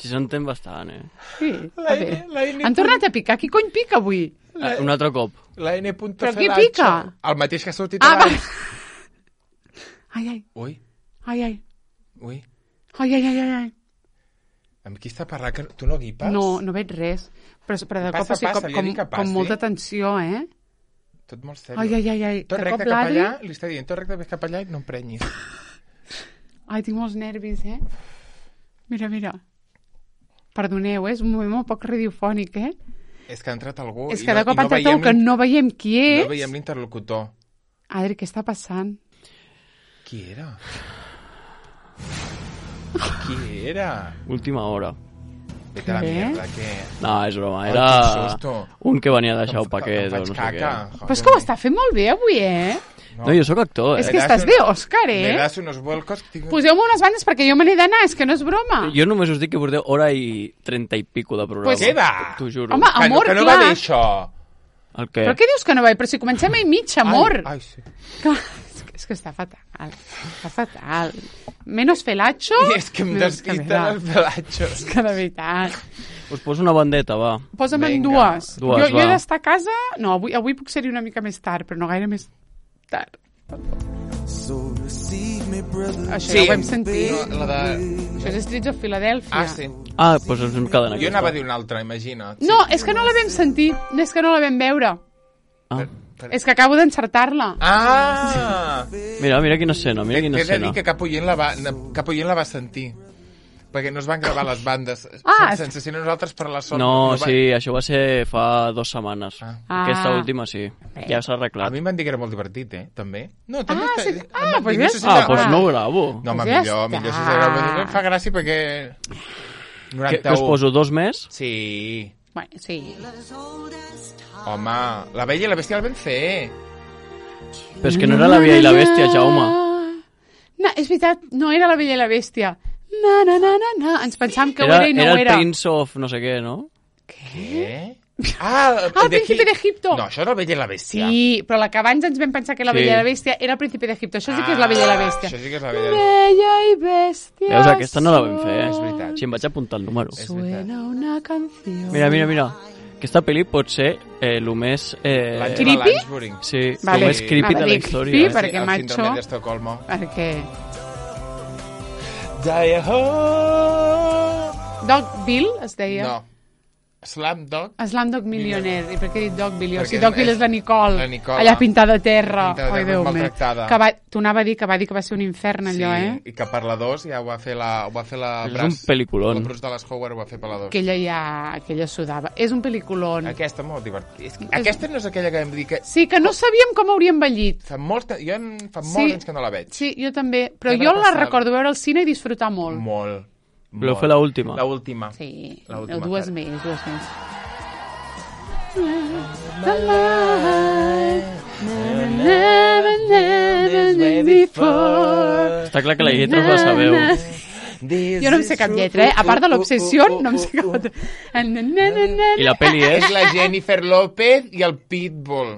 S3: Sí, s'entén bastant,
S1: Sí,
S2: La
S1: a veure.
S2: N-
S1: Han tornat a picar. Qui cony pica avui?
S3: Un altre cop.
S2: La N.
S1: Però qui
S2: Felacho.
S1: pica?
S2: El mateix que ha sortit
S1: Va.
S2: abans.
S1: Ai.
S2: Ui.
S1: Ai.
S2: Amb qui està parlant? Que tu no guipes?
S1: No veig res. Però de
S2: Passa,
S1: cop així,
S2: passa, li he dit que passi.
S1: com molta tensió,
S2: Tot molt sèrio.
S1: Ai.
S2: Tot
S1: De
S2: recte
S1: cop
S2: cap
S1: l'Adri...
S2: allà, li està dient, tot recte cap allà i no emprenyis.
S1: Ai, tinc molts nervis, Mira. Perdoneu, és un moment molt poc radiofònic,
S2: És que ha entrat algú
S1: És
S2: i
S1: que de cop ha entrat
S2: veiem
S1: algú que no veiem qui és.
S2: No veiem l'interlocutor.
S1: Adri, què està passant?
S2: Qui era? Qui era?
S3: Última hora.
S2: Vete a la
S1: Què?
S2: mierda, que...
S3: No, és broma.
S2: Ai,
S3: Era
S2: quin susto.
S3: un que venia a deixar el
S2: Em
S3: paquet o
S2: faig
S3: no sé
S2: caca.
S3: què.
S1: Però és que ho està fent molt bé avui,
S3: No, jo sóc actor,
S1: És
S3: eh?
S1: que estàs de Òscar,
S2: Me das unos vuelcos...
S1: Poseu-me unes bandes perquè jo me n'he d'anar, és que no és broma.
S3: Jo només us dic que porteu hora i 30 i pico de programa.
S1: Pues
S2: Què va?
S3: T'ho juro.
S1: Home, amor,
S2: que no
S1: clar.
S2: va dir això.
S3: El què?
S1: Però què dius que no va? Però si comencem a mitja, amor.
S2: Ai, sí.
S1: Clar, és que està fatal. Està fatal. Menos felacho.
S2: I és que em despisten els pelatxos.
S1: És que de veritat.
S3: Us poso una bandeta, va.
S1: Posa'm en
S2: Vinga.
S1: dues.
S3: Dues,
S1: jo he
S3: va.
S1: d'estar a casa... No, avui puc ser-hi una mica més tard, però no gaire més tard. Això ja ho vam sentir.
S2: No, la de...
S1: Això és Streets of Philadelphia.
S2: Ah, sí.
S3: Ah, doncs ens hem quedat en
S2: Jo anava a
S3: aquesta.
S2: dir una altra, imagina't.
S1: No, és que no la vam sentir. És que no la vam veure.
S3: Ah.
S1: És que acabo d'encertar-la.
S2: Ah!
S3: Mira quina escena, mira quina
S2: T'he de
S3: escena.
S2: dir que cap oient la va sentir. Perquè no es van gravar les bandes sense ser nosaltres per la sort.
S3: No,
S2: va-
S3: sí, això va ser fa 2 setmanes.
S2: Ah.
S3: Aquesta última sí, ja s'ha
S2: A
S3: arreglat.
S2: mi em van dir que era molt divertit, també. No, també
S1: Ah, sí.
S2: em
S1: Ah,
S2: van
S1: pues
S2: dir,
S1: ja
S2: no sé si
S1: està.
S3: Ah, doncs no ho gravo.
S2: No, home,
S1: Pues ja
S2: millor
S1: està.
S2: si s'ha gravat. Em fa gràcia perquè...
S3: Que us poso 2 més?
S2: Sí.
S1: Bueno, sí.
S2: Home, La Bella i la Bèstia el vam fer.
S3: Però és que no era La Bella i la Bèstia, Jaume.
S1: No, és veritat, no era La Bella i la Bèstia. Na, na, na, na, na. Ens pensàvem que ho era i no ho era.
S3: Era el Prince of no sé què, no?
S2: Què? Ah,
S1: el Príncipe d'Egipto.
S2: No, això és La Bella i la Bèstia.
S1: Sí, però la que abans ens vam pensar que La Bella i la Bèstia era el Príncipe d'Egipto. Això sí que és La Bella i la Bèstia.
S2: Això sí que és La Bella i la
S1: Bella i Bèstia.
S3: Veus, aquesta no la vam fer,
S2: És veritat.
S3: Sí, em vaig apuntar el número.
S1: Suena una canció.
S3: Mira. Aquesta pel·li pot ser el més...
S1: Creepy?
S2: Lansbury.
S3: Sí,
S1: Vale.
S3: el més creepy de la
S1: dic
S3: història.
S1: sí,
S3: eh?
S1: perquè
S2: El
S1: macho...
S2: síndrome d'Estocolmo.
S1: Perquè...
S2: Dogville
S1: es deia.
S2: No. Slumdog.
S1: Slumdog Millionaire. I per què he dit Dogville? O
S2: Perquè
S1: sigui, Dogville és la Nicole.
S2: la Nicole.
S1: Allà pintada a terra.
S2: Pintada a
S1: Ai,
S2: terra,
S1: Déu meu.
S2: maltractada.
S1: Que t'ho anava a dir que va ser un infern allò,
S2: I que per la 2 ja ho va fer la
S3: És un pel·liculón.
S2: La Bruce Dallas Howard ho va fer per la 2.
S1: Que ella sudava. És un pel·liculón.
S2: Aquesta molt divertida. Aquesta no és aquella que vam dir que...
S1: Sí, que no sabíem com hauria envellit.
S2: Fa molts anys que no la veig.
S1: Sí, jo també. Però
S2: Ja me
S1: jo
S2: la
S1: la
S2: passava.
S1: recordo veure al cine i disfrutar molt.
S2: Molt.
S3: Voleu fer l'última?
S2: L'última.
S1: Sí,
S2: L'última
S1: dues
S2: part.
S1: més.
S3: Està clar que la lletra us la sabeu.
S1: Jo no em sé cap lletra, A part de l'obsessió, no em sé cap altra.
S3: I la pel·li és...
S2: És la Jennifer López i el Pitbull.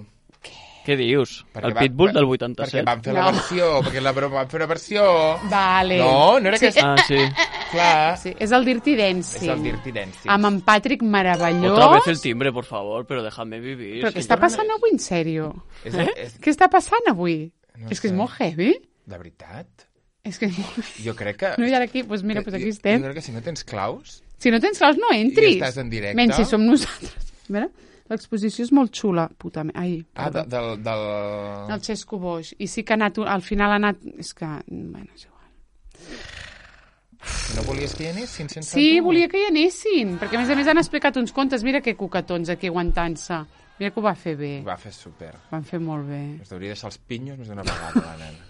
S3: Què dius?
S2: Perquè
S3: El Pitbull del
S2: Perquè
S3: 87.
S2: van fer la
S1: No.
S2: versió, perquè van fer una versió...
S1: Vale.
S2: No era que...
S3: Ah, sí.
S2: Clar,
S1: Sí, és el Dirty Dancing.
S2: és el Dirty Dancing.
S1: Amb en Patrick meravellós.
S3: Otra vez el timbre, por favor, pero déjame vivir.
S1: Però què està passant avui, en sèrio?
S2: És,
S1: Què està passant avui?
S2: No
S1: És que
S2: sé.
S1: és molt heavy.
S2: de veritat?
S1: És que és molt heavy.
S2: Jo crec que...
S1: No, i ara aquí, doncs mira, doncs aquí
S2: Jo
S1: estem.
S2: crec que si no tens claus...
S1: Si no tens claus, no entris.
S2: I estàs en directe.
S1: Menys si som nosaltres. A veure, l'exposició és molt xula. Puta, ai,
S2: Ah,
S1: perdó.
S2: del...
S1: El Xesco Boix. I sí que ha anat, al final ha anat... És que, bueno, és igual.
S2: No volies que hi anessin sense
S1: Sí,
S2: tu?
S1: volia que hi anessin, perquè a més han explicat uns contes. Mira que cucatons aquí aguantant-se. Mira que ho va fer bé.
S2: Ho va fer super.
S1: Van fer molt bé.
S2: Es deuria deixar els pinyos més d'una vegada, la nena.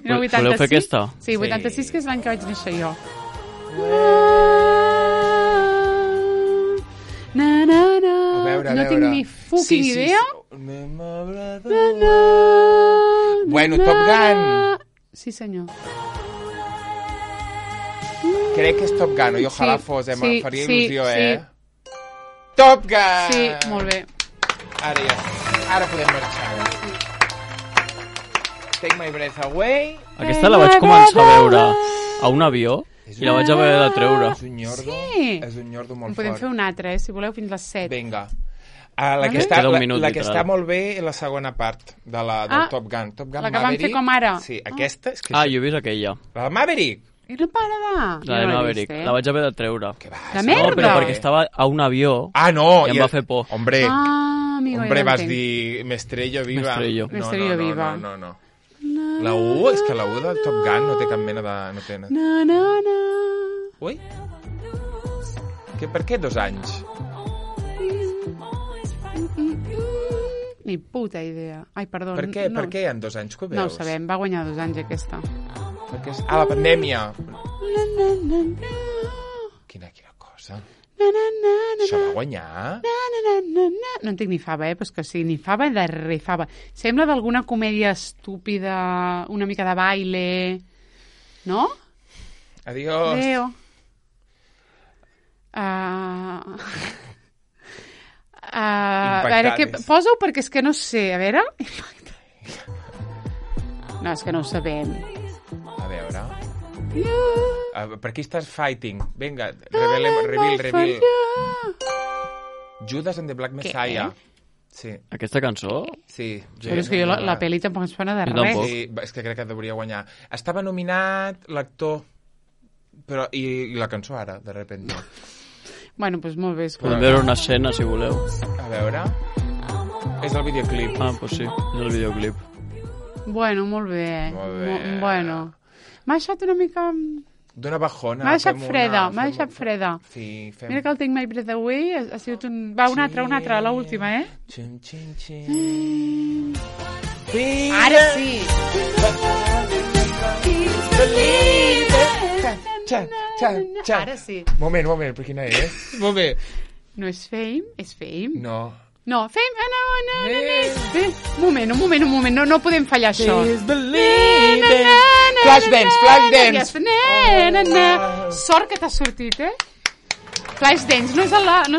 S1: Mira,
S3: Voleu fer aquesta?
S1: Sí, 86, que és l'any que vaig néixer jo. Na, na, na.
S2: A veure,
S1: no tinc ni fucking idea.
S2: Anem a Bueno, Top Gun.
S1: Sí, senyor.
S2: Crec que és Top Gun, i ojalà
S1: Sí,
S2: fos,
S1: sí,
S2: faria
S1: sí,
S2: il·lusió,
S1: sí.
S2: Top Gun!
S1: Sí, molt bé.
S2: Ara ja, ara podem marxar. Take my breath away.
S3: Aquesta la vaig començar a veure a un avió i la vaig haver de treure.
S2: És un nyordo,
S1: Sí.
S2: és un nyordo molt
S1: En podem
S2: fort.
S1: fer un altre, si voleu, fins les 7.
S2: Vinga. La que,
S1: Vale.
S2: està,
S3: Queda un minut,
S2: la que
S3: literal.
S2: està molt bé és la segona part del Top Gun. Top Gun
S1: la que vam
S2: Maverick.
S1: fer com ara.
S2: Sí, aquesta és que...
S3: Ah, jo he vist aquella,
S2: La de Maverick.
S1: I no para de...
S3: la
S1: Jo
S3: de
S1: no l'he
S3: Maverick.
S1: vist,
S3: La vaig haver de treure.
S2: Que va,
S1: La
S2: sí.
S1: merda!
S3: No, però perquè estava a un avió
S2: Ah, no!
S3: i em va fer por.
S2: Hombre,
S1: Ah, amigo,
S2: hombre,
S1: ja
S2: vas
S1: l'entenc.
S2: dir Mestrello viva.
S3: Mestrello.
S2: No,
S1: Mestrello
S2: no,
S1: viva.
S2: No, no, no. La U, és que la U del Top Gun no té cap mena de... No té...
S1: Na, na, na.
S2: Ui? Per què 2 anys?
S1: Ni puta idea. Ai, perdó.
S2: Per què?
S1: No,
S2: Per què hi ha 2 anys? Que ho veus?
S1: no ho sabem, va guanyar 2 anys aquesta.
S2: Perquè és... Ah, la pandèmia.
S1: Na, na, na, na.
S2: Quina cosa.
S1: Na, na, na, na,
S2: Això va guanyar?
S1: na, na, na, na, na. No en tinc ni fava, però és que sí, ni fava de res, fava. Sembla d'alguna comèdia estúpida, una mica de baile, no?
S2: Adiós.
S1: Adéu. A veure, posa-ho perquè és que no sé, a veure... No, és que no ho sabem.
S2: A veure... Per qui estàs fighting? Vinga, reveal. Judas and the Black Messiah. Sí,
S3: Aquesta cançó?
S2: sí.
S1: Però és que jo la pel·li tampoc ens sona de
S3: Jo
S1: res.
S3: tampoc.
S2: Sí, és que crec que hauria guanyar. Estava nominat l'actor, però i la cançó ara, de repente.
S1: Bueno, doncs molt bé.
S3: Podem veure una escena, si voleu.
S2: A veure... És el videoclip.
S3: Ah, doncs sí, és el videoclip.
S1: Bueno, molt bé.
S2: Molt bé.
S1: Bueno. M'ha deixat una mica...
S2: D'una bajona.
S1: M'ha deixat
S2: fem
S1: freda,
S2: una-
S1: m'ha
S2: fem-
S1: deixat freda.
S2: Sí, fem...
S1: Mira que el Take My Breath Away ha sigut un... Va, una altra, l'última, eh?
S2: Xin, xin, xin. Sí.
S1: Ara sí!
S2: Xa.
S1: Ara sí.
S2: Moment, per quina és? Moment.
S1: No és Fame, és Fame.
S2: No.
S1: No, Fame... Un moment, no podem fallar això.
S2: Flashdance.
S1: Sort que t'ha sortit, Flashdance, no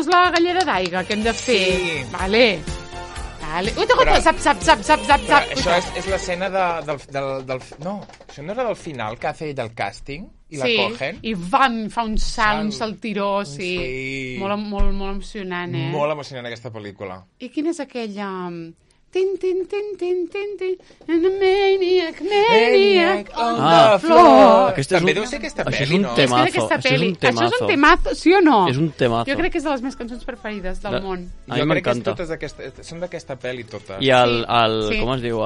S1: és la gallera d'aigua que hem de fer.
S2: Sí.
S1: Vale. Ui, zap.
S2: Això és l'escena del... No, això no era del final que hace ell del càsting i la cogen.
S1: I fa un salt, un saltiró, sí. Molt emocionant,
S2: Molt emocionant aquesta pel·lícula.
S1: I quina és aquella... Tin, maniac on the floor.
S2: També deu ser aquesta pel·li,
S3: Això és un temazo.
S1: Això és un temazo, sí o no?
S3: És un temazo.
S1: Jo crec que és de les meves cançons preferides del món.
S3: A mi m'encanta.
S2: Són d'aquesta pel·li totes.
S3: I com es diu?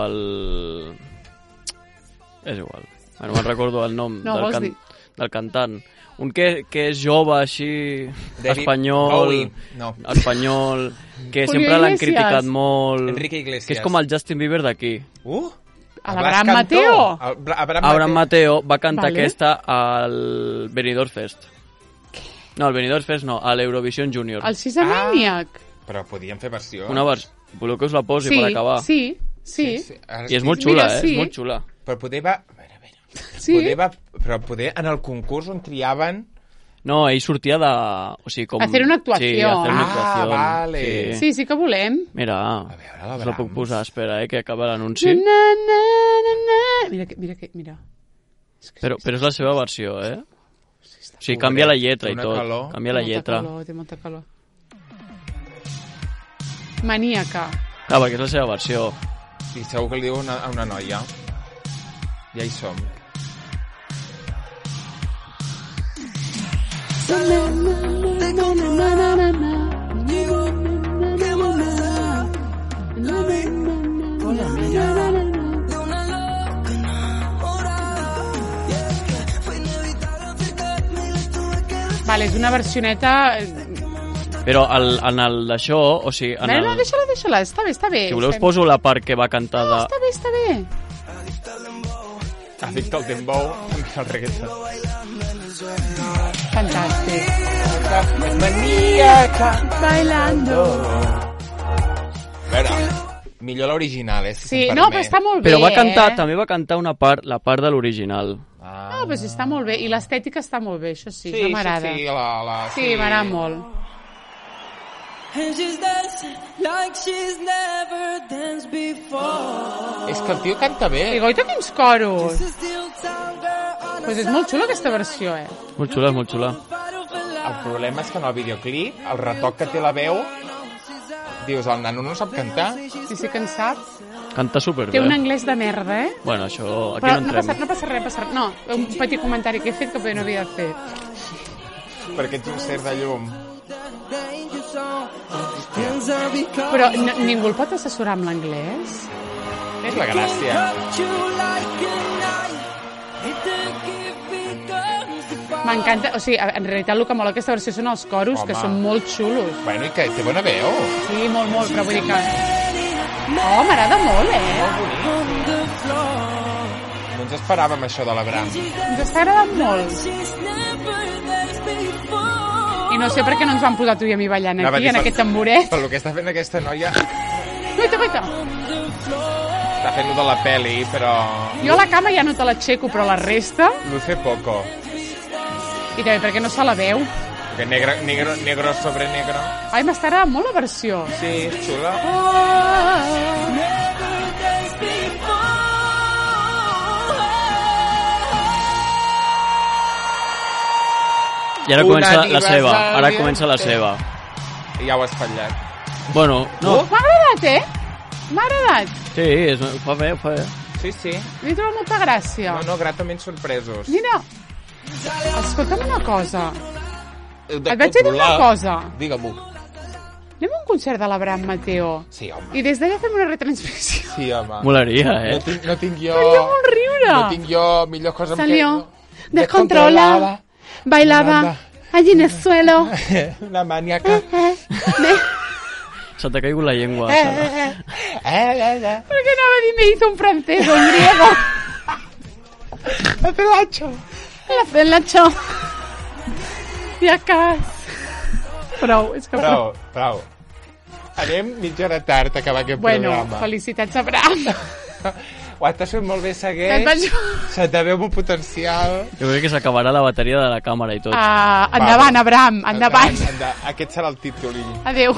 S3: És igual. No me'n recordo el nom del cantant. Un que és jove, així, espanyol, que sempre l'han criticat molt.
S2: Enrique Iglesias.
S3: Que és com el Justin Bieber d'aquí.
S1: L'Abraham Mateo.
S3: Abraham Mateo va cantar aquesta al Benidorm Fest. No, al Benidorm Fest no, a l'Eurovision Junior.
S1: El Sissamaniac.
S2: Però podien fer versions.
S3: Voleu que us la posi per acabar?
S1: Sí.
S3: I és molt xula, és molt xula.
S2: Però poder va... Però poder en el concurs on triaven...
S3: No, ell sortia de... O sigui, com...
S1: Hacer una actuació.
S3: Sí, hacer una actuació.
S2: Vale.
S1: Sí que volem.
S3: Mira,
S2: a veure,
S3: us la puc posar, espera, que acaba l'anunci.
S1: Mira.
S3: Però és la seva versió, O sigui, canvia la lletra i tot. Canvia la lletra.
S1: Té molta calor. Maníaca.
S3: Clar, perquè és la seva versió.
S2: I segur que li diu a una noia. Ja hi som.
S1: Vale, és una versioneta...
S3: Però en el d'això, o sigui...
S1: No, deixa-la, està bé.
S3: Si voleu us poso la part que va cantar de...
S1: No, està bé.
S2: Addicte al dembow, el reggaeton.
S1: Fantàstic.
S2: Maníaca
S1: bailando.
S2: A veure, millor l'original,
S1: Sí, no, però està molt bé,
S3: Però també va cantar la part de l'original.
S1: No, però sí, està molt bé. I l'estètica està molt bé, això sí, m'agrada.
S2: Sí,
S1: m'agrada molt.
S5: And she's dancing like she's never danced before.
S2: És que el tio canta bé.
S1: I goita quins coros. Pues és molt xula aquesta versió,
S3: Molt xula, molt xula.
S2: El problema és que en el videoclip, el retoc que té la veu, dius, el nano no sap cantar.
S1: Sí que en sap.
S3: Canta superbé.
S1: Té un anglès de merda,
S3: Bueno, això... Aquí
S1: però
S3: no entrem.
S1: no passa res. No, un petit comentari que he fet que no havia de fer.
S2: Perquè ets un ser de llum.
S1: Però ningú el pot assessorar amb l'anglès?
S2: És la gràcia.
S1: M'encanta, o sigui, en realitat el que mola aquesta versió són els coros, que són molt xulos.
S2: Bueno, i que té bona veu.
S1: Sí, molt, però vull dir que... Oh, m'agrada molt,
S2: Molt bonic. No ens esperàvem això de l'Abraham.
S1: Ens està agradant molt. I no sé per què no ens van posar tu i a mi ballant aquí, en aquest tamboret.
S2: Per lo que està fent aquesta noia...
S1: Guaita.
S2: Està fent de la peli, però...
S1: Jo a la cama ja no te l'aixeco, però la resta...
S2: Luce poco.
S1: I també perquè no se la veu.
S2: Que negro sobre negro.
S1: Ai, m'està agradant molt la versió.
S2: Sí, és xula.
S3: I ara comença la seva.
S2: Ja ho has fallat.
S3: Bueno, no.
S1: M'ha agradat, M'ha agradat.
S3: Sí, ho fa bé.
S2: Sí.
S1: M'he trobat molta gràcia.
S2: No, gratament sorpresos.
S1: Mira, escolta'm una cosa. Et vaig dir una cosa.
S2: Digue-m'ho.
S1: Anem a un concert de l'Abraham Mateo.
S2: Sí, home.
S1: I des d'allà fem una retransmissió.
S2: Sí, home.
S3: Molaria,
S2: No tinc jo...
S1: Faria molt riure.
S2: No tinc jo millor cosa amb
S1: Salió descontrolada, bailava allí en el suelo.
S2: Una maníaca.
S3: Se t'ha caigut la llengua, Sara.
S1: Perquè anava a dir, me hizo un francés o un griego.
S2: El pelacho.
S1: Y acá. Prou, és que prou.
S2: Prou. Anem mitja hora tard a acabar aquest programa.
S1: Bueno, felicitats, Abraham.
S2: Ho estàs fent molt bé, segueix. Se te veu un potencial.
S3: Jo crec que s'acabarà la bateria de la càmera i tot.
S1: Endavant, Abraham, endavant.
S2: Aquest serà el títol.
S1: Adéu.